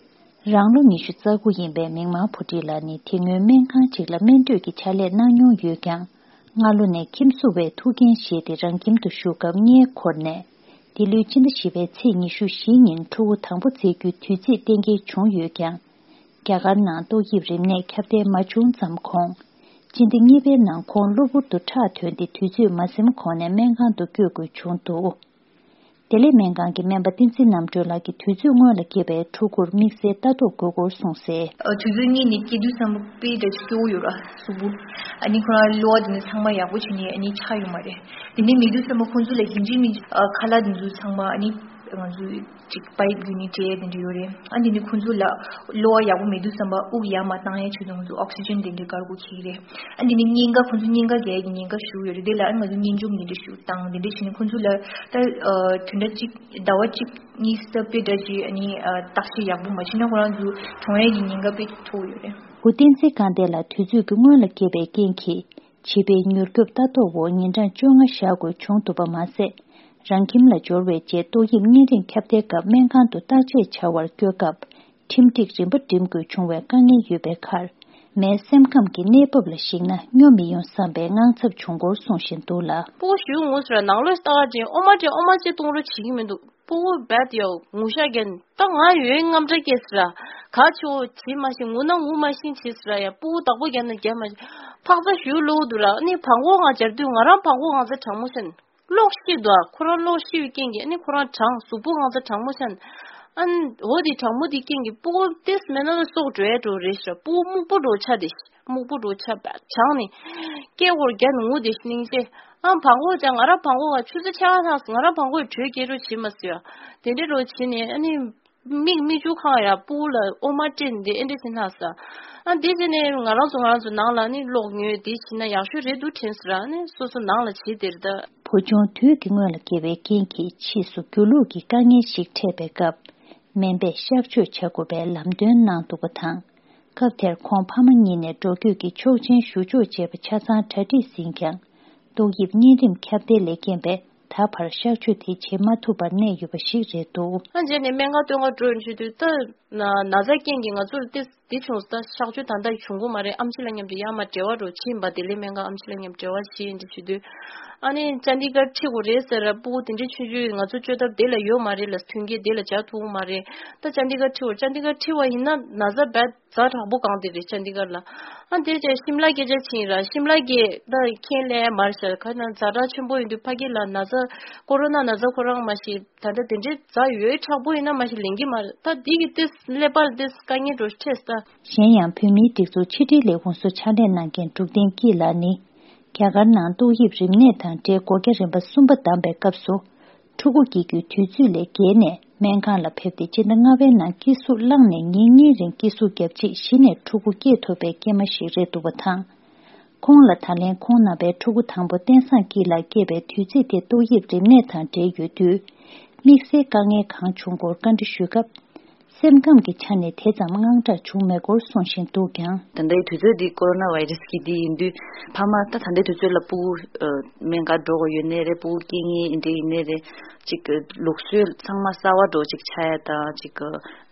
རང་ལོ་ཉི་ཤུ་རྩ་དགུ་ཡིན་པའི་མིག་དམར་བུ་ཁྲིད་ལགས་ནི་དེ་སྔོན་སྨན་ཁང་ཅིག་ལ་སྨན་སྤྲོད་ཀྱི་ཕྱག་ལས་གནང་མྱོང་ཡོད་ཀྱང་། སྔ་ལོ་ནས་ཁྱིམ་སུ་བས་ཐུགས་འགན་བཞེས་ཏེ་རང་ཁྱིམ་དུ་བཞུགས་སྐབས་མངལ་འཁོར་ནས། འདི་ལོའི་སྤྱི་ཟླ་བཞི་པའི་ཚེས་ཉི་ཤུ་བཞི་ཉིན་ཕྲུ་གུ་དང་པོ་བཙས་རྒྱུའི་དུས་ཚིགས་གཏན་འཁེལ་བྱུང་ཡོད་ཀྱང་། རྒྱ་གར་ནང་ཏོག་དབྱིབས་རིམས་ནད་ཁྱབ་གདལ་མ་བྱུང་ཙམ་གོང་། སྤྱི་ཟླ་གཉིས་པའི་ནང་ཁོང་གློ་བུར་དུ་ཁྲག་ཐོན་ཏེ་དུས་ཚོད་མ་ཟིན་གོང་ནས་སྨན་ཁང་དུ་བསྐྱོད་དགོས་བྱུང་འདུག་དེ་ལས་སྨན་ཁང་གི་སྨན་པ་བསྟན་འཛིན་རྣམ་གྲོལ་ལགས་ཀྱིས་དུས་ཚོད་སྔོན་ལ་སྐྱེས་པའི་ཕྲུ་གུར་དམིགས་བསལ་ལྟ་རྟོག་དགོས་སྐོར་གསུངས་གསལ། ཨ། དུས་ཚོད་སྔོན་ནས་སྐྱེས་དུས་ཙམ་པ་དཔེ་འདྲ་སྐྱོ་བོ་ཡོད་ར་གཟུགས་པོ། ཨ་ནི་ཁོ་རང་གློ་བ་དེ་ནི་ཚང་མ་ཡག་པོ་བྱས་ནས་ཨ་ནི་ཆགས་ཡོད་མ་རེད། དེ་ནས་མེད་དུས་ཙམ་པ་ཁོང་ཚོ་ལ་ཡིན་གཅིག་མིན་གཅིག་ཨ་ཁ་ལག་དེ་ཚོ་ཚང་མ་ཨ་ནི་ང་ཚོ་ཅིག་པའིབ་བརྒྱུད་ནས་སྤྲད་དེ་འདྲ་ཡོད་རེད། ཨ་དེ་ནི་ཁོང་ཚོ་ལ་གློ་བ་ཡག་པོ་མེད་དུས་ཙམ་པ་དབུགས་ཡར་མར་བཏང་ཡས་ཆེད་དུ་ང་ཚོ་ཨོག་སི་ཇན་དེ་འདྲ་དཀར་པོ་འཁྱེར་གྱི་རེད། ཨ་དེ་ནི་སྙིང་ག་ཁོང་ཚོ་སྙིང་ག་རྒྱག་ཡས་ཀྱི་ཉེན་ཁ་ཞུགས་ཡོད་རེད། དེ་ལ་ཨ་ང་ཚོ་གཉེན་ཆུང་གི་འདྲ་ཞུ་བཏང་དེ་འདྲ་བྱས་ནས་ཁོང་ཚོ་ལ་ད་ཨ་དོན་དག་ཅིག་ཟླ་བ་གཅིག་གཉིས་ཙམ་དཔེ་འདྲ་ཅིག་ཨ་ནི་ཨ་བརྟག་དཔྱད་ཡག་པོ་མ་བྱས་ན་ཁོ་རང་ཚོ་གྲོངས་ཡས་ཀྱི་ཉེན་ཁ་དཔེ་མཐོ་ཡོད་རེད། བུ་བསྟན་འཛིན་དགའ་ལྡན་ལགས་དུས་ཚོད་ཀྱི་སྔོན་ལ་སྐྱེས་པའི་རྐྱེན་གྱིས་བྱིས་པའི་མྱུར་སྐྱོབ་ལྟ་རྟོག་འོག་ཉིན་གྲངས་བཅོ་ལྔ་བཞག་དགོས་བྱུང་འདུག་པ་མ་ཟད། རང་ཁྱིམ་ལ་འབྱོར་བའི་རྗེས་ཏོག་དབྱིབས་གཉན་རིམས་ཁྱབ་གདལ་སྐབས་སྨན་ཁང་དུ་བརྟག་དཔྱད་བྱ་བར་བསྐྱོད་སྐབས། ཁྲིམས་སྒྲིག་རིམ་པ་འགྲིམ་དགོས་བྱུང་བའི་དཀའ་ངལ་ཡོད་པའི་ཁར། མའི་སེམས་ཁམས་ཀྱི་གནས་བབ་ལ་གཞིགས་ན་སྨྱོ་མི་ཡོང་བསམ་པའི་དངངས་འཚབ་བྱུང་སྐོར་གསུངས་བཞིན་འདུག་ལ། སྤུ་གུ་ཞུ་ངོ་ཟེར་ནང་ལོགས་ལྟ་བ་ཅན་ཨོ་མ་ཅན་ཨོ་མ་ཅན་གཏོང་རོགས་བྱེད་ཀྱི་མི་འདུག་སྤུ་གུ་བད་ཡོ་ངུ་ཤ་རྒྱན་ད་ང་ཡོད་དངངས་སྐྲག་སྐྱེས་ཟེར་ག་ཆོ་བྱེད་མ་ཤེས་ངུ་ན་ངུ་མ་ཤེས་བྱེད་ཟེར་ཡ་སྤུ་གུ་བདག་པོ་རྒྱབ་ན་རྒྱབ་མ་ཤེས་ཕག་ཚ་ཞུ་ལོག་འདུག་ལ་ཨ་ནི་བང་གོ་ང་སྦྱར་དུས་ང་རང་བང་གོ་ང་ཚ་གྲང་མོ་ཤན། གློག་ཤི་འདུག་ཁོ་རང་གློག་ཤི་བའི་རྐྱེན་གྱིས་ཨ་ནི་ཁོ་རང་གྲང་གཟུགས་པོ་གང་ཚ་གྲང་མོ་ཤན། ཨ་ནི་འོ་དེ་གྲང་མོ་དེ་རྐྱེན་གྱིས་སྤུ་གུ་ཏེས་མེད་ན་ལ་སྲོག་འགྲོ་ཡ་འགྲོ་རེད་ཤག་སྤུ་གུ་སྨུག་པོ་འགྲོ་ཆ་དེ་ཤི་སྨུག་པོ་འགྲོ་ཆ་བ་གྲང་ནི། སྐད་ཧོར་རྒྱ་ནི་ངུ་དེ་ཤི་སྙིང་རྗེ། ཨ་བང་གོ་ཅང་ང་རང་བང་གོ་བ་ཆུ་ཚ་ཆ་ག་ཐག་ང་རང་བང་གོ་ཡི་དྲོད་སྐྱེད་རོ་བྱེད་མ་སྲིད་ཡ། དེ་འདྲའི་རོ་བྱེད་ནས་ཨ་ནི། མིག་མིག་ཆུ་ཁང་ཡ་སྤུ་གུ་ལ་ཨོ་མ་སྤྲད་འདི་ཨེ་འདྲ་ཟེར་ན་ས། ཨ་འདི་བྱས་ནས་ང་རང་ཚོ་ང་རང་ཚོ་ནང་ལ་ནི་གློག་ཉོས་འདི་བྱས་ན་ཡག་ཤོས་རེད་འདུག་དྲན་ཟེར་ཨ་ནི་སོ་སོ་ནང་ལ་བྱེད་དེར་ད། བུ་ཆུང་དུས་ཀྱི་སྔོན་ལ་སྐྱེ་བའི་རྐྱེན་གྱིས་ཕྱིས་སུ་སྒྱུ་ལུག་གི་དཀའ་ངལ་ཞིག་འཕྲད་པའི་སྐབས། སྨན་པས་གཤག་བཅོས་བྱ་དགོས་པའི་ལམ་སྟོན་གནང་འདུག་པ་དང་། སྐབས་དེར་ཁོང་ཕ་མ་གཉིས་ནས་འགྲོ་སྐྱོད་ཀྱི་ཆོག་མཆན་ཞུ་ཕྱོགས་བྱས་པ་ཆ་ཚང་གྲ་སྒྲིག་ཟིན་ཀྱང་། ཏོག་དབྱིབས་གཉན་རིམས་ཁྱབ་གདལ་ལས་རྐྱེན་པས་ད་བར་གཤག་བཅོས་དེ་བྱེད་མ་ཐུབ་པར་གནས་ཡོད་པ་ཞིག་རེད་འདུག་ཨ་རྗེས་ནས་སྨན་ཁང་སྟོན་ག་འགྲོ་ཡོང་དུས་ད་ན་ན་ཚ་རྐྱེན་གྱིས་ང་ཚོར་ཏེ་འདི་བྱུང་ད་གཤག་བཅོས་ད་ལྟ་བྱུང་གི་མ་རེད། ཨེམ་ཆི་ལ་མཉམ་དུ་ཡར་མར་འབྲེལ་བ་འགྲོ་ཕྱིན་པ་དེ་ལས་སྨན་ཁང་ཨེམ་ཆི་ལ་མཉམ་འབྲེལ་བ་བྱེད་ཡིན་དུས་བྱེད་དུས་ཨ་ནི་ཅན་ཌི་གར་ཁྲིད་དགོས་རེད་ཟེར་ར་སྤུ་གུ་དེ་འདྲའི་ཆུང་ཆུང་ང་ཚོ་བཅོས་ཐབས་དེ་ལ་ཡོད་མ་རེད་ལ་མཐུན་རྐྱེན་དེ་ལ་བྱ་ཐུབ་ཀྱི་མ་རེད། ད་ཅན་ཌི་གར་ཁྲིད་དགོས་ཅན་ཌི་གར་ཁྲིད་པ་ཡིན་ན་ན་ཚ་རྦད། ཛ་དྲག་པོ་གང་དེ་རེད་ཅན་ཌི་གར་ལ། ཨ་འདི་ཅན་ཤིམ་ལ་སྐད་ཆ་ཕྱིན་ར་ཤིམ་ལ་གི་ད་ཁྱེད་ལས་མར་ཤར་ཁ་ན་ཛ་དྲག་ཆེན་པོ་ཡིན་དུས་ཕ་གི་ལ་ན་ཚ་ཀོ་རོ་ན་ན་ཚ་ཁོ་རང་མ་ཤི་ད་ལྟ་དེ་འདྲའི་ཛ་ཡོད་དྲག་པོ་ཡིན་ན་མ་ཤི་ལེན་གི་མ་རེད། ད་འདི་གི་ཏེ་ཀླད་པར་ཏེ་དཀའ་ངལ་འགྲོ་ཁྲེས་ད། གཞན་ཡང་བོད་མིའི་སྒྲིག་འཛུགས་ཕྱི་དྲིལ་ལས་ཁུངས་སུ་ཕྱག་ལས་གནང་མཁན་འབྲུག་བསྟན་སྐྱིད་ལགས་ནི། རྒྱ་གར་ནང་ཏོག་དབྱིབས་རིམས་ནད་དང་འབྲེལ་སྒོ་རྒྱ་རིམ་པ་གསུམ་པ་བདམས་པའི་སྐབས་སུ། ཕྲུ་གུ་སྐྱེ་རྒྱུའི་དུས་ཚོད་ལས་བརྒལ་ནས་སྨན་ཁང་ལ་ཕེབས་ཏེ་སྤྱི་ཟླ་ལྔ་པའི་ནང་སྐྱེ་ཟུག་བསླངས་ནས་ཉིན་གཉིས་རིང་སྐྱེ་ཟུག་བརྒྱབ་རྗེས་གཞི་ནས་ཕྲུ་གུ་སྐྱེས་ཐུབ་པའི་སྐྱེས་མ་ཞིག་རེད་འདུག་པ་དང་། ཁོང་ལ་ད་ལན་ཁོང་རྣམ་པའི་ཕྲུ་གུ་དང་པོ་བསྟན་བཟང་སྐྱིད་ལགས་སྐྱེས་པའི་དུས་ཚིགས་དེ་ཏོག་དབྱིབས་རིམས་ནད་དང་འབྲེལ་ཡོད་དུས། དམིགས་བསལ་དཀའ་ངལ་གང་བྱུང་སྐོར་བཀའ་འདྲི་ཞུས་སྐབས། སེམས་ཁམས་ཀྱི་ཆ་ནས་དེ་ཙམ་དངངས་སྐྲག་བྱུང་མེད་སྐོར་གསུངས་བཞིན་འདུག་ཀྱང་། ད་ལྟའི་དུས་ཚོད་འདི་ཀོ་རོ་ན་བྷའི་རེ་སི་གི་འདི་ཡིན་དུས་ཕ་མ་ད་ད་ལྟའི་དུས་ཚོད་ལ་སྤུ་གུ་སྨན་ཁང་འགྲོ་དགོས་ཡོད་ནའི་རེད། སྤུ་གུ་སྐྱེ་མཁན་འདི་ཡིན་ནའི་རེད། ཅིག་ལུགས་སྲོལ་ཚང་མ་གསར་བ་འགྲོ་ཅིག་ཆགས་ཡ་དང་ཅིག་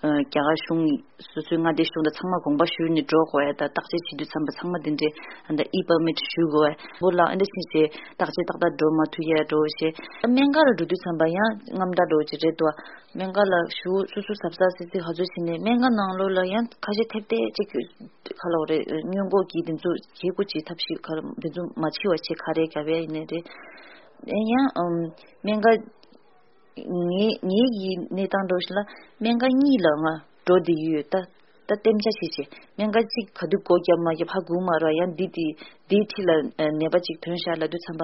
རྒྱ་གར་གཞུང་སོ་སོའི་མངའ་སྡེ་གཞུང་དང་ཚང་མ་དགོངས་པ་ཞུས་ནས་འགྲོ་དགོས་ཡ་དང་བརྟག་དཔྱད་བྱེད་དུས་ཙམ་པ་ཚང་མ་འདི་འདྲའི་ཨ་ད་ཨི་པར་མིཊ་ཞུ་དགོས་ཡ་བོ་ལ་ཨ་འདྲ་ཕྱིན་ཆད་བརྟག་དཔྱད་ཏག་ཏག་འགྲོ་མ་ཐུབ་ཡ་འགྲོ་ཞེས་སྨན་ཁང་ལ་འགྲོ་དུས་ཙམ་པ་ཡང་དངངས་སྐྲག་འགྲོ་ཅིག་རེད་དོ། སྨན་ཁང་ལ་ཞུ་སུ་སུ་གཟབ་གཟབ་སི་སི་ག་ཚོད་བྱས་ནས་སྨན་ཁང་ནང་ལོགས་ལ་ཡང་ཁ་ཤས་ཐེབས་ཐེབས་ཅིག་ག་ལ་རེད་སྔོན་འགོག་གི་དེ་ཚོ་བྱེད་དགོས་ཀྱི་ཐབས་ཤེས་ག་རེ་དེ་ཚོ་མ་བྱེད་པ་བྱེད་ག་རེ་ག་བས་ཡིན་ནའི་རེད། ཡང་སྨན་ཁང་ངའི་ངའི་གི་གནས་སྟངས་འགྲོ་ཞིག་ལ་སྨན་ཁང་གཉིས་ལ་ང་འགྲོ་བསྡད་ཡོད་ད། ད་གཏན་འཇགས་བྱས་བྱས་སྨན་ཁང་གཅིག་ག་དུས་སྒོ་བརྒྱབ་མ་བརྒྱབ་ཧ་གོ་མ་རེད། ཡང་འདི་དེ་འདིའི་འཁྲིས་ལ་ནད་པ་གཅིག་ཐོན་ཤག་ལབ་དུས་ཙམ་པ་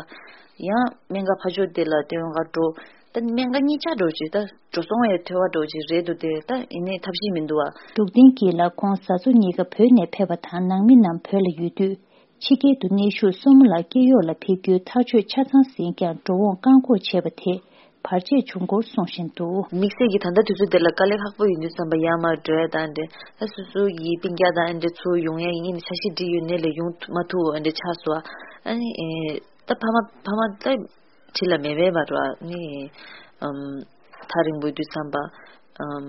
ཡང་སྨན་ཁང་ཕར་ཕྱོགས་དེ་ལ་སྟོན་ག་འགྲོ། ད་སྨན་ཁང་གཉིས་ཆ་འགྲོ་ཅིག་ད་འགྲོ་སོང་ཡང་ཐོས་པ་འགྲོ་ཅིག་རེད་འདུག་དེ་ད་ཡིན་ནའི་ཐབས་ཤེས་མི་འདུག་ཨ། འབྲུག་བསྟན་སྐྱིད་ལགས་ཁོང་བཟའ་ཚོ་གཉིས་ཀ་བོད་ནས་ཕེབས་པ་དང་ནང་མི་རྣམས་བོད་ལ་ཡོད་དུས། ཕྱི་རྒྱལ་དུ་གནས་བཞུགས་སྲུ་མོ་ལགས་སྐྱེས་ཡོག་ལ་ཕེབས་རྒྱུའི་ཐག་གཅོད་ཆ་ཚང་ཟིན་ཀྱང་འགྲོ་འོང་བཀག་འགོག་བྱས་པ་དེས་བར་ཆད་བྱུང་སྐོར་གསུངས་བཞིན་འདུག། དམིགས་བསལ་གྱིས་ད་ལྟ་དུས་ཚོད་འདི་ལ་དཀའ་ལས་ཁག་པོ་ཡིན་དུས་ཙམ་པ་ཡར་མར་འགྲོ་ཡ་དང་འདྲ། ད་སོ་སོ་ཡི་སྤུན་ཀྱག་དང་འདྲ་ཚུར་ཡོང་ཡ་ཡིན་ནའི་འཆར་གཞི་བསྒྲིགས་ཡོད་ནའི་ལས་ཡོང་མ་ཐུབ་འདྲ་ཆགས་སོང་། ཨ་ནི་ཨེ་ད་ཕ་མ་ཕ་མ་ད་བྲིས་ལ་མེད་པས་མ་རོ། ཨ་ནི་ཨམ་ཐག་རིང་པོ་ཡིན་དུས་ཙམ་པ་ཨམ་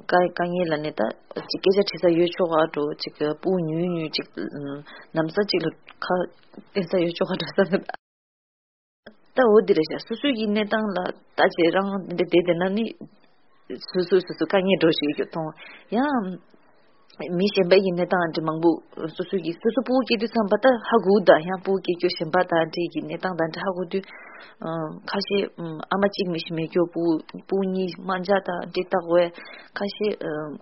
དཀའ་དཀའ་ངལ་ལ་ནི་ད་ཅིག་སྐད་ཆ་དྲི་ས་ཡོད་ཆོག་ག་འགྲོ། ཅིག་སྤུ་ཉུལ་ཉུལ་ཅིག་ནམ་ས་ཅིག་ལ་ཁ་བསྟན་ས་ཡོད་ཆོག་ག་འགྲོ་ས་ནི། ད་འོ་འདི་རེད་ཤག། སོ་སོའི་གི་གནས་སྟངས་ལ་ལྟ་བྱེད་རང་འདི་བསྡད་བསྡད་ན་ནི་སོ་སོ་སོ་སོ་དཀའ་ངལ་འགྲོ་ཞིག་ཡོད་མཐོང་། ཡང་མི་གཞན་པའི་གི་གནས་སྟངས་འདི་མང་པོ་སོ་སོའི་གི་སོ་སོ་སྤུ་གུ་སྐྱེ་དུས་ཙམ་པ་ད་ཧ་གོ་ད། ཡང་སྤུ་གུ་སྐྱེ་རྒྱུ་གཞན་པ་དང་འདྲ་གི་གནས་སྟངས་དང་འདྲ་ཧ་གོ་དུས་ཁ་ཤས་ཨ་མ་གཅིག་མི་ཤི་མེད་སྐྱོ་སྤུ་སྤུ་གུ་གཉིས་དམར་འབྱར་དང་འདྲ་བཏགས་བས་ཁ་ཤས་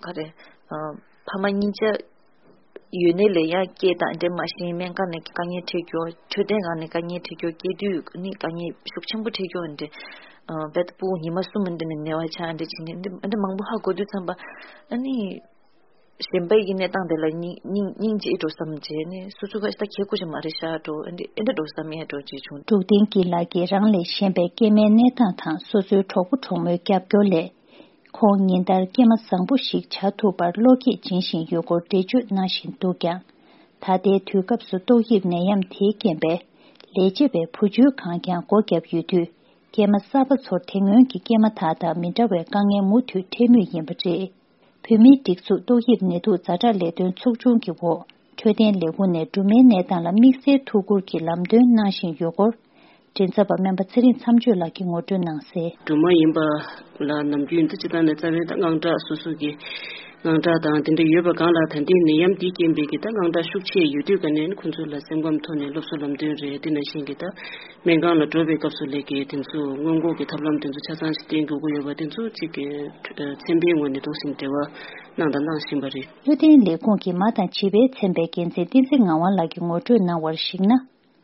ག་རེ་ཕ་མ་གཉིས་ཆ་ཡོད་ནའི་ལས་ཡང་སྐྱེས་དང་འདྲ་མ་ཤེས་སྨན་ཁང་ནས་དཀའ་ངལ་འཕྲད་རྒྱུ། འཕྲོད་བསྟེན་ཁང་ནས་དཀའ་ངལ་འཕྲད་རྒྱུ། སྐྱེ་དུས་ནི་དཀའ་ངལ་ཤུགས་ཆེན་པོ་འཕྲད་རྒྱུ་འདྲ། ཨ་བེད་སྤུ་ཉི་མ་གསུམ་འདྲ་ནས་ནད་པ་ཆགས་འདྲ་བྱས་ནས་འདྲ་འདྲ་མང་པོ་ཧ་གོ་དུས་ཙམ་པ་ཨ་ནི་གཞན་པའི་གི་གནས་སྟངས་དེ་ལ་སྙིང་སྙིང་སྙིང་རྗེ་འགྲོ་བསམ་བྱས་ནས་སོ་སོ་ཁ་ཤས་ད་ཁྱད་ཁུ་ཞིག་མ་རེད་ཤག་འགྲོ། ཨ་འདྲ་ཨ་འདྲ་འགྲོ་བསམ་ཡས་འགྲོ་བྱས་བྱུང་། འབྲུག་བསྟན་སྐྱིད་ལགས་ཀྱིས་རང་ལས་གཞན་པའི་སྐྱེས་མའི་གནས་སྟངས་དང་སོ་སོའི་གྲོགས་པོ་གྲོགས་མོའི་རྒྱབ་སྐྱོར་ལས། ཁོང་ཉིན་ལྟར་སྐྱེས་མ་བཟང་པོ་ཞིག་བྱ་ཐུབ་པར་བློ་སྐྱེད་སྦྱིན་བཞིན་ཡོད་སྐོར་འགྲེལ་བརྗོད་གནང་བཞིན་འདུག་ཀྱང་། ད་ལྟའི་དུས་སྐབས་སུ་ཏོག་དབྱིབས་ནད་ཡམས་དེའི་རྐྱེན་པས་ལས་བྱེད་པའི་བུ་བཅོལ་ཁང་ཀྱང་སྒོ་བརྒྱབ་ཡོད་དུས། སྐྱེས་མ་གསར་པ་ཚོར་དེ་སྔོན་གྱི་སྐྱེས་མ་དག་དང་མི་འདྲ་བའི་དཀའ་ངལ་མུ་མཐུད་འཕྲད་མུས་ཡིན་པ་རེད། བོད་མིའི་སྒྲིག་འཛུགས་ཏོག་དབྱིབས་ནད་དུག་ཛ་དྲག་ལས་དོན་ཚོགས་ཆུང་གི་འོག་འཕྲོད་བསྟེན་ལས་ཁུངས་ནས་སྦྲུམ་མའི་གནས་སྟངས་ལ་དམིགས་བསལ་ཐུགས་ཁུར་གྱིས་ལམ་སྟོན་གནང་བཞིན་ཡོད་སྐོར། མགྲིན་ཚབ་པ་སྨན་པ་ཚེ་རིང་མཚམས་གཅོད་ལགས་ཀྱིས་ངོ་སྤྲོད་གནང་གསལ། སྦྲུམ་མ་ཡིན་པ་ལ་ནམ་རྒྱུན་དུ་སྤྱི་བཏང་ནས་རྩ་བའི་ད་དངངས་སྐྲག་སོ་སོ་གི་དངངས་སྐྲག་དང་དེ་འདྲ་ཡོད་པ་སྒང་ལ་ད་ལྟའི་ནད་ཡམས་འདིའི་རྐྱེན་པས་ཀྱི་ད་དངངས་སྐྲག་ཤུགས་ཆེ་ཡོད་དུས་ཀ་ནས་ཁོང་ཚོ་ལ་སེམས་ཁམས་ཐོག་ནས་སློབ་གསོ་ལམ་སྟོན་རེད། དེ་ནང་བཞིན་གྱི་ད་སྨན་ཁང་ལ་འགྲོ་བའི་སྐབས་སུ་ལས་ཀྱི་དེ་ཚོ་སྔོན་འགོག་གི་ཐབས་ལམ་དེ་ཚོ་ཆ་ཚང་ཞིག་བསྟེན་དགོས་ཀྱི་ཡོད་པ་དེ་ཚོ་གཅིག་གི་ཚན་པའི་ངོས་ནས་ཏོག་ཙམ་འབྲེལ་བ་གནང་དང་གནང་བཞིན་པ་རེད། འཕྲོད་བསྟེན་ལས་ཁུངས་ཀྱི་མ་དང་བྱིས་པའི་ཚན་པའི་འགན་འཛིན་བསྟན་འཛིན་ངག་དབང་ལགས་ཀྱིས་ངོ་སྤྲོད་གནང་བར་གཞིགས་ན།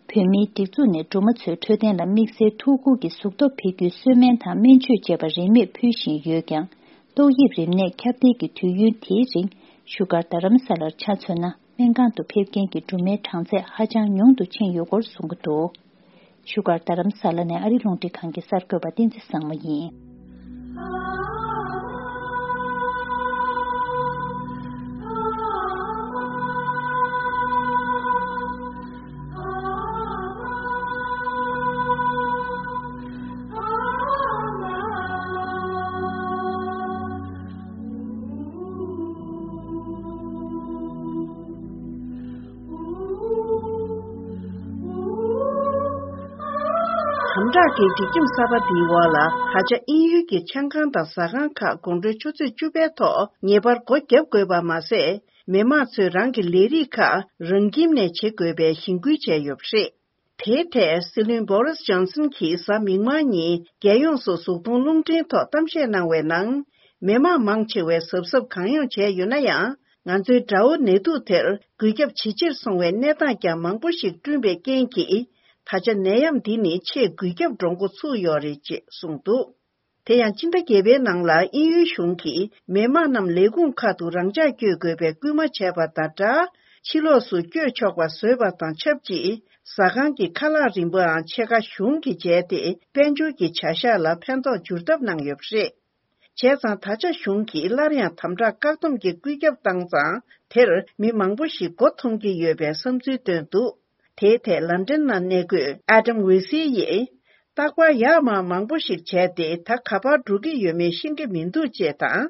བོད་མིའི་སྒྲིག་འཛུགས་ནས་སྦྲུམ་མ་ཚོའི་འཕྲོད་བསྟེན་ལ་དམིགས་བསལ་ཐུགས་ཁུར་གྱིས་གཟུགས་སྟོབས་འཕེལ་རྒྱུའི་གསོལ་སྨན་དང་སྨན་བཅོས་བཅས་པ་རིན་མེད་ཕུལ་བཞིན་ཡོད་ཀྱང་། ཏོག་དབྱིབས་རིམས་ནད་ཁྱབ་གདལ་གྱི་དུས་ཡུན་དེའི་རིང་བཞུགས་སྒར་རྡ་རམ་ས་ལར་ཆ་མཚོན་ན་སྨན་ཁང་དུ་ཕེབས་མཁན་གྱི་སྦྲུམ་མའི་གྲངས་ཚད་ཧ་ཅང་ཉུང་དུ་ཕྱིན་ཡོད་སྐོར་གསུང་གི་འདུག། བཞུགས་སྒར་རྡ་རམ་ས་ལ་ནས་ཨ་རི་རླུང་འཕྲིན་ཁང་གི་གསར་འགོད་པ་བསྟན་འཛིན་བཟང་མོ་ཡིན། དམ་དྲག་གི་སྒྲིག་ཁྲིམས་གསར་པ་འདིའི་འོག་ལ་ད་ཆ་དབྱིན་ཡུལ་གྱི་ཆང་ཁང་དང་ཟ་ཁང་ཁག་དགོང་དྲོའི་ཆུ་ཚོད་བཅུ་པའི་ཐོག་ངེས་པར་སྒོ་བརྒྱབ་དགོས་པ་མ་ཟད། མི་མང་ཚོས་རང་གི་ལས་རིགས་ཁག་རང་ཁྱིམ་ནས་བྱེད་དགོས་པའི་གཞེན་སྐུལ་བྱས་ཡོད་པ་རེད། དེའི་ཐད་སྲིད་བློན་བོ་རིས་ཇོན་སན་གྱིས་གཟའ་མིག་དམར་ཉིན་རྒྱལ་ཡོངས་སུ་གཟུགས་མཐོང་རླུང་འཕྲིན་ཐོག་གཏམ་བཤད་གནང་བའི་ནང་། མི་མང་མང་ཆེ་བས་གཟབ་གཟབ་གང་ཡོང་བྱས་ཡོད་ན་ཡང་། ང་ཚོའི་དགྲ་བོ་ནད་དུག་དེར་འགོས་ཁྱབ་ཇེ་ཆེར་སོང་བའི་གནས་སྟངས་ཀྱང་མང་པོ་ཞིག་བསྐྲུན་པའི་རྐྱེན་གྱིས། ད་ཆ་ནད་ཡམས་འདི་ནི་ཆེས་འགོས་ཁྱབ་འགྲོ་འགོ་ཚུགས་ཡོད་རེད་ཅེས་གསུངས་འདུག། དེ་ཡང་སྤྱི་ཟླ་བརྒྱད་པའི་ནང་ལ་དབྱིན་ཡུལ་གཞུང་གིས་མི་མང་རྣམས་ལས་ཁུངས་ཁག་ཏུ་རང་འཇགས་བསྐྱོད་དགོས་པའི་སྐུལ་མ་བྱས་པ་དང་སྦྲགས། ཕྱི་ལོགས་སུ་བསྐྱོད་ཆོག་པ་བཟོས་པ་དང་ཆབས་ཅིག། ཟ་ཁང་གི་ཁ་ལག་རིན་པོའང་ཕྱེད་ཀ་གཞུང་གིས་འཇལ་ཏེ། དཔལ་འབྱོར་གྱི་བྱ་གཞག་ལ་ཕན་ཐོགས་འགྱུར་ཐབས་གནང་ཡོད་པ་རེད། བྱས་ཙང་ད་ཆ་གཞུང་གིས་སླར་ཡང་དམ་དྲག་བཀག་སྡོམ་གྱི་བཀོད་ཁྱབ་བཏང་ཙང་། དེར་མི་མང་པོ་ཞིག་མགོ་འཐོམས་ཀྱི་ཡོད་པའི་བསམ་ཚུལ་བཏོན་འདུག། དེའི་ཐད་ལན་ཀྲན་ནང་གནས་འཁོད་ཨ་ཏམ་ཝེ་སི་ཡིས། རྟག་པར་ཡར་མར་མང་པོ་ཞིག་བྱས་ཏེ། ད་ག་པར་འགྲོ་གི་ཡོད་མེད་ཤེས་ཀྱི་མི་འདུག་ཅེས་དང་།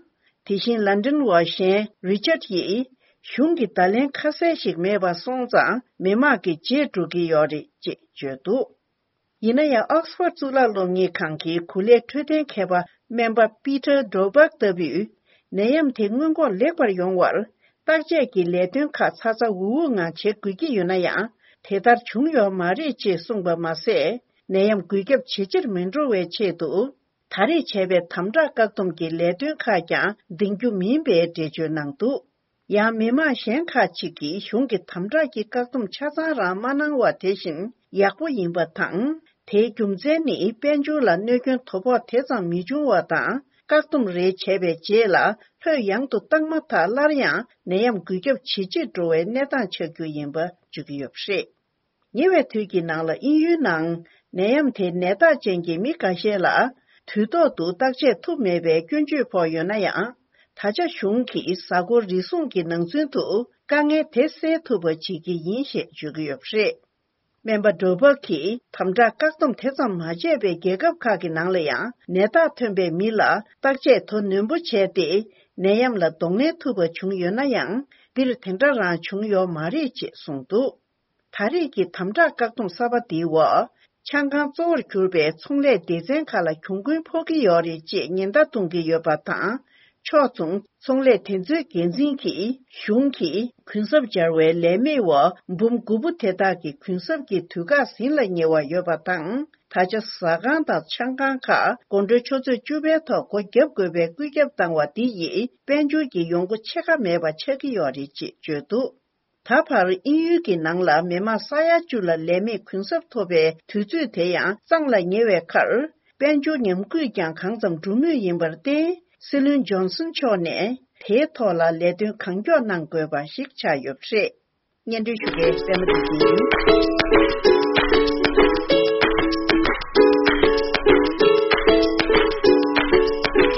དེ་བཞིན་ལན་ཀྲན་ཝ་ཞན་རི་ཅར་ཡིས། གཞུང་གི་བརྡ་ལན་ཁ་གསལ་ཞིག་མེད་པ་སོང་ཙང་། མི་དམངས་ཀྱི་རྗེས་འགྲོ་གི་ཡོད་རེད་ཅེས་བརྗོད་འདུག། ཡིན་ན་ཡང་། ཨོག་སི་ཕོར་གཙུག་ལག་སློབ་གཉེར་ཁང་གི་གོ་ལའི་འཕྲོད་བསྟེན་མཁས་པ་སྨན་པ་པི་ཏར་ཌོ་སྦག་ལྟ་བུས། ནད་ཡམས་དེ་སྔོན་འགོག་ལེགས་པར་ཡོང་བར། བརྟག་དཔྱད་ཀྱི་ལས་དོན་ཁག་ཚ་ཚ་འུར་འུར་ངང་བྱེད་དགོས་ཀྱི་ཡོད་ན་ཡང་། དེ་ལྟར་བྱུང་ཡོད་མ་རེད་ཅེས་གསུངས་པ་མ་ཟད། ནད་ཡམས་འགོས་ཁྱབ་ཇེ་ཆེར་མི་འགྲོ་བའི་ཆེད་དུ། ད་རེས་བྱས་པའི་དམ་དྲག་བཀག་སྡོམ་གྱི་ལས་དོན་ཁག་ཀྱང་འདིང་རྒྱུ་མིན་པའི་འགྲེལ་བརྗོད་གནང་འདུག། ཡང་མི་མང་གཞན་ཁག་ཅིག་གིས་གཞུང་གི་དམ་དྲག་གི་བཀག་སྡོམ་ཆ་ཚང་རང་མ་གནང་བ་དེ་བཞིན་ཡག་པོ་ཡིན་པ་དང་། དེའི་རྒྱུ་མཚན་ནི་དཔལ་འབྱོར་ལ་གནོད་སྐྱོན་དོ་ཕོག་དེ་ཙམ་མི་འབྱུང་བ་དང་ བཀག་སྡོམ་རེ་བྱས་པའི་རྗེས་ལ་ལྷོད་ཡངས་དུ་བཏང་མ་ཐག་སླར་ཡང་ནད་ཡམས་འགོས་ཁྱབ་ཇེ་ཆེར་འགྲོ་བའི་གནས་སྟངས་ཆགས་རྒྱུ་ཡིན་པ་བརྗོད་ཀྱི་ཡོད་པ་རེད། ཉེ་བའི་དུས་ཀྱི་ནང་ལ་དབྱིན་ཡུལ་ནང་ནད་ཡམས་དེ་ནད་རྟགས་ཅན་གྱི་མི་འགའ་ཤས་ལ་དུས་ཐོག་ཏུ་བརྟག་དཔྱད་ཐུབ་མེད་པའི་སྐྱོན་བརྗོད་ཕོག་ཡོད་ན་ཡང་། ད་ཆ་གཞུང་གིས་གཟའ་འཁོར་རེ་ཟུང་གི་ནང་ཚུན་དུ་དཀའ་ངལ་དེ་སེལ་ཐུབ་པ་བྱེད་ཀྱི་ཡིན་ཞེས་བརྗོད་ཀྱི་ཡོད་པ་རེད། སྨན་པ་ཌོ་བྷག་གིས་དམ་དྲག་བཀག་སྡོམ་དེ་ཙམ་མ་བྱས་པའི་རྒྱལ་ཁབ་ཁག་གི་ནང་ལ་ཡང་ནད་རྟགས་ཐོན་པའི་མི་ལ་བརྟག་དཔྱད་དོ་ནན་པོ་བྱས་ཏེ་ནད་ཡམས་ལ་གདོང་ལེན་ཐུབ་པ་བྱུང་ཡོད་ན་ཡང་འདིར་དེ་འདྲ་རང་བྱུང་ཡོད་མ་རེད་ཅེས་གསུངས་འདུག་ད་རེས་ཀྱི་དམ་དྲག་བཀག་སྡོམ་གསར་པ་འདིའི་འོག་ཆང་ཁང་གཙོ་བོར་གྱུར་པའི་ཚོང་ལས་སྡེ་ཚན་ཁག་ལ་གྱོང་གུན་ཕོག་གི་ཡོད་རེད་ཅེས་ཉེན་བརྡ་གཏོང་གི་ཡོད་པ་དང་། ཕྱོགས་མཚུངས་ཚོང་ལས་དེ་ཚོའི་འགན་འཛིན་གྱིས་གཞུང་གིས་གུན་གསབ་སྦྱར་བའི་ལས་མེད་འོག་འབུམ་དགུ་པོ་དེ་དག་གི་གུན་གསབ་ཀྱི་དུས་བཀག་ཟིན་ལ་ཉེ་བ་ཡོད་པ་དང་། ད་ཆ་ཟ་ཁང་དང་ཆང་ཁང་ཁག་དགོང་དྲོའི་ཆུ་ཚོད་བཅུ་པའི་ཐོག་སྒོ་བརྒྱབ་དགོས་པའི་བཀོད་ཁྱབ་བཏང་བ་འདི་ཡིས་དཔལ་འབྱོར་གྱི་ཡོང་སྒོ་ཕྱེད་ཀ་མེད་པ་ཆགས་ཀྱི་ཡོད་རེད་ཅེས་བརྗོད་འདུག་ད་བར་དབྱིན་ཡུལ་གྱི་ནང་ལ་མི་མང་ས་ཡ་བཅུ་ལ་ལས་མེད་གུན་གསབ་ཐོབ་པའི་དུས་ཚོད་དེ་ཡང་གཙང་ལ་ཉེ་བའི་ཁར། དཔལ་འབྱོར་ཉམས་རྒུད་ཀྱང་གང་ཙམ་འགྲོ་མུས་ཡིན་པར་བརྟེན། སྲིད་བློན་ཇོན་སན་མཆོག་ནས་དེའི་ཐོག་ལ་ལས་དོན་གང་མགྱོགས་གནང་དགོས་པ་ཞིག་ཆགས་ཡོད་པ་རེད། སྙན་སྒྲོན་ཞུ་མཁན་པད་མ་བདེ་ཆེན་ཡིན།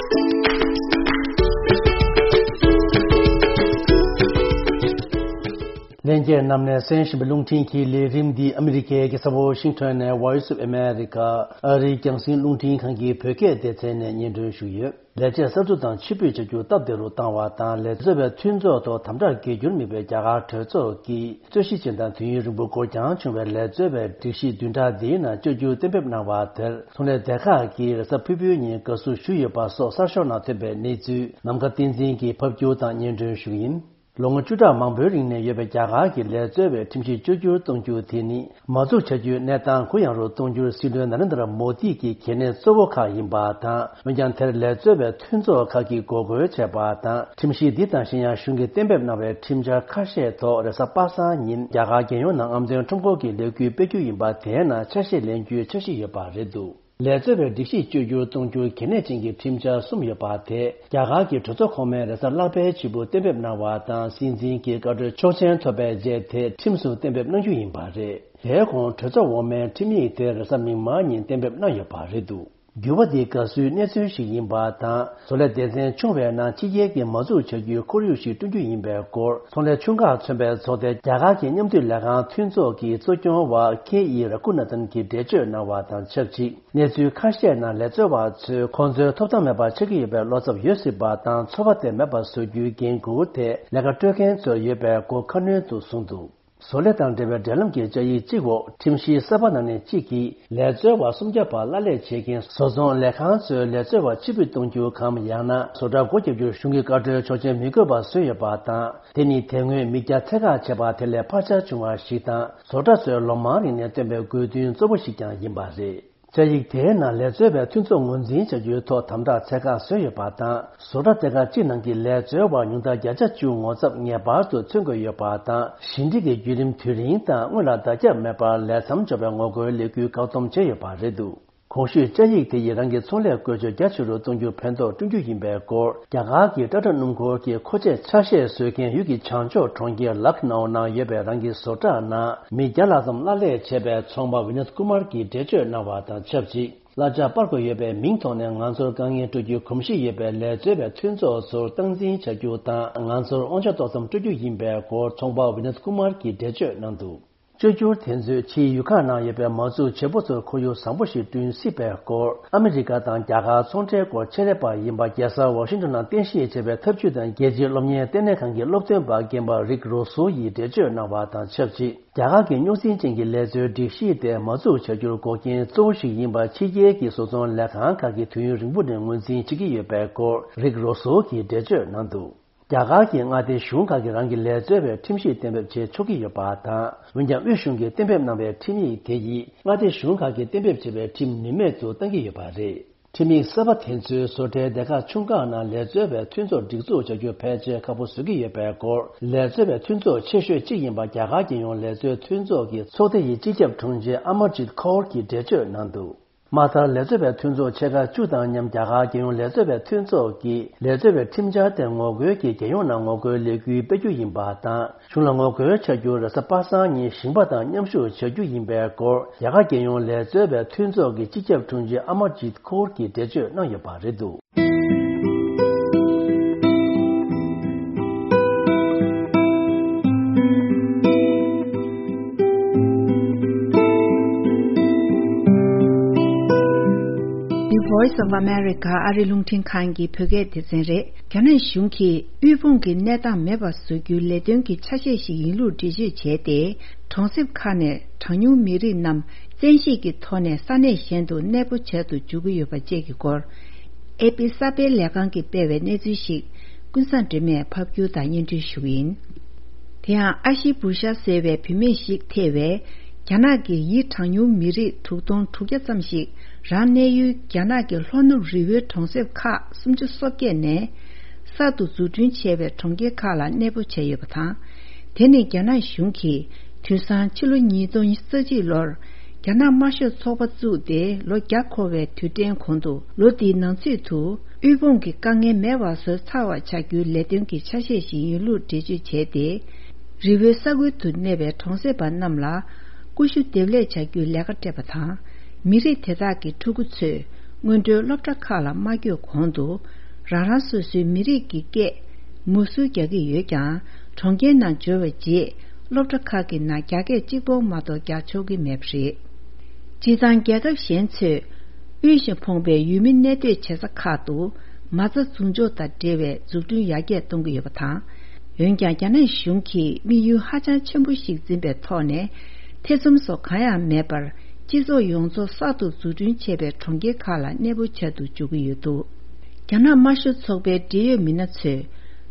ལྷན་རྒྱས་རྣམས་ནས་གསན་བཞིན་པའི་རླུང་འཕྲིན་གྱི་ལས་རིམ་འདི་ཨ་མི་རི་ཀའི་རྒྱལ་ས་ཝོ་ཤིང་ཊོན་ནས་Voice of America ཨ་རིའི་རྒྱང་སྲིང་རླུང་འཕྲིན་ཁང་གི་བོད་སྐད་སྡེ་ཚན་ནས་སྙན་སྒྲོན་ཞུས་ཡོད། ལས་བྱེད་གསར་འཛུགས་དང་ཕྱིར་འབུད་བྱ་རྒྱུ་སྟབས་བདེ་རུ་བཏང་བ་དང་། ལས་བཟོ་བའི་མཐུན་ཚོགས་ཐོག་དམ་དྲག་སྒེར་འགྱུར་དམིགས་པའི་རྒྱ་གར་གྲོས་ཚོགས་ཀྱིས་རྩོད་གཞི་ཅན་དང་དུས་ཡུན་རིང་པོ་འགོར་འགྱངས་བྱུང་བའི་ལས་བཟོ་བའི་སྒྲིག་གཞི་བདུན་ཕྲག་འདིའི་ནང་བཅོས་བསྒྱུར་གཏན་འབེབས་གནང་བ་དེར་ཚོང་ལས་སྡེ་ཁག་གིས་རེས་གཟའ་ཕུར་བུའི་ཉིན་དགའ་བསུ་ཞུས་ཡོད་པ་སོགས་གསར་ཤོག་ནང་ཐོན་པའི་གནས་ཚུལ་ནམ་མཁའ་བསྟན་འཛིན་གྱིས་ཕབ་སྒྱུར་དང་སྙན་སྒྲོན་ཞུ་གི་ཡིན། ལོ་ངོ་བཅུ་ཕྲག་མང་པོའི་རིང་ནས་ཡོད་པའི་རྒྱ་གར་གྱི་ལས་བཟོ་བའི་ཁྲིམས་གཞི་བཅོས་བསྒྱུར་གཏོང་རྒྱུ་དེ་ནི་མ་འཛུགས་བྱ་རྒྱུའི་གནས་སྟངས་གུ་ཡངས་རུ་གཏོང་རྒྱུར་སྲིད་བློན་ན་རེན་དྲ་མོ་དི་གི་གལ་གནད་གཙོ་བོ་ཁག་ཡིན་པ་དང་། འོན་ཀྱང་དེར་ལས་བཟོ་བའི་མཐུན་ཚོགས་ཁག་གིས་འགོག་རྒོལ་བྱས་པ་དང་། ཁྲིམས་གཞི་འདི་དང་གཞན་ཡང་གཞུང་གིས་གཏན་འབེབས་གནང་བའི་ཁྲིམས་འཆར་ཁ་ཤས་ཐོག་རེས་གཟའ་པ་སངས་ཉིན་རྒྱ་གར་རྒྱལ་ཡོངས་ནང་ཨམ་བན་ཁྲོམ་སྐོར་གྱི་ལས་འགུལ་སྤེལ་རྒྱུ་ཡིན་པ་དེའི་ནང་ཆ་ཤས་ལེན་རྒྱུའི་འཆར་གཞི་ཡོད་པ་རེད་འདུག་ལས་བཟོ་བའི་སྒྲིག་གཞི་བཅོས་བསྒྱུར་གཏོང་རྒྱུར་གལ་གནད་ཅན་གྱི་ཁྲིམས་འཆར་གསུམ་ཡོད་པ་དེ་རྒྱ་གར་གྱི་གྲོས་ཚོགས་གོང་མའི་རེས་གཟའ་ལྷག་པའི་ཕྱི་དྲོ་གཏན་འབེབས་གནང་བ་དང་། སྲིད་འཛིན་གྱི་བཀའ་འཁྲོལ་ཆོག་མཆན་ཐོབ་པའི་རྗེས་དེ་ཁྲིམས་སུ་གཏན་འབེབས་གནང་རྒྱུ་ཡིན་པ་རེད། དེའི་གོང་གྲོས་ཚོགས་འོག་མའི་ཁྲིམས་ཡིག་དེ་རེས་གཟའ་མིག་དམར་ཉིན་གཏན་འབེབས་གནང་ཡོད་པ་རེད་འདུག་འགྱུར་བ་འདི་དགའ་བསུའི་གནས་ཚུལ་ཞིག་ཡིན་པ་དང་། བཟོ་ལས་སྡེ་ཚན་ཆུང་བའི་ནང་ཕྱི་རྒྱལ་གྱི་མ་འཛུགས་བྱ་རྒྱུའི་ཁོར་ཡུག་ཞིག་བསྐྲུན་རྒྱུ་ཡིན་པའི་སྐོར། ཚོང་ལས་ཆུང་ཁག་མཚོན་པའི་ཚོགས་སྡེ་རྒྱ་གར་གྱི་མཉམ་འདུས་ལས་ཁང་མཐུན་ཚོགས་ཀྱི་གཙོ་སྐྱོང་བ་ཁེ་ཨི་ར་ཀུ་ན་ཐན་གྱིས་འགྲེལ་བརྗོད་གནང་བ་དང་ཆབས་ཅིག་གནས་ཚུལ་ཁ་ཤས་ནང་ལས་བཟོ་བ་ཚོས་ཁོང་ཚོའི་ཐོབ་ཐང་མེད་པ་ཆགས་ཀྱི་ཡོད་པའི་བློ་འཚབ་ཡོད་སྲིད་པ་དང་། ཚོར་བ་དེ་མེད་པ་བཟོ་རྒྱུའི་འགན་འཁུར་དེ་ལས་ཀ་སྤྲོད་མཁན་ཚོར་ཡོད་པའི་སྐོར་ཁ་སྣོན་དུ་གསུངས་འདུག་བཟོ་ལས་དང་འབྲེལ་བའི་འབྲེལ་ལམ་གྱི་བཅའ་ཡིག་གཅིག་འོག་ཁྲིམས་གཞིའི་གསར་པ་ནང་ནས་གཅིག་གིས། ལས་བཟོ་བ་སུམ་བརྒྱ་བར་གླ་ལས་བྱེད་མཁན་བཟོ་ཚོང་ལས་ཁང་ཚོའི་ལས་བཟོ་བ་ཕྱིར་འབུད་གཏོང་རྒྱུ་གམ། ཡང་ན་བཟོ་གྲྭ་སྒོ་བརྒྱབ་རྒྱུར་གཞུང་གི་བཀའ་འཁྲོལ་ཆོག་མཆན་མི་དགོས་པ་བཟོས་ཡོད་པ་དང་། དེ་ནི་དེ་སྔོན་མི་རྒྱ་ཚད་བཀག་བྱས་པ་དེ་ལས་ཕར་ཆེར་བྱུང་བ་ཞིག་དང་། བཟོ་གྲྭ་ཚོས་ལོ་མང་རིང་ནས་བཏོན་པའི་དགོས་འདུན་གཙོ་བོ་ཞིག་ཀྱང་ཡིན་པ་རེད། བཅའ་ཡིག་དེའི་ནང་ལས་བཟོ་བའི་མཐུན་ཚོགས་ངོས་འཛིན་བྱ་རྒྱུའི་ཐོག་དམ་དྲག་ཚད་བཀག་བཟོས་ཡོད་པ་དང་། བཟོ་གྲྭ་སྡེ་ཁག་གཅིག་ནང་གི་ལས་བཟོ་བ་ཉུང་མཐར་བརྒྱ་ཆ་བཅུ་ངོ་ཚབ་ངེས་པར་དུ་མཚོན་དགོས་ཡོད་པ་དང་། ཞི་འགྲིག་གི་བརྒྱུད་རིམ་དུས་རིང་དང་སྔོན་ལ་བརྡ་ཁྱབ་མེད་པར་ལས་མཚམས་འཇོག་པའི་ངོ་རྒོལ་ལས་འགུལ་བཀག་སྡོམ་བྱས་ཡོད་པ་རེད་འདུག་གོང་ཞུས་བཅའ་ཡིག་དེ་ཡིས་རང་གི་ཚོང་ལས་བཀོལ་སྤྱོད་རྒྱ་ཆེ་རུ་གཏོང་རྒྱུར་ཕན་ཐོགས་བསྐྲུན་རྒྱུ་ཡིན་པའི་སྐོར། རྒྱ་གར་གྱི་ཊ་ཊ་སྣུམ་འཁོར་གྱི་མཁོ་ཆས་ཆ་ཤས་བཟོ་མཁན་ཡུལ་གྱི་བྱང་ཕྱོགས་གྲོང་ཁྱེར་ལག་ནའོ་ནང་ཡོད་པའི་རང་གི་བཟོ་གྲྭ་ནང་མི་བརྒྱ་ལྷག་ཙམ་གླ་ལས་བྱས་པའི་ཚོང་པ་ཝི་ནད་ཀུ་མར་གྱིས་འགྲེལ་བརྗོད་གནང་བ་དང་ཆབས་ཅིག་གླ་ཆ་སྤར་དགོས་ཡོད་པའི་མིང་ཐོག་ནས་ང་ཚོར་དཀའ་ངལ་སྤྲོད་རྒྱུའི་གོམས་གཤིས་ཡོད་པའི་ལས་བཟོ་བའི་མཐུན་ཚོགས་ཚོར་སྟངས་འཛིན་བྱ་རྒྱུ་དང་། ང་ཚོར་དབང་ཆ་ཏོག་ཙམ་སྤྲོད་རྒྱུ་ཡིན་པའི་སྐོར་ཚོང་པ་ཝི་ནད་ཀུ་མར་གྱིས་འགྲེལ་བརྗོད་གནང་འདུག་བཅོས་བསྒྱུར་དེ་ཚོས་ཕྱིའི་ཡུལ་ཁག་ནང་ཡོད་པའི་མ་འཛུགས་བྱེད་པོ་ཚོར་ཁོར་ཡུག་བཟང་པོ་ཞིག་བསྐྲུན་སྲིད་པའི་སྐོར། ཨ་མི་རི་ཀ་དང་རྒྱ་གར་ཚོང་འབྲེལ་སྐོར་ཆེད་ལས་པ་ཡིན་པ། རྒྱལ་ས་ཝ་ཤིང་ཏོན་ནང་རྟེན་གཞི་བྱས་པའི་འཐབ་ཇུས་དང་རྒྱལ་སྤྱིའི་སློབ་གཉེར་ལྟེ་གནས་ཁང་གི་སློབ་སྟོན་པ་རྒན་པ་རིག་རོ་སོ་ཡིས་འགྲེལ་བརྗོད་གནང་བ་དང་ཆབས་ཅིག་རྒྱ་གར་གྱི་རྙོག་འཛིང་ཅན་གྱི་ལས་བཟོའི་སྒྲིག་གཞི་དེ་མ་འཛུགས་བྱ་རྒྱུར་འགོག་རྐྱེན་གཙོ་བོ་ཞིག་ཡིན་པ། ཕྱི་རྒྱལ་གྱི་བཟོ་ཚོང་ལས་ཁང་ཁག་གིས་དུས་ཡུན་རིང་པོ་ནས་ངོས་འཛིན་བྱེད་ཀྱི་ཡོད་པའི་སྐོར་རིག་རོ་སོ་གིས་འགྲེལ་བརྗོད་གནང་འདུག་རྒྱ་གར་གྱི་མངའ་སྡེ་གཞུང་ཁག་གིས་རང་གི་ལས་བཟོ་བའི་ཁྲིམས་གཞི་གཏན་འབེབས་བྱེད་ཆོག་གི་ཡོད་པ་དང་། འོན་ཀྱང་དབུས་གཞུང་གིས་གཏན་འབེབས་གནང་བའི་ཁྲིམས་ཡིག་དེ་ཡིས་མངའ་སྡེ་གཞུང་ཁག་གིས་གཏན་འབེབས་བྱས་པའི་ཁྲིམས་ནུས་མེད་དུ་བཏང་གི་ཡོད་པ་རེད། ཁྲིམས་ཡིག་གསར་པ་དེ་ཚོས་བཟོ་གྲྭའི་སྡེ་ཁག་ཆུང་ཁག་ནང་ལས་བཟོ་བའི་མཐུན་ཚོགས་སྒྲིག་འཛུགས་བྱ་རྒྱུ་ཕལ་ཆེར་ཁག་པོ་བཟོ་གི་ཡོད་པའི་སྐོར། ལས་བཟོ་བའི་མཐུན་ཚོགས་ཆེ་ཤོས་གཅིག་ཡིན་པ་རྒྱ་གར་རྒྱལ་ཡོངས་ལས་བཟོའི་མཐུན་ཚོགས་ཀྱི་ཚོགས་སྡེ་ཡི་སྤྱི་ཁྱབ་དྲུང་ཆེ་ཨ་མར་ཇིད་ཁོར་གྱིས་འགྲེལ་བརྗོད་གནང་འདུག་དམག་དར་ལས་བཟོ་བའི་མཐུན་ཚོགས་ཆེ་ཁག་བཅུ་དང་མཉམ་རྒྱ་གར་རྒྱལ་ཡོངས་ལས་བཟོ་བའི་མཐུན་ཚོགས་ཀྱིས་ལས་བཟོ་བའི་ཁྲིམས་འཆར་དེ་ངོ་རྒོལ་གྱིས་རྒྱལ་ཡོངས་ནང་ངོ་རྒོལ་ལས་འགུལ་སྤེལ་རྒྱུ་ཡིན་པ་དང་། གཞུང་ལ་ངོ་རྒོལ་བྱ་རྒྱུར་རེས་གཟའ་པ་སངས་ཉིན་ཞིང་པ་དང་མཉམ་ཞུགས་བྱ་རྒྱུ་ཡིན་པའི་སྐོར་རྒྱ་གར་རྒྱལ་ཡོངས་ལས་བཟོ་བའི་མཐུན་ཚོགས་ཀྱི་སྤྱི་ཁྱབ་དྲུང་ཆེ་ཨ་མར་ཇིད་ཁོར་གྱིས་འགྲེལ་བརྗོད་གནང་ཡོད་པ་རེད་འདུག The Voice of America ཨ་རི་རླུང་འཕྲིན་ཁང་གི་བོད་སྐད་སྡེ་ཚན་རེད། རྒྱ་ནག་གཞུང་གིས་དབུལ་ཕོངས་ཀྱི་གནས་སྟངས་མེད་པར་བཟོ་རྒྱུའི་ལས་དོན་གྱི་ཆ་ཤས་ཤིག་ཡིན་ལུགས་འགྲེལ་བརྗོད་བྱས་ཏེ། གྲོང་གསེབ་ཁག་ནས་གྲངས་ཉུང་མི་རིགས་རྣམས་བཙན་ཤེད་ཀྱི་ཐོག་ནས་ས་གནས་གཞན་དུ་གནས་སྤོ་བྱ་དུ་འཇུག་གི་ཡོད་པ་བཅས་ཀྱི་སྐོར། ཨེ་པི་གསར་སྤེལ་ལས་ཁང་གིས་སྤེལ་བའི་གནས་ཚུལ་ཞིག་ཀུན་བཟང་སྒྲོལ་མས་ཕབ་སྒྱུར་དང་སྙན་སྒྲོན་ཞུ་གི་ཡིན། དེ་ཡང་ཨ་ཤི་བུ་ཤ་ཟེར་བའི་བུད་མེད་ཞིག་ཐེ་བའི་རྒྱ་ནག་གི་ཡི་གྲངས་ཉུང་མི་རིགས་དྲུག་སྟོང་དྲུག་བརྒྱ་ཙམ་ཞིག་རང་གནས་ཡུལ་རྒྱ་ནག་གི་ལྷོ་ནུབ་རི་བོའི་གྲོང་གསེབ་ཁག་སུམ་ཅུ་སོ་བརྒྱད་ནས་གསར་དུ་འཛུགས་སྐྲུན་བྱས་པའི་གྲོང་ཁྱེར་ཁག་ལ་གནས་སྤོ་བྱས་ཡོད་པ་དང་། དེ་ནི་རྒྱ་ནག་གཞུང་གིས་དུས་སང་ཕྱི་ལོ་ཉིས་སྟོང་རྩ་གཅིག་ལོར་རྒྱ་ནག་དམར་ཤོག་ཚོགས་པ་བཙུགས་ཏེ་ལོ་བརྒྱ་འཁོར་བའི་དུས་དྲན་གོང་དུ། ལོ་འདིའི་ནང་ཚུད་དུ་དབུལ་ཕོངས་ཀྱི་དཀའ་ངལ་མེད་པར་བཟོ་ཚར་བར་བྱ་རྒྱུའི་ལས་དོན་གྱི་ཆ་ཤས་ཤིག་ཡིན་ལུགས་འགྲེལ་བརྗོད་བྱས་ཏེ། རི་བོའི་ས་ཁུལ་དུ་གནས་པའི་གྲོང་གསེབ་པ་རྣམས་ལ་ཀུ་ཤུ་འདེབས་ལས་བྱ་རྒྱུའི་ལས་ཀ་སྤྲད་པ་དང་། མི་རིགས་དེ་དག་གི་ཕྲུ་གུ་ཚོས་སྔོན་འགྲོའི་སློབ་གྲྭ་ཁག་ལ་མ་བསྐྱོད་གོང་དུ། རང་རང་སོ་སོའི་མི་རིགས་ཀྱི་སྐད་མུ་སུ་རྒྱག་གི་ཡོད་ཀྱང་། གྲོང་ཁྱེར་ནང་འབྱོར་བའི་རྗེས་སློབ་གྲྭ་ཁག་གི་ནང་རྒྱ་སྐད་གཅིག་པོ་མ་གཏོགས་རྒྱག་ཆོག་གི་མེད་པ་རེད། སྤྱིར་བཏང་རྒྱལ་ཁབ་གཞན་ཚོས་དབུལ་ཞིང་ཕོངས་པའི་ཡུལ་མི་གནས་སྡོད་བྱེད་ས་ཁག་ཏུ་མ་རྩ་འཛུགས་འཇོག་དང་འབྲེལ་བའི་འཛུགས་སྐྲུན་ཡར་རྒྱས་གཏོང་གི་ཡོད་པ་དང་། འོན་ཀྱང་རྒྱ་ནག་གཞུང་གིས་དམིགས་ཡུལ་ཧ་ཅང་ཆེན་པོ་ཞིག་འཛིན་པའི་ཐོག་ནས། ཐེ་ཚོམ་སོགས་གང་ཡང་མེད་པར་སྤྱི་ཚོགས་ཡོངས་རྫོགས་གསར་དུ་འཛུགས་སྐྲུན་བྱས་པའི་གྲོང་ཁྱེར་ཁག་ལ་གནས་སྤོ་བྱ་དུ་འཇུག་གི་ཡོད་འདུག་རྒྱ་ནག་དམར་ཤོག་ཚོགས་པའི་འབྲེལ་ཡོད་མི་སྣ་ཚོས་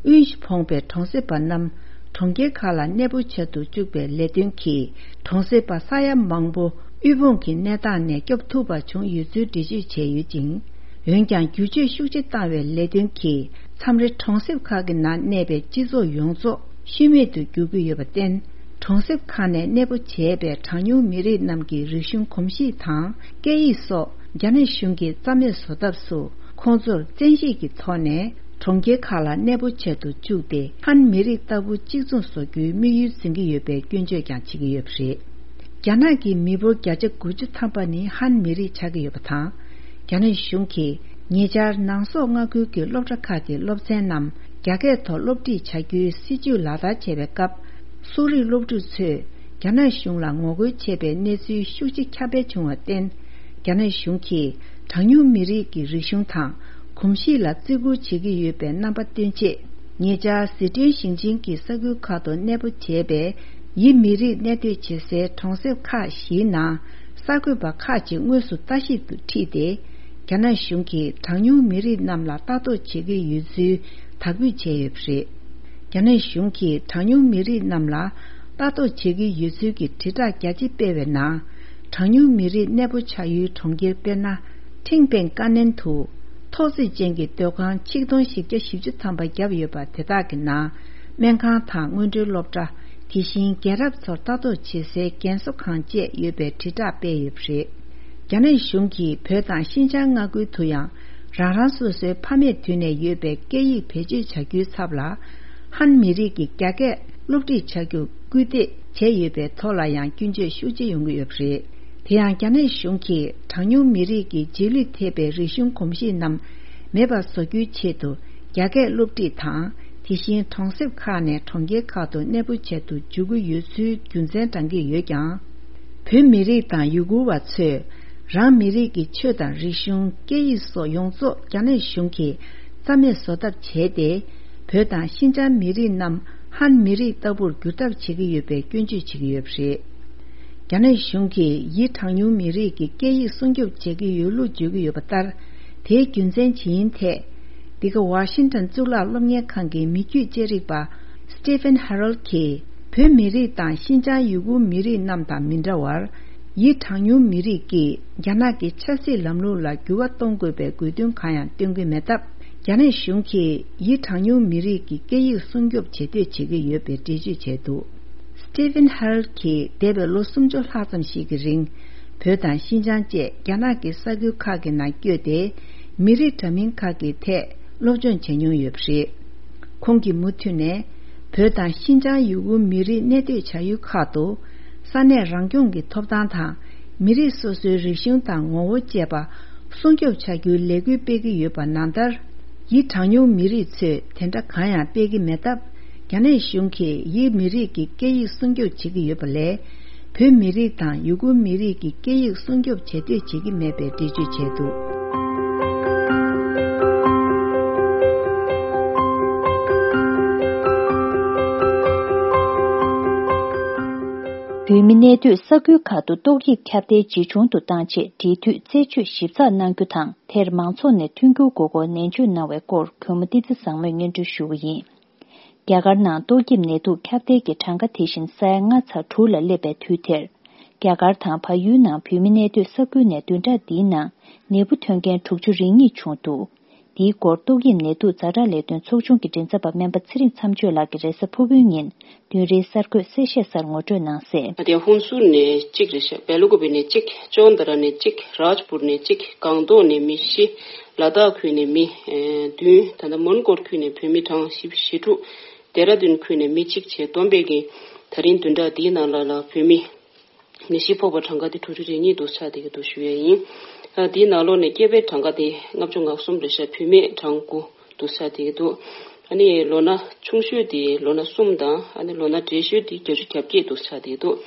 དབུལ་ཞིང་ཕོངས་པའི་གྲོང་གསེབ་པ་རྣམས་གྲོང་ཁྱེར་ཁག་ལ་གནས་སྤོ་བྱ་དུ་བཅུག་པའི་ལས་དོན་གྱིས་གྲོང་གསེབ་པ་ས་ཡ་མང་པོ་དབུལ་ཕོངས་ཀྱི་གནས་སྟངས་ནས་སྐྱོབ་ཐུབ་པ་བྱུང་ཡོད་ཚུལ་འགྲེལ་བརྗོད་བྱས་ཡོད་ཅིང་། འོན་ཀྱང་། བསྒྱུར་བཅོས་ཤུགས་ཆེ་བཏང་བའི་ལས་དོན་གྱིས་མཚམས་རེ་གྲོང་གསེབ་ཁག་གི་ནང་གནས་པའི་སྤྱི་ཚོགས་ཡོངས་རྫོགས་ཤུལ་མེད་དུ་འགྱུར་གྱི་ཡོད་པར་བརྟེན། གྲོང་གསེབ་ཁག་ནས་གནས་སྤོ་བྱས་པའི་གྲངས་ཉུང་མི་རིགས་རྣམས་ཀྱི་རིག་གཞུང་གོམས་གཤིས་དང་སྐད་ཡིག་སོགས་རྒྱ་ནག་གཞུང་གིས་རྩ་མེད་བཟོ་ཐབས་སུ། ཁོང་ཚོར་བཙན་ཤེད་ཀྱི་ཐོག་ནས་གྲོང་ཁྱེར་ཁག་ལ་གནས་སྤོ་བྱ་དུ་བཅུག་སྟེ། ཧན་མི་རིགས་ལྟ་བུ་གཅིག་མཚུངས་བཟོ་རྒྱུའི་དམིགས་ཡུལ་འཛིན་གྱི་ཡོད་པའི་སྐྱོན་བརྗོད་ཀྱང་བྱེད་ཀྱི་ཡོད་པ་རེད། རྒྱ་ནག་གི་མི་འབོར་བརྒྱ་ཆ་དགུ་བཅུ་ཐམ་པ་ནི་ཧན་མི་རིགས་ཆགས་ཀྱི་ཡོད་པ་དང་། རྒྱ་ནག་གཞུང་གིས་ཉེ་ཆར་ནང་སོག་མངའ་ཁུལ་གྱི་སློབ་གྲྭ་ཁག་གི་སློབ་ཚན་རྣམས་རྒྱ་སྐད་ཐོག་སློབ་ཁྲིད་བྱ་རྒྱུའི་སྲིད་ཇུས་ལག་བསྟར་བྱས་པའི་སྐབས། སོག་རིགས་སློབ་ཕྲུག་ཚོས་རྒྱ་ནག་གཞུང་ལ་ངོ་རྒོལ་བྱས་པའི་གནས་ཚུལ་ཤུགས་ཆེ་ཁྱབ་སྤེལ་བྱུང་བར་བརྟེན། རྒྱ་ནག་གཞུང་གིས་གྲངས་ཉུང་མི་རིགས་ཀྱི་རིག་གཞུང་དང་གོམས་གཤིས་ལ་བརྩི་བཀུར་བྱེད་ཀྱི་ཡོད་པའི་རྣམ་པ་སྟོན་ཆེད། ཉེ་ཆར་ཟི་ཁྲོན་ཞིང་ཆེན་གྱི་ས་ཁུལ་ཁག་ཏུ་གནས་སྤོ་བྱས་པའི་ཡི་མི་རིགས་གནས་སྡོད་བྱེད་སའི་གྲོང་གསེབ་ཁག་བཞིའི་ནང་གསར་འགོད་པ་ཁག་ཅིག་དངོས་སུ་ལྟ་ཞིབ་ཏུ་ཁྲིད་དེ། རྒྱ་ནག་གཞུང་གིས་གྲངས་ཉུང་མི་རིགས་རྣམས་ལ་ལྟ་རྟོག་བྱེད་ཀྱི་ཡོད་ཚུལ་དག་འབུད་བྱས་ཡོད་པ་རེད། རྒྱ་ནག་གཞུང་གིས་གྲངས་ཉུང་མི་རིགས་རྣམས་ལ་ལྟ་རྟོག་བྱེད་ཀྱི་ཡོད་ཚུལ་གྱི་དྲིལ་བསྒྲགས་རྒྱ་ཆེ་སྤེལ་བའི་ནང་། གྲངས་ཉུང་མི་རིགས་གནས་སྤོ་བྱ་ཡུལ་གྲོང་ཁྱེར་དཔེར་ན། ཁྲིང་པེང་ཀ་ནན་དུ། ཐོག་བརྩེགས་ཅན་གྱི་སྡོད་ཁང་ཆིག་སྟོང་བཞི་བརྒྱ་བཞི་བཅུ་ཐམ་པ་བརྒྱབ་ཡོད་པ་དེ་དག་གི་ནང་། སྨན་ཁང་དང་སྔོན་འགྲོའི་སློབ་གྲྭ། དེ་བཞིན་རྒན་རབས་ཚོར་ལྟ་རྟོག་བྱེད་སའི་རྒན་གསོ་ཁང་བཅས་ཡོད་པའི་དྲིལ་བསྒྲགས་སྤེལ་ཡོད་པ་རེད། རྒྱ་ནག་གཞུང་གིས་བོད་དང་ཤིན་ཅང་མངའ་ཁུལ་དུ་ཡང་། རང་རང་སོ་སོའི་ཕ་མེས་དུས་ནས་ཡོད་པའི་སྐད་ཡིག་བེད་སྤྱོད་བྱ་རྒྱུའི་ཚབ་ལ། ཧན་མི་རིགས་ཀྱི་རྒྱ་སྐད་སློབ་ཁྲིད་བྱ་རྒྱུར་སྐུལ་འདེད་བྱས་ཡོད་པའི་ཐོག་ལ་ཡང་སྐྱོན་བརྗོད་ཤུགས་ཆེ་ཡོང་གི་ཡོད་པ་རེད། དེ་ཡང་རྒྱ་ནག་གཞུང་གིས་གྲངས་ཉུང་མི་རིགས་ཀྱི་རྗེས་ལུས་ཐེབས་པའི་རིག་གཞུང་གོམས་གཤིས་རྣམས་མེད་པར་བཟོ་རྒྱུའི་ཆེད་དུ། རྒྱ་སྐད་སློབ་ཁྲིད་དང་། དེ་བཞིན་གྲོང་གསེབ་ཁག་ནས་གྲོང་ཁྱེར་ཁག་ཏུ་གནས་སྤོ་བྱེད་དུ་འཇུག་གི་ཡོད་ཚུལ་རྒྱུ་མཚན་བགྲང་གི་ཡོད་ཀྱང་། བོད་མི་རིགས་དང་ཡུ་གུར་བ་ཚོས་རང་མི་རིགས་ཀྱི་ཆོས་དང་རིག་གཞུང་། སྐད་ཡིག་སོགས་ཡོངས་རྫོགས་རྒྱ་ནག་གཞུང་གིས་རྩ་མེད་བཟོ་ཐབས་བྱས་ཏེ། བོད་དང་ཤིན་ཅང་མི་རིགས་རྣམས་ཧན་མི་རིགས་ལྟ་བུར་འགྱུར་ཐབས་བྱེད་ཀྱི་ཡོད་པའི་སྐྱོན་བརྗོད་བྱེད་ཀྱི་ཡོད་པ་རེད། རྒྱ་ནག་གཞུང་གིས་ཡི་གྲངས་ཉུང་མི་རིགས་ཀྱི་སྐད་ཡིག་སྲུང་སྐྱོབ་བྱེད་ཀྱི་ཡོད་ལུགས་བརྗོད་ཀྱི་ཡོད་པ་ལྟར། དེའི་རྒྱུ་མཚན་ཇི་ཡིན་ཐད། འདི་ག་ཝ་ཤིང་ཊོན་གཙུག་ལག་སློབ་གཉེར་ཁང་གི་མི་རྒྱུད་དཔྱད་རིག་པ་Stephen Harrell གྱིས། བོད་མི་རིགས་དང་ཤིན་ཅང་ཡུ་གུར་མི་རིགས་རྣམས་དང་མི་འདྲ་བར། ཡི་གྲངས་ཉུང་མི་རིགས་ཀྱིས་རྒྱ་ནག་གི་ཆབ་སྲིད་ལམ་ལུགས་ལ་འགྱུར་བ་གཏོང་དགོས་པའི་དགོས་འདུན་གང་ཡང་བཏོན་གྱི་མེད་སྟབས། རྒྱ་ནག་གཞུང་གིས་ཡི་གྲངས་ཉུང་མི་རིགས་ཀྱི་སྐད་ཡིག་སྲུང་སྐྱོབ་བྱེད་འདོད་བྱེད་ཀྱི་ཡོད་པའི་འགྲེལ་བརྗོད་བྱས་འདུག Stephen Harrell གྱིས་འདས་པའི་ལོ་སུམ་ཅུ་ལྷག་ཙམ་ཞིག་གི་རིང་། བོད་དང་ཤིན་ཅང་བཅས་རྒྱ་ནག་གི་ས་ཁུལ་ཁག་གི་ནང་བསྐྱོད་དེ། མི་རིགས་འདྲ་མིན་ཁག་གི་ཐད་སློབ་སྦྱོང་བྱས་མྱོང་ཡོད་པ་རེད། ཁོང་གིས་མུ་མཐུད་ནས། བོད་དང་ཤིན་ཅང་ཡུ་གུར་མི་རིགས་གནས་སྡོད་བྱ་ཡུལ་ཁག་ཏུ། ས་གནས་རང་སྐྱོང་གི་ཐོབ་ཐང་དང་། མི་རིགས་སོ་སོའི་རིག་གཞུང་དང་ངོ་བོ་བཅས་པ་སྲུང་སྐྱོབ་བྱ་རྒྱུའི་ལས་འགུལ་སྤེལ་གྱི་ཡོད་པ་ནང་ལྟར། ཡིག་གྲངས་ཉུང་མི་རིགས་ཚོས་དེ་འདྲ་གང་ཡང་སྤེལ་གྱི་མེད་སྟབས། རྒྱ་ནག་གཞུང་གིས་ཡིག་མི་རིགས་ཀྱི་སྐད་ཡིག་སྲུང་སྐྱོབ་བྱེད་ཀྱི་ཡོད་པ་ལས། བོད་མི་རིགས་དང་ཡུ་གུར་མི་རིགས་ཀྱི་སྐད་ཡིག་སྲུང་སྐྱོབ་བྱེད་འདོད་བྱེད་ཀྱི་མེད་པའི་འགྲེལ་བརྗོད་བྱས་འདུག། བོད་མི་གནས་སྡོད་ས་ཁུལ་ཁག་ཏུ་ཏོག་དབྱིབས་ཁྱབ་གདལ་ཇེ་ཆུང་དུ་བཏང་ཆེད་འབྲེལ་མཐུད་རྩད་གཅོད་ཞིབ་ཚགས་གནང་རྒྱུ་དང་། དེར་མང་ཚོགས་ནས་མཐུན་འགྱུར་དགོས་སྐོར་ནན་བརྗོད་གནང་བའི་སྐོར་གུས་མོ་བསྟན་འཛིན་བཟང་མོས་སྙན་སྒྲོན་ཞུ་བ་ཡིན། རྒྱ་གར་ནང་ཏོག་དབྱིབས་ནད་དུག་ཁྱབ་གདལ་གྱི་གྲངས་ཀ་དེ་བཞིན་ས་ཡ་ལྔ་ཚེག་དྲུག་ལ་སླེབས་པའི་དུས་དེར། རྒྱ་གར་དང་བལ་ཡུལ་ནང་བོད་མི་གནས་སྡོད་ས་ཁུལ་ནས་བདུན་ཕྲག་འདིའི་ནང་ནད་འབུ་ཐོན་མཁན་དྲུག་ཅུ་རེ་གཉིས་བྱུང་འདུག། འདིའི་སྐོར་ཏོག་དབྱིབས་ནད་དུག་ཛ་དྲག་ལས་དོན་ཚོགས་ཆུང་གི་མགྲིན་ཚབ་པ་སྨན་པ་ཚེ་རིང་མཚམས་གཅོད་ལགས་ཀྱིས་རེས་གཟའ་ཕུར་བུའི་ཉིན་བདུན་རེའི་གསར་འགོད་གསལ་བཤད་གསར་ངོ་སྤྲོད་གནང་གསལ། ཨ་དེ་ཧུན་སུར་ནས་གཅིག་རེད་ཤག། བེ་ལུ་ཀུ་པེ་ནས་གཅིག། ཅོན་ཏ་ར་ནས་གཅིག། རཱཇ་པུར་ནས་གཅིག། སྒང་ཏོག་ནས་མི་བཞི། ལ་དྭགས་ཁུལ་ནས་མི་ཨེ་བདུན། ད་ལྟ་མོན་གོར་ཁུལ་ནས་བོད་མི་གྲངས་བཞི་བཅུ་ཞེ་དྲུག། ལྡེ་ར་ལྡུན་ཁུལ་ནས་མི་གཅིག་བྱས་བསྡོམས་པས་ཀྱི་ད་རིང་བདུན་ཕྲག་འདིའི་ནང་ལ་ལ་བོད་མི་ནད་གཞི་ཕོག་པ་གྲངས་ཀ་དེ་དྲུག་ཅུ་རེ་གཉིས་འདུག་ཆགས་བསྡད་ཀྱི་འདུག་ཞུ་ཡས་ཡིན། ཨ་དེའི་ནང་ལོགས་ནས་སྐྱེས་པའི་གྲངས་ཀ་དེ་ལྔ་བཅུ་ང་གསུམ་རེད་ཤག། བུད་མེད་གྲངས་དགུ་འདུག་ཆགས་བསྡད་ཀྱི་འདུག། ཨ་ནི་ལོ་ན་ཆུང་ཤོས་དེ་ལོ་ན་གསུམ་དང་། ཨ་ནི་ལོ་ན་བགྲེས་ཤོས་དེ་བརྒྱད་ཅུ་གྱ་བརྒྱད་འདུག་ཆགས་བསྡད་ཀྱི་འདུག།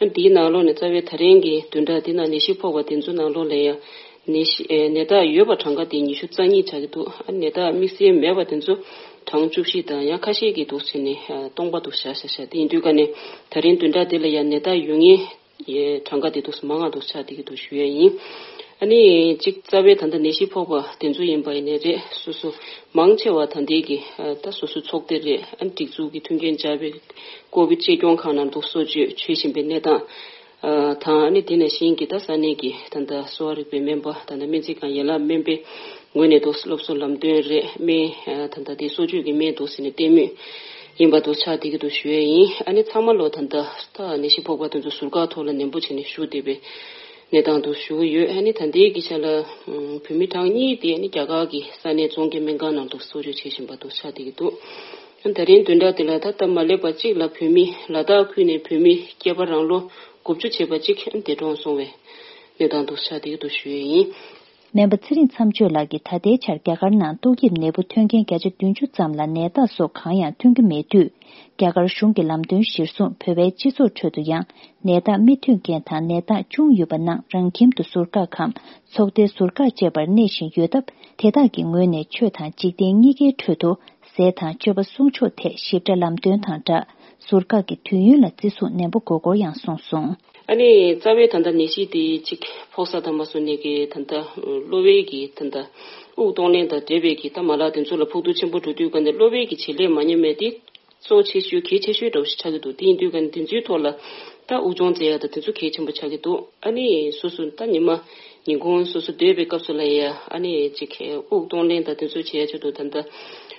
ཨ་དེའི་ནང་ལོགས་ནས་རྩ་བའི་ད་རིང་གི་བདུན་ཕྲག་འདི་ནང་ནད་གཞི་ཕོག་པ་དེ་ཚོའི་ནང་ལོགས་ལ་ཡང་ནད་གཞི་ཨེ་ནད་རྟགས་ཡོད་པ་གྲངས་ཀ་དེ་ཉི་ཤུ་རྩ་གཉིས་ཆགས་ཀྱི་འདུག། ཨ་ནད་རྟགས་དམིགས་བསལ་མེད་པ་དེ་ཚོ་གྲངས་བཅུ་བཞི་དང་། ཡང་ཁ་ཤས་ཀྱིས་འདུག་བྱས་ནས་ཨ་སྟོང་པ་འདུག་བཞག་བཞག་བཞག། དེ་ཡིན་དུས་ཀ་ནས་ད་རིང་བདུན་ཕྲག་འདི་ལ་ཡང་ནད་རྟགས་ཡོད་མཁན་ཡའི་གྲངས་ཀ་དེ་འདུག་མང་ང་འདུག་ཆགས་བསྡད་ཀྱི་འདུག་ཞུ་ཡས་ཡིན། ཨ་ནི་གཅིག་རྩ་བའི་ད་ལྟ་ནད་གཞི་ཕོག་པ་དེ་ཚོ་ཡིན་པ་ཡིན་ནའི་རེད། སོ་སོ་མང་ཆེ་བ་ད་ལྟའི་གི་ཨ་ད་སོ་སོའི་ཚོགས་སྡེ་རེད། ཨ་ནི་སྒྲིག་འཛུགས་ཀྱི་མཐུན་རྐྱེན་སྦྱར་བའི་ཀོ་བིད་གཅེས་སྐྱོང་ཁང་ནང་འདུག་གསོ་བཅོས་བྱེད་བཞིན་པའི་གནས་སྟངས་ཨ་དང་། ཨ་ནི་དེ་ནང་བཞིན་གྱི་ད་ས་གནས་ཀྱི་ད་ལྟ་གསོ་བ་རིག་པའི་སྨན་པ། ད་ལྟ་སྨན་རྩིས་ཁང་ཡན་ལག་སྨན་པའི་ངོས་ནས་འདུག་སློབ་གསོ་ལམ་སྟོན་རེད། སྨན་ཨ་ད་ལྟ་དེ་གསོ་བཅོས་ཀྱི་སྨན་འདུག་ཟེར་ནས་སྟེར་མུས་ཡིན་པ་འདུག་ཆགས་བསྡད་ཀྱི་འདུག་ཞུ་ཡས་ཡིན། ཨ་ནི་ཚང་མ་ལོ་ད་ལྟ་ད་ནད་གཞི་ཕོག་པ་དེ་ཚོ་ཟུར་བཀག་ཐོག་ལ་ནན་པོ་བྱས་ནས་བཞུགས་བསྡད་པའི་གནས་སྟངས་འདུག་ཞུ་གི་ཡོད། ཨ་ནི་ད་ལྟའི་གི་ཆ་ལ་ཨམ་བོད་མི་གྲངས་གཉིས་དེ་ཨ་ནི་རྒྱ་གར་གྱི་ས་གནས་རྫོང་གི་སྨན་ཁང་ནང་དུ་གསོ་བཅོས་བྱེད་བཞིན་པ་འདུག་ཆགས་བསྡད་ཀྱི་འདུག། ཨ་ད་རིང་བདུན་ཕྲག་དེ་ལ་ད་སྟབས་མ་ལེགས་པ་གཅིག་ལ་བོད་མི་ལ་དྭགས་ཁུལ་ནས་བོད་མི་སྐྱེས་པ་རང་ལོ་དགུ་བཅུ་བྱས་པ་གཅིག་ཨ་ནི་འདས་གྲོངས་སོང་བའི་གནས་སྟངས་འདུག་ཆགས་བསྡད་ཀྱི་འདུག་ཞུ་ཡས་ཡིན། སྨན་པ་ཚེ་རིང་མཚམས་གཅོད་ལགས་ཀྱིས་ད་ལྟའི་ཆར་རྒྱ་གར་ནང་ཏོག་དབྱིབས་ནད་འབུ་ཐོན་མཁན་བརྒྱ་ཆ་བདུན་ཅུ་ཙམ་ལ་ནད་རྟགས་སོགས་གང་ཡང་ཐོན་གྱི་མེད་དུས། རྒྱ་གར་གཞུང་གི་ལམ་སྟོན་གཞིར་བཟུང་བོད་པའི་སྤྱི་ཚོགས་ཁྲོད་དུ་ཡང་ནད་རྟགས་མི་ཐོན་མཁན་དང་ནད་རྟགས་བྱུང་ཡོད་པ་རྣམས་རང་ཁྱིམ་དུ་ཟུར་བཀག་གམ་ཚོགས་སྡེའི་ཟུར་བཀག་བཅས་པར་གནས་བཞིན་ཡོད་སྟབས། དེ་དག་གི་ངོས་ནས་ཆོས་དང་འཇིག་རྟེན་གཉིས་ཀའི་ཁྲོད་དུ་ཟས་དང་སྤྱོད་པ་སྲུང་སྐྱོབ་ཐད་ཞིབ་ཕྲ་ལམ་སྟོན་དང་སྦྲགས་ཟུར་བཀག་གི་དུས་ཡུན་ལ་བརྩི་སྲུང་ནན་པོ་དགོས་སྐོར་ཡང་གསུངས་སོང་། ཨ་ནི་རྩ་བའི་ད་ལྟ་ནད་གཞི་དེ་གཅིག་ཕོག་ས་དང་མ་སོང་ནས་ཀྱི་ད་ལྟ་གློ་བའི་གི་ད་ལྟ་དབུགས་གཏོང་ལེན་དང་འབྲེལ་བའི་གི་ད་མ་ལག་དེ་ཚོ་ལ་ཕོག་ཐུག་ཆེན་པོ་འགྲོ་དུས་ཀ་ནས་གློ་བའི་གི་བྱེད་ལས་མ་ཉམས་མེད་དེ་གཙོ་ཆེ་ཤོས་གལ་ཆེ་ཤོས་འདྲ་བོ་ཞིག་ཆགས་ཀྱི་འདུག། དེ་ཡིན་དུས་ཀ་ནས་དེ་ཚོའི་ཐོག་ལ་ད་དབུགས་སྦྱོང་མཛད་ཡ་ད་དེ་ཚོ་གལ་ཆེན་པོ་ཆགས་ཀྱི་འདུག། ཨ་ནི་སོ་སོ་ད་ཉི་མ་ཉིན་གུང་སོ་སོ་སྡོད་པའི་སྐབས་སུ་ལ་ཡ་ཨ་ནི་ཅིག་དབུགས་གཏོང་ལེན་དང་དེ་ཚོ་བྱེད་ཡ་ཆེད་དུ་ད་ལྟ་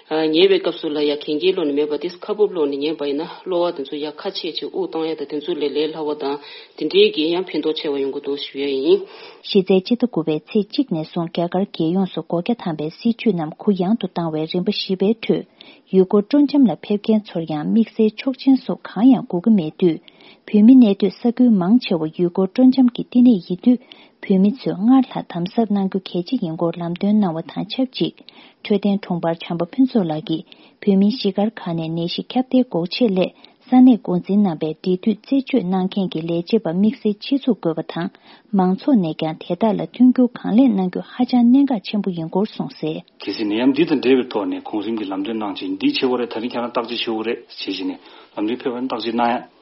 ཉལ་བའི་སྐབས་སུ་ལ་ཡ་གན་རྐྱལ་སློག་ནས་མེད་པ་དེ་ཁ་སྦུབ་སློག་ནས་ཉལ་བ་ཡིན་ན་གློ་བ་དེ་ཚོ་ཡ་ཁ་ཕྱེ་ཅིག་དབུགས་གཏོང་ཡ་དང་དེ་ཚོ་ལས་ལས་སླ་བ་དང་དེ་འདྲའི་གི་ཡང་ཕན་ཐོགས་ཆེ་བ་ཡོང་གི་འདུག་ཞུ་ཡ་ཡིན། གཞི་རྩའི་སྤྱི་ཟླ་དགུ་པའི་ཚེས་གཅིག་ནས་བཟུང་རྒྱ་གར་རྒྱལ་ཡོངས་སུ་སྒོ་རྒྱ་དམ་པའི་སྲིད་བྱུས་རྣམས་གུ་ཡངས་དུ་བཏང་བའི་རིམ་པ་བཞི་པའི་ཁྲོད། ཡུལ་སྐོར་སྤྲོ་འཆམ་ལ་ཕེབས་མཁན་ཚོར་ཡང་དམིགས་བསལ་ཆོག་མཆན་སོགས་གང་ཡང་དགོས་ཀྱི་མེད་དུས། བོད་མི་གནས་སྡོད་ས་ཁུལ་མང་ཆེ་བ་ཡུལ་སྐོར་སྤྲོ་འཆམ་གྱི་བསྟི་གནས་ཡིན་དུས། བོད་མི་ཚོས་སྔར་ལྷག་དམ་ཟབ་གནང་རྒྱུ་གལ་ཆེ་ཡིན་སྐོར་ལམ་སྟོན་གནང་བ་དང་ཆབས་ཅིག། འཕྲོད་བསྟེན་དྲུང་འཕར་བྱམས་པ་ཕུན་ཚོགས་ལགས་ཀྱིས་བོད་མིའི་གཞིས་སྒར་ཁག་ནས་ནད་གཞི་ཁྱབ་གདལ་འགོག་ཆེད་སླད། ས་གནས་འགོ་འཛིན་རྣམ་པས་འབྲེལ་མཐུད་རྩད་གཅོད་གནང་མཁན་གྱི་ལས་བྱེད་པ་དམིགས་བསལ་ཆེད་འཛུགས་དགོས་པ་དང་། མང་ཚོགས་ནས་ཀྱང་དེ་དག་ལ་མཐུན་འགྱུར་གང་ལེགས་གནང་རྒྱུ་ཧ་ཅང་གནད་འགག་ཆེན་པོ་ཡིན་སྐོར་གསུངས་གསལ། གལ་སྲིད་ནད་ཡམས་འདི་དང་འབྲེལ་བའི་ཐོག་ནས་གོང་རིམ་གྱི་ལམ་སྟོན་གནང་ཆེད་འདི་བྱེད་དགོས་རེད། ད་རིང་ཁྱེད་རང་བརྟག་དཔྱད་བྱེད་དགོས་རེད་ཞེས་བྱས་ནས་ལམ་སྟོན་ཕེབས་པ་ནི་བརྟག་དཔྱད་གནང་ཡ།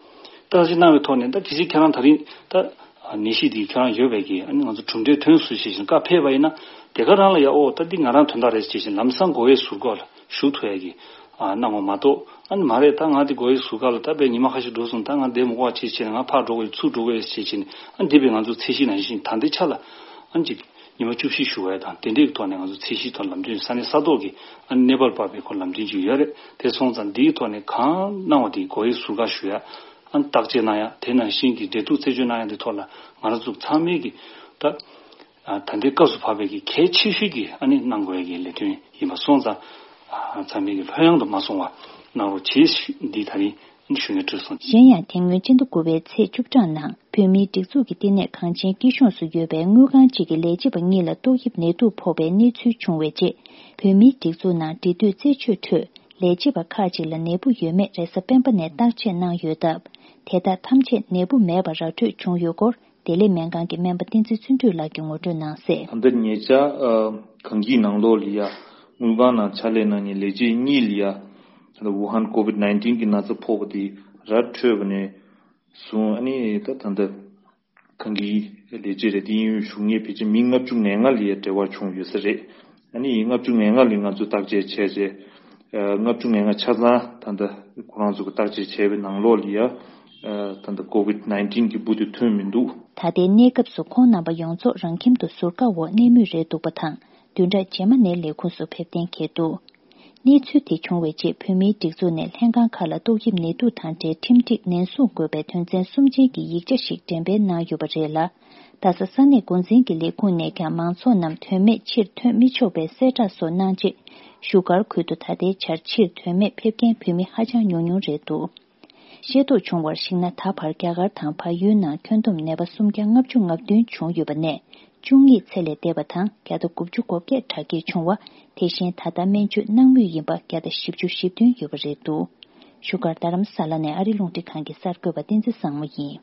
བརྟག་དཔྱད་གནང་བའི་ཐོག་ནས་ད་གལ་སྲིད་ཁྱེད་རང་ད་རིང་ད་ནད་གཞི་འདི་ཁྱེད་རང་ཡོད་པའི་གི་ཨ་ནི་ང་ཚོ་གྲུབ་འབྲས་ཐོན་སོང་ཞེས་བྱས་ནས་བཀའ་ཕེབས་པ་ཡིན་ན་དེ་ག་རང་ལ་ཡ་ཨོ་ད་འདི་ང་རང་དོན་དག་རེད་ཞེས་བྱས་ནས་ལམ་སང་སྒོ་དབྱེ་ཟུར་བཀག་ལ་ཞུགས་ཐུབ་ཡ་གི་ཨ་གནང་བ་མ་གཏོགས། ཨ་ནི་མ་རེད། ད་ང་འདི་སྒོ་དབྱེ་ཟུར་བཀག་ལ་ད་དཔེ་ཉི་མ་ཁ་ཤས་འགྲོ་སོང་། ད་ང་བསྡད་མི་དགོས་པ་བྱས་བྱས་ནས་ང་ཕར་འགྲོ་དགོས་ཡོད་ཚུར་འགྲོ་དགོས་ཡོད་ཞེས་བྱས་ནས་ཨ་འདི་དཔེ་ང་ཚོ་ཚད་གཞི་ནང་བཞིན་ད་ལྟའི་ཆ་ལ་ཨ་ནི་ཅིག་ཉི་མ་བཅུ་བཞི་བཞུགས་པ་དང་དེ་འདྲའི་ཐོག་ནས་ང་ཚོ་ཚད་གཞི་ཐོག་ལམ་སྟོན་ས་གནས་ས་ཐོག་གི་ཨ་ནི་གནས་བབ་སྤར་བའི་སྐོར་ལམ་སྟོན་ཅིག་ཡོད་རེད། དེ་སོང་ཙང་འདིའི་ཐོག་ནས་གང་གནང་བ་དེ་སྒོ་དབྱེ་ཟུར་བཀག་ཞུ་ཡ། བརྟག་དཔྱད་གནང་ཡ། དེ་ནང་བཞིན་གྱི་འབྲེལ་གཏུག་རྩད་གཅོད་གནང་ཡ་དེ་ཐོག་ལ་ང་རང་ཚོ་ཚང་མས་ཀྱི་ད་ད་ལྟའི་སྐབས་སུ་བབས་པའི་གི་གལ་ཆེ་ཤོས་ཀྱི་ཨ་ནི་གནང་དགོས་ཡ་གི་ལས་དོན་ཡིན་པ་སོང་ཙང་། ཚང་མས་ཀྱི་ལྷོད་ཡངས་དུ་མ་སོང་བ་གནང་རོགས་བྱེད་ཞེས་འདི་ད་རིང་ཞུ་སྙན་སྤྲོད་སོང་། གཞན་ཡང་དེ་སྔོན་སྤྱི་ཟླ་དགུ་པའི་ཚེས་བཅུ་གྲངས་ནང་བོད་མིའི་སྒྲིག་འཛུགས་ཀྱི་བསྟི་གནས་གངས་ཅན་སྐྱིད་གཤོངས་སུ་ཡོད་པའི་དངུལ་ཁང་གཅིག་གི་ལས་བྱེད་པ་གཉིས་ལ་ཏོག་དབྱིབས་ནད་དུག་ཕོག་པའི་གནས་ཚུལ་བྱུང་བའི་རྗེས། བོད་མིའི་སྒྲིག་འཛུགས་ནང་འབྲེལ་མཐུད་རྩད་གཅོད་ཁྲོད་ལས་བྱེད་པ་ཁག་ཅིག་ལ་ནད་འབུ་ཡོད་མེད་རེས་གཟའ་སྤེན་པ་ནས་བརྟག་དཔྱད་གནང་ཡོད་སྟབས། དེ་དག་ཐམས་ཅད་ནད་འབུ་མེད་པ་ར་འཕྲོད་བྱུང་ཡོད་སྐོར། བདེ་ལེགས་སྨན་ཁང་གི་སྨན་པ་བསྟན་འཛིན་བརྩོན་འགྲུས་ལགས་ཀྱིས་ངོ་སྤྲོད་གནང་གསལ། ད་ལྟ་ཉེ་ཆར་ཨ་གངས་སྐྱིད་ནང་ལོགས་ལ་ཡ་དངུལ་ཁང་ནང་ཕྱག་ལས་གནང་མཁན་ལས་བྱེད་གཉིས་ལ་ཡ་ད་ལྟ་ཝུ་ཧན་ཀོ་ཝིད་ནའིན་ཊིན་གྱི་ན་ཚ་ཕོག་པ་དེ་ར་འཕྲོད་པ་ནས་བཟུང་། ཨ་ནི་ད་ད་ལྟ་གངས་སྐྱིད་ལས་བྱེད་རེད་དེ་གཡས་གཡོན་བཞུགས་མཁན་ཕལ་ཆེར་མི་ལྔ་བཅུ་ང་ལྔ་ལ་ཡ་འབྲེལ་བ་བྱུང་ཡོད་ས་རེད། ཨ་ནི་ལྔ་བཅུ་ང་ལྔ་ལ་ང་ཚོས་བརྟག་དཔྱད་བྱས་རྗེས། ལྔ་བཅུ་ང་ལྔ་ཆ་ཚང་ད་ལྟ་ཁོ་རང་ཚོ་གི་བརྟག་དཔྱད་བྱས་པའི་ནང་ལོགས་ལ་ཡ་ད་ལྟ་ཀོ་ཝིད་ནའིན་ཊིན་གྱི་འབུ་དེ་ཐོན་མི་འདུག། ད་ལྟའི་གནས་སྐབས་སུ་ཁོང་རྣམ་པ་ཡོངས་རྫོགས་རང་ཁྱིམ་དུ་ཟུར་བཀག་འོག་གནས་མུས་རེད་འདུག་པ་དང་། བདུན་ཕྲག་རྗེས་མ་ནས་ལས་ཁུངས་སུ་ཕེབས་གཏན་འཁེལ་འདུག། གནས་ཚུལ་དེ་བྱུང་བའི་རྗེས་བོད་མིའི་སྒྲིག་འཛུགས་ནས་ལྷན་ཁང་ཁག་ལ་ཏོག་དབྱིབས་ནད་དུག་དང་འབྲེལ་ཁྲིམས་སྒྲིག་ནན་སྲུང་དགོས་པའི་དོན་ཚན་གསུམ་ཅན་གྱི་ཡིག་ཆ་ཞིག་འགྲེམས་སྤེལ་གནང་ཡོད་པ་རེད་ལ། རྡ་ས་ས་གནས་འགོ་འཛིན་གྱི་ལས་ཁུངས་ནས་ཀྱང་མང་ཚོགས་རྣམས་དོན་མེད་ཕྱིར་ཐོན་མི་ཆོག་པའི་གསལ་བསྒྲགས་སོགས་གནང་རྗེས། བཞུགས་སྒར་ཁུལ་དུ་ད་ལྟའི་ཆར་ཕྱིར་དོན་མེད་ཕེབས་མཁན་བོད་མི་ཧ་ཅང་ཉུང་ཉུང་རེད་འདུག། ཤེས་རྟོགས་བྱུང་བར་གཞིགས་ན། ད་བར་རྒྱ་གར་དང་བལ་ཡུལ་ནང་ཁྱོན་བསྡོམས་ནད་པ་སུམ་བརྒྱ་ལྔ་བཅུ་ང་བདུན་བྱུང་ཡོད་པ་ནས་བཅུ་གཉིས་ཚེ་ལས་འདས་པ་དང་བརྒྱ་དང་དགུ་བཅུ་གོ་བརྒྱད་དྲག་སྐྱེད་བྱུང་བ། དེ་བཞིན་ད་ལྟ་སྨན་བཅོས་གནང་མུས་ཡིན་པ་བརྒྱ་དང་བཞི་བཅུ་ཞེ་བདུན་ཡོད་པ་རེད་འདུག། བཞུགས་སྒར་རྡ་རམ་ས་ལ་ནས་ཨ་རི་རླུང་འཕྲིན་ཁང་གི་གསར་འགོད་པ་བསྟན་འཛིན་བཟང་མོ་ཡིན།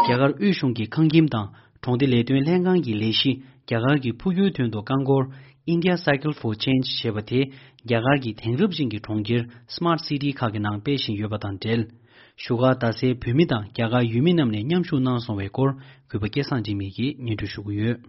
རྒྱ་གར་དབུས་གཞུང་གི་ཁང་ཁྱིམ་དང་གྲོང་སྡེ་ལས་དོན་ལྷན་ཁང་གི་ལས་གཞི། རྒྱ་གར་གྱི་ཕུགས་འགྱུར་དོན་དུ་རྐང་འཁོར་India Cycle for Change ཞེས་པ་དེ། རྒྱ་གར་གྱི་དེང་རབས་ཅན་གྱི་གྲོང་ཁྱེར་Smart City ཁག་གི་ནང་སྤེལ་བཞིན་ཡོད་པ་དང་འབྲེལ། བཞུགས་སྒར་རྡ་སའི་བོད་མི་དང་རྒྱ་གར་ཡུལ་མི་རྣམས་ནས་མཉམ་ཞུགས་གནང་སོང་བའི་སྐོར། གུས་པ་སྐལ་བཟང་འཇིགས་མེད་ཀྱིས་སྙན་སྒྲོན་ཞུ་གི་ཡོད།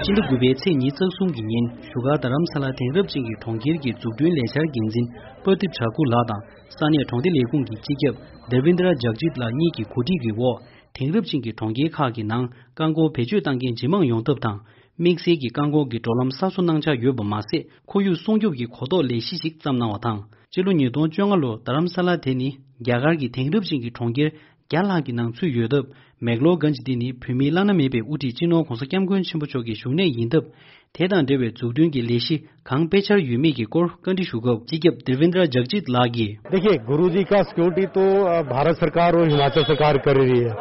སྤྱི་ཟླ་དགུ་པའི་ཚེས་ཉི་ཤུ་རྩ་གསུམ་གྱི་ཉིན་བཞུགས་སྒར་རྡ་རམ་ས་ལ་དེང་རབས་ཅན་གྱི་གྲོང་ཁྱེར་གྱི་འཛུགས་སྐྲུན་ལས་འཆར་འགན་འཛིན་པར་དིབ་ཇཱ་ཀུ་ལགས་དང་ས་གནས་གྲོང་སྡེ་ལས་ཁུངས་ཀྱི་སྤྱི་ཁྱབ་དེ་བིན་དྲ་ཇག་ཇིད་ལགས་གཉིས་ཀྱི་གོ་སྒྲིག་གི་འོག་དེང་རབས་ཅན་གྱི་གྲོང་ཁྱེར་ཁག་གི་ནང་རྐང་འཁོར་བེད་སྤྱོད་གཏང་མཁན་ཇེ་མང་ཡོང་ཐབས་དང་། དམིགས་བསལ་གྱི་རྐང་འཁོར་གྱི་འགྲོ་ལམ་གསར་བཟོ་གནང་འཆར་ཡོད་པ་མ་ཟད། ཁོར་ཡུག་སྲུང་སྐྱོབ་ཀྱི་གོ་རྟོགས་ལས་གཞི་ཞིག་བརྩམས་གནང་བ་དང་། སྤྱི་ལོ་ཉིས་སྟོང་བཅོ་ལྔ་ལོར་རྡ་རམ་ས་ལ་དེ་ནི་རྒྱ་གར་གྱི་དེང་རབས་ཅན་གྱི་གྲོང་ཁྱེར་བརྒྱ་ལྷག་གི་ནང་ཚུད་ཡོད་སྟབས། མེག་ལོར་གྷན་ཇི་འདི་ནི་བོད་མིའི་བླ་ན་མེད་པའི་དབུ་ཁྲིད་སྤྱི་ནོར་༧གོང་ས་༧སྐྱབས་མགོན་ཆེན་པོ་མཆོག་གི་བཞུགས་གནས་ཡིན་སྟབས། དེ་དང་འབྲེལ་བའི་འཛུགས་སྐྲུན་གྱི་ལས་གཞི་གང་སྤེལ་འཆར་ཡོད་མེད་ཀྱི་སྐོར་བཀའ་འདྲི་ཞུ་སྐབས། སྤྱི་ཁྱབ་དེ་བིན་དྲ་ཇག་ཇིད་ལགས་ཀྱིས། देखिए, गुरुजी का सिक्योरिटी तो अ, भारत सरकार और हिमाचल सरकार कर रही है।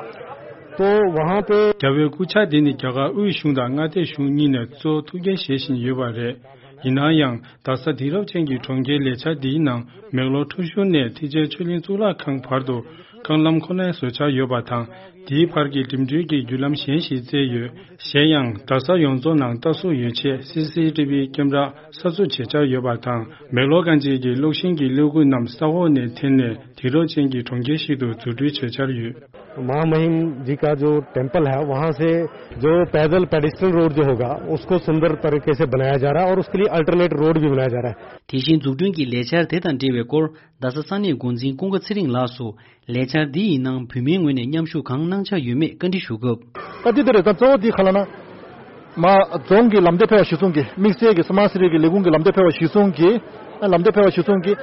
तो वहाँ पे རྒྱལ་བའི་སྐུ་ཕྱྭ་འདི་ནི་རྒྱ་གར་དབུས་གཞུང་དང་མངའ་སྡེ་གཞུང་གཉིས་ནས་གཙོ་ཐུགས་འགན་བཞེས་བཞིན་ཡོད་པ་རེད། ཡིན་ན་ཡང་རྡ་ས་དེང་རབས་ཅན་གྱི་གྲོང་ཁྱེར་ལས་འཆར་འདིའི་ནང་མེག་ལོར་ཁྲོ་ཤུལ་ནས་ཐེག་ཆེན་ཆོས་གླིང་གཙུག་ལག་ཁང་བར་དུ་རྐང་ལམ་ཁོ་ནའི་བཟོ་འཆར་ཡོད་པ་དང་། དེའི་བར་གྱི་འགྲིམ་འགྲུལ་གྱི་བརྒྱུད་ལམ་གཞན་ཞིག་བཙལ་ཡོད། གཞན་ཡང་རྡ་ས་ཡོངས་རྫོགས་ནང་ལྟ་སྲུང་ཡོ་ཆས་སི་སི་ཊི་བི་ཀེམ་ར་གསར་བཟོ་བྱེད་འཆར་ཡོད་པ་དང་། མེག་ལོར་གྷན་ཇི་གི་གློག་ཤིང་གི་ཀློག་སྐུད་རྣམས་ས་འོག་ནས་འཐེན་ནས་དེང་རབས་ཅན་གྱི་གྲོང་ཁྱེར་ཞིག་ཏུ་འཛུགས་སྐྲུན་བྱེད་འཆར་ཡོད། महामहिम जी का जो टेम्पल है, वहाँ से जो पैदल पेडिस्ट्रियन रोड जो होगा, उसको सुंदर तरीके से बनाया जा रहा है और उसके लिए अल्टरनेट रोड भी बनाया जा रहा है। དེ་བཞིན་འཛུགས་སྐྲུན་གྱི་ལས་འཆར་དེ་དང་འབྲེལ་བའི་སྐོར། རྡ་ས་ས་གནས་འགོ་འཛིན་ཀུན་དགའ་ཚེ་རིང་ལགས་སུ་ལས་འཆར་འདི་ཡི་ནང་བོད་མིའི་ངོས་ནས་མཉམ་ཞུགས་གང་གནང་འཆར་ཡོད་མེད་བཀའ་འདྲི་ཞུ་སྐབས། ད་འདི་འདི་རེད། ད་གཙོ་བོ་འདི་ག་ལ་ན། མ་རྫོང་གི་ལམ་སྟོན་ཕལ་བ་གཞིར་བཟུང་གི་དམིགས་བསལ་གྱི་སྨར་སི་ཊི་གི་ལས་ཁུངས་ཀྱི་ལམ་སྟོན་ཕལ་བ་གཞིར་བཟུང་གི། ལམ་སྟོན་ཕལ་བ་གཞིར་བཟུང་གི།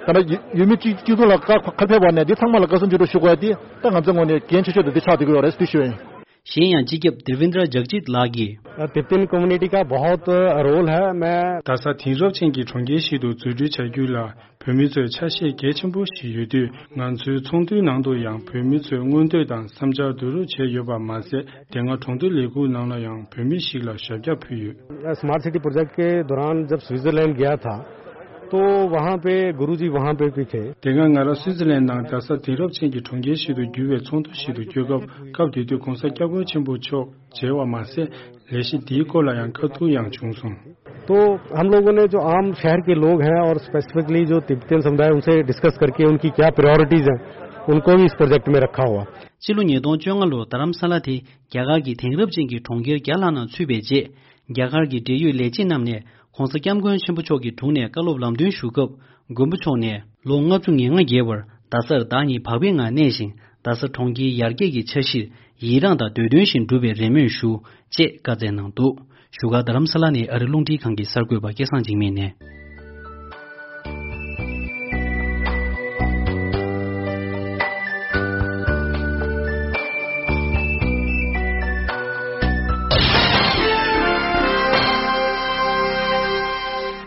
ད་ལྟ་ཡུལ་མི་གཅིག་གཅིག་མཚུངས་ལ་ཁ་ཁ་ཕེབས་པ་ནས་འདི་ཚང་མ་ལ་བཀའ་གསུང་ཆོས་སྒྲུབ་ཞུ་དགོས་ཡ་འདི་ད་ང་ཚོའི་ངོས་ནས་འགན་ཆེ་ཤོས་དེ་འདི་ཆགས་བསྡད་ཀྱི་ཡོད་རེད་ཟེར་ཞུ་ཡ་ཡིན། གཞན་ཡང་སྤྱི་ཁྱབ་དེ་བིན་དྲ་ཇག་ཇིད་ལགས་ཀྱིས། तिब्बतियन कम्युनिटी का बहुत रोल है। मैं རྡ་ས་དེང་རབས་ཅན་གྱི་གྲོང་ཁྱེར་ཞིག་ཏུ་འཛུགས་སྐྲུན་བྱ་རྒྱུ་ལ་བོད་མི་ཚོས་ཆ་ཤས་གལ་ཆེན་པོ་ཞིག་ཡོད་དུས། ང་ཚོའི་ཚོགས་འདུའི་ནང་དུ་ཡང་བོད་མི་ཚོས་མངོན་འདོད་དང་བསམ་འཆར་བསྡུ་རུབ་བྱས་ཡོད་པ་མ་ཟད། དེ་སྔ་གྲོང་སྡེ་ལས་ཁུངས་ནང་ལ་ཡང་བོད་མི་ཞིག་ལ་ཞབས་བཀྱག་ཕུལ་ཡོད། स्मार्ट सिटी प्रोजेक्ट के दौरान जब स्विट्जरलैंड गया था, तो वहाँ पे गुरुजी वहाँ पे भी थे। དེ་སྔ་ང་རང་སུའི་ཙི་ལན་ནང་རྡ་ས་དེང་རབས་ཅན་གྱི་གྲོང་ཁྱེར་ཞིག་ཏུ་འགྱུར་བའི་ཚོགས་འདུ་ཞིག་ཏུ་བསྐྱོད་སྐབས། སྐབས་དེ་དུས་༧གོང་ས་༧སྐྱབས་མགོན་ཆེན་པོ་མཆོག་མཇལ་བ་མ་ཟད། ལས་གཞི་འདིའི་སྐོར་ལ་ཡང་བཀའ་བསྡུར་ཡང་བྱུང་སོང་། तो हम लोगों ने जो आम शहर के लोग हैं और स्पेसिफिकली जो तिब्बतियन समुदाय, उनसे डिस्कस करके उनकी क्या प्रायोरिटीज हैं, उनको भी इस प्रोजेक्ट में रखा हुआ। སྤྱི་ལོ་ཉིས་སྟོང་བཅོ་ལྔ་ལོར་རྡ་རམ་ས་ལ་དེ་རྒྱ་གར་གྱི་དེང་རབས་ཅན་གྱི་གྲོང་ཁྱེར་བརྒྱ་ལྷག་ནང་ཚུད་པའི་རྗེས། རྒྱ་གར་གྱི་འབྲེལ་ཡོད་ལས་བྱེད་རྣམས་ནས་༸གོང་ས་༸སྐྱབས་མགོན་ཆེན་པོ་མཆོག་གི་དྲུང་ནས་བཀའ་སློབ་ལམ་སྟོན་ཞུ་སྐབས། མགོན་པོ་མཆོག་ནས་ལོ་ལྔ་བཅུ་ང་ལྔ་བརྒལ་བར་རྡ་སར་བདག་ཉིད་བག་ཕེབས་ངང་གནས་ཤིང་། རྡ་ས་གྲོང་ཁྱེར་ཡར་རྒྱས་ཀྱི་འཆར་གཞིར་ཡི་རངས་དང་འདོད་དོན་བཞིན་འགྲུབ་པའི་རེ་སྨོན་ཞུ། ཅེས་བཀའ་སྩལ་གནང་འདུག་བཞུགས་སྒར་རྡ་རམ་ས་ལ་ནས་ཨ་རི་རླུང་འཕྲིན་ཁང་གི་གསར་འགོད་པ་སྐལ་བཟང་འཇིགས་མེད་ནས།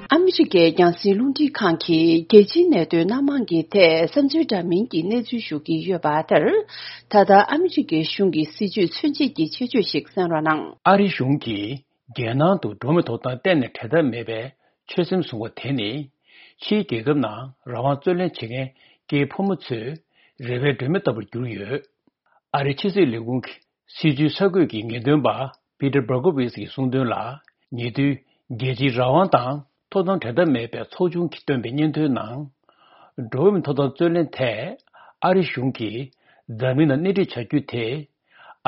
ཨ་མི་རི་ཀའི་རྒྱང་སྲིང་རླུང་འཕྲིན་ཁང་གིས་རྒྱལ་སྤྱིའི་གནད་དོན་སྣ་མང་གི་ཐད་བསམ་ཚུལ་འདྲ་མིན་གྱི་གནས་ཚུལ་ཞུ་གི་ཡོད་པ་ལྟར། ད་ལྟ་ཨ་མི་རི་ཀའི་གཞུང་གི་སྲིད་ཇུས་མཚོན་བྱེད་ཀྱི་ཆེད་བརྗོད་ཞིག་གསན་རོགས་གནང་། ཨ་རིའི་གཞུང་གིས་རྒྱལ་ནང་དུ་འགྲོ་བ་མིའི་ཐོབ་ཐང་གཏན་ནས་འབྲལ་ཐབས་མེད་པའི་ཆོད་སེམས་བཟུང་བ་དེ་ནི། ཕྱིའི་རྒྱལ་ཁབ་ནང་རང་དབང་རྩོད་ལེན་བྱེད་མཁན་སྐྱེས་ཕོ་མོ་ཚོའི་རེ་བའི་སྒྲོན་མེ་ལྟ་བུར་གྱུར་ཡོད། ཨ་རིའི་ཕྱི་སྲིད་ལས་ཁུངས་ཀྱི་སྲིད་བྱུས་གསར་འགོད་ཀྱི་ངེས་སྟོན་པ་Peter Berkowitz གྱིས་གསུངས་དོན་ལ། ཉེ་དུས་རྒྱལ་སྤྱིའི་རང་དབང་དང་ཐོབ་ཐང་འབྲལ་ཐབས་མེད་པའི་ཚོགས་ཆུང་གིས་བཏོན་པའི་སྙན་ཐོའི་ནང་། འགྲོ་བ་མིའི་ཐོབ་ཐང་རྩོད་ལེན་ཐད་ཨ་རི་གཞུང་གིས་འཛམ་གླིང་ནང་སྣེ་ཁྲིད་བྱ་རྒྱུ་དེ།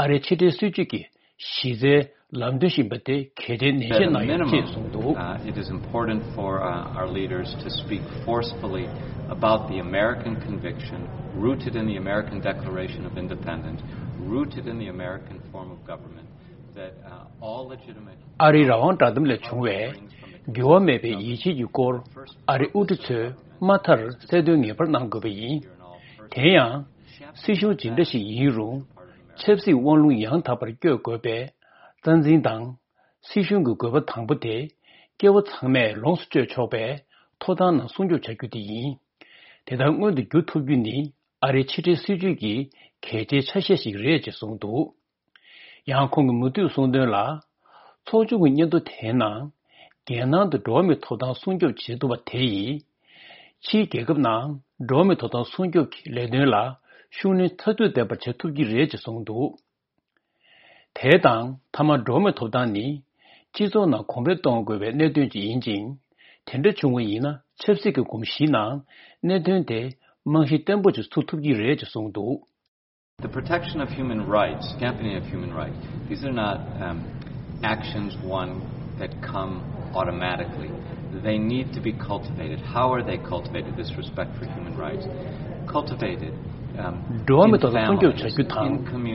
ཨ་རིའི་ཕྱི་འབྲེལ་སྲིད་ཇུས་ཀྱི་གཞི་རྩའི་ལམ་སྟོན་ཞིག་ཡིན་པ་དེ་གལ་ཆེའི་ནན་བཤད་གནང་ཡོད་ཅེས་གསུངས་འདུག། Uh, it is important for, uh, our leaders to speak forcefully about the American conviction, rooted in the American Declaration of Independence, rooted in the American form of government, that, uh, all legitimate ཨ་རིའི་རང་དབང་བསྒྲགས་གཏམ་ལས་བྱུང་བའི་འགྱུར་བ་མེད་པའི་ཡིད་ཆེས་ཀྱི་སྐོར་ཨ་རིའི་དབུ་ཁྲིད་ཚོས་མ་མཐར་གསལ་སྟོན་ངེས་པར་གནང་དགོས་པ་ཡིན། དེ་ཡང་། སྲིད་གཞུང་ཇི་འདྲ་ཞིག་ཡིན་རུང་། ཆབ་སྲིད་དབང་ལུང་ཡང་དག་པར་བསྐྱོད་དགོས་པའི་རྩ་འཛིན་དང་། སྲིད་གཞུང་གི་དགོས་པ་དང་པོ་དེ། སྐྱེ་བོ་ཚང་མས་ལོངས་སུ་སྤྱོད་ཆོག་པའི་ཐོབ་ཐང་རྣམས་སྲུང་སྐྱོབ་བྱ་རྒྱུ་དེ་ཡིན། དེ་ལྟར་མངོན་དུ་འགྱུར་ཐུབ་རྒྱུ་ནི་ཨ་རིའི་ཕྱི་འབྲེལ་སྲིད་ཇུས་ཀྱི་གལ་ཆེའི་ཆ་ཤས་ཤིག་རེད་ཅེས་གསུངས་འདུག། ཡང་ཁོང་གིས་མུ་མཐུད་གསུངས་དོན་ལ། ཚོགས་ཆུང་གི་སྙན་ཐོ་དེའི་ནང་། རྒྱལ་ནང་དུ་འགྲོ་བ་མིའི་ཐོབ་ཐང་སྲུང་སྐྱོབ་བྱེད་ཐུབ་པ་དེ་ཡིས། ཕྱིའི་རྒྱལ་ཁབ་ནང་འགྲོ་བ་མིའི་ཐོབ་ཐང་སྲུང་སྐྱོབ་ཀྱི་ལས་དོན་ལ་ཤུགས་སྣོན་མཐར་ཐུག་ལྡན་པར་བྱེད་ཐུབ་ཀྱི་རེད་ཅེས་གསུངས་འདུག། དེ་དང་མཐའ་མ་འགྲོ་བ་མིའི་ཐོབ་ཐང་ནི། སྤྱི་ཚོགས་ནང་གོང་འཕེལ་གཏོང་དགོས་པའི་གནད་དོན་ཅིག་ཡིན་ཅིང་། དེ་འདྲ་བྱུང་བ་ཡིན་ན་ཆབ་སྲིད་ཀྱི་གོམས་གཤིས་ནང་གནད་དོན་དེ་རྨང་གཞི་བརྟན་པོ་ཅིག་ཚུགས་ཐུབ་ཀྱི་རེད་ཅེས་གསུངས་འདུག། The protection of human rights, championing of human rights, these are not, um, actions one that come automatically. They need to be cultivated. How are they cultivated? This respect for human rights. Cultivated, um, འགྲོ་བ་མིའི་ཐོབ་ཐང་སྲུང་སྐྱོབ་བྱ་རྒྱུ་དང་།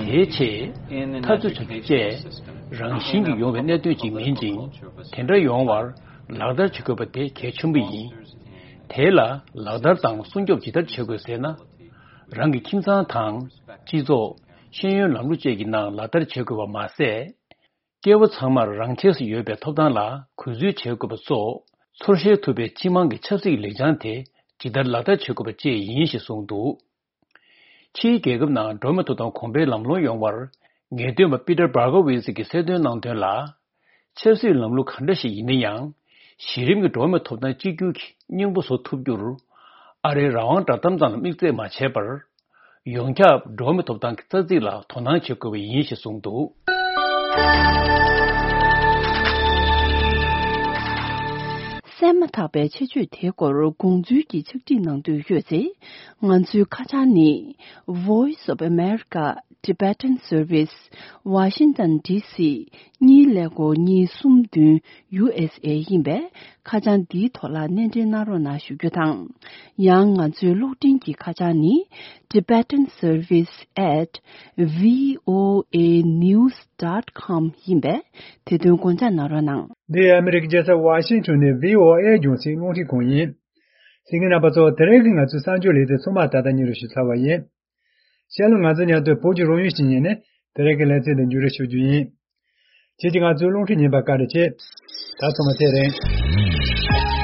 དེའི་ཆེད་འཐབ་རྩོད་བྱ་རྒྱུ་བཅས་རང་བཞིན་གྱིས་ཡོང་བའི་གནད་དོན་ཅིག་མིན་ཅིང་། དེ་འདྲ་ཡོང་བར་ལག་བསྟར་བྱེད་དགོས་པ་དེ་གལ་ཆེན་པོ་ཡིན། དེ་ལ་ལག་བསྟར་དང་སྲུང་སྐྱོབ་ཇི་ལྟར་བྱེད་དགོས་ཟེར་ན། རང་གི་ཁྱིམ་ཚང་དང་། སྤྱི་ཚོགས། ཤེས་ཡོན་ལམ་ལུགས་བཅས་ཀྱི་ནང་ལག་བསྟར་བྱེད་དགོས་པ་མ་ཟད། སྐྱེ་བོ་ཚང་མར་རང་ཆས་སུ་ཡོད་པའི་ཐོབ་ཐང་ལ་གུས་བརྩི་བྱེད་དགོས་པ་སོགས། ཚོར་ཤེས་ཐུབ་པའི་སྤྱི་དམངས་ཀྱི་ཆབ་སྲིད་ལེགས་བྱང་དེ་ཇི་ལྟར་ལག་བསྟར་བྱེད་དགོས་པ་བཅས་ཡིན་ཞེས་གསུངས་འདུག། ཕྱིའི་རྒྱལ་ཁབ་ནང་འགྲོ་བ་མིའི་ཐོབ་ཐང་གོང་འཕེལ་ལམ་ལྷོང་ཡོང་བར་ངེས་སྟོན་པ་པི་ཏར་བྷར་གོ་ཝི་ཙི་གིས་གསལ་སྟོན་གནང་དོན་ལ། ཆབ་སྲིད་ལམ་ལུགས་གང་འདྲ་ཞིག་ཡིན་ན་ཡང་། གཞི་རིམ་གྱི་འགྲོ་བ་མིའི་ཐོབ་ཐང་གཅིག་གྱུར་གྱི་སྙིང་པོ་བཟོ་ཐུབ་རྒྱུར། ཨ་རིའི་རང་དབང་བསྒྲགས་གཏམ་ཙམ་ལ་དམིགས་བརྩེ་མ་བྱས་པར། ཡོངས་ཁྱབ་འགྲོ་བ་མིའི་ཐོབ་ཐང་གི་རྩ་ཚིག་ལ་དོ་སྣང་བྱེད་དགོས་པ་ཡིན་ཞེས་གསུངས་འདུག། གསན་མ་ཐག་པའི་ཆེད་བརྗོད་དེའི་སྐོར་དགོངས་ཚུལ་གྱི་ཕྱག་བྲིས་གནང་འདོད་ཡོད་ཚེ། ང་ཚོའི་ཁ་བྱང་ནི། Voice of America Tibetan Service, Washington D C གཉིས་ཀླད་ཀོར་གཉིས་གསུམ་བདུན་ཡུ་ཨེས་ཨེ་ཡིན་པས། ཁ་བྱང་འདིའི་ཐོག་ལ་སྣེ་འདྲེན་གནང་རོགས་གནང་ཞུ་རྒྱུ་དང་། ཡང་ང་ཚོའི་གློག་འཕྲིན་གྱི་ཁ་བྱང་ནི། Tibetan Service at V O A news dot com ཡིན་པས། དེ་དོན་དགོངས་འཇགས་གནང་རོགས་གནང་། འདི་ཨ་མི་རི་ཀའི་རྒྱལ་ས་ཝ་ཤིང་ཊོན་ནས་V O A རྒྱང་སྲིང་རླུང་འཕྲིན་ཁང་ཡིན། གསན་མཁན་རྣམ་པ་ཚོ། དེ་རིང་གི་ང་ཚོའི་གསར་འགྱུར་ལས་རིམ་ཚང་མ་ད་ལྟ་སྙན་སྒྲོན་ཞུས་ཚར་བ་ཡིན། ཤར་ལྷོ་ང་ཚོའི་ཉམས་དོན་བོད་ཀྱི་རང་ཡུལ་ཞིག་ཉིན་ནས་དེ་རིང་གི་ལེ་ཚན་འདི་མཇུག་སྒྲིལ་ཞུ་རྒྱུ་ཡིན། ཁྱེད་ཀྱིས་ང་ཚོའི་རླུང་འཕྲིན་ཉན་པར་བཀའ་དྲིན་ཆེ། ད་ཚང་མ་ཚེ་རིང་།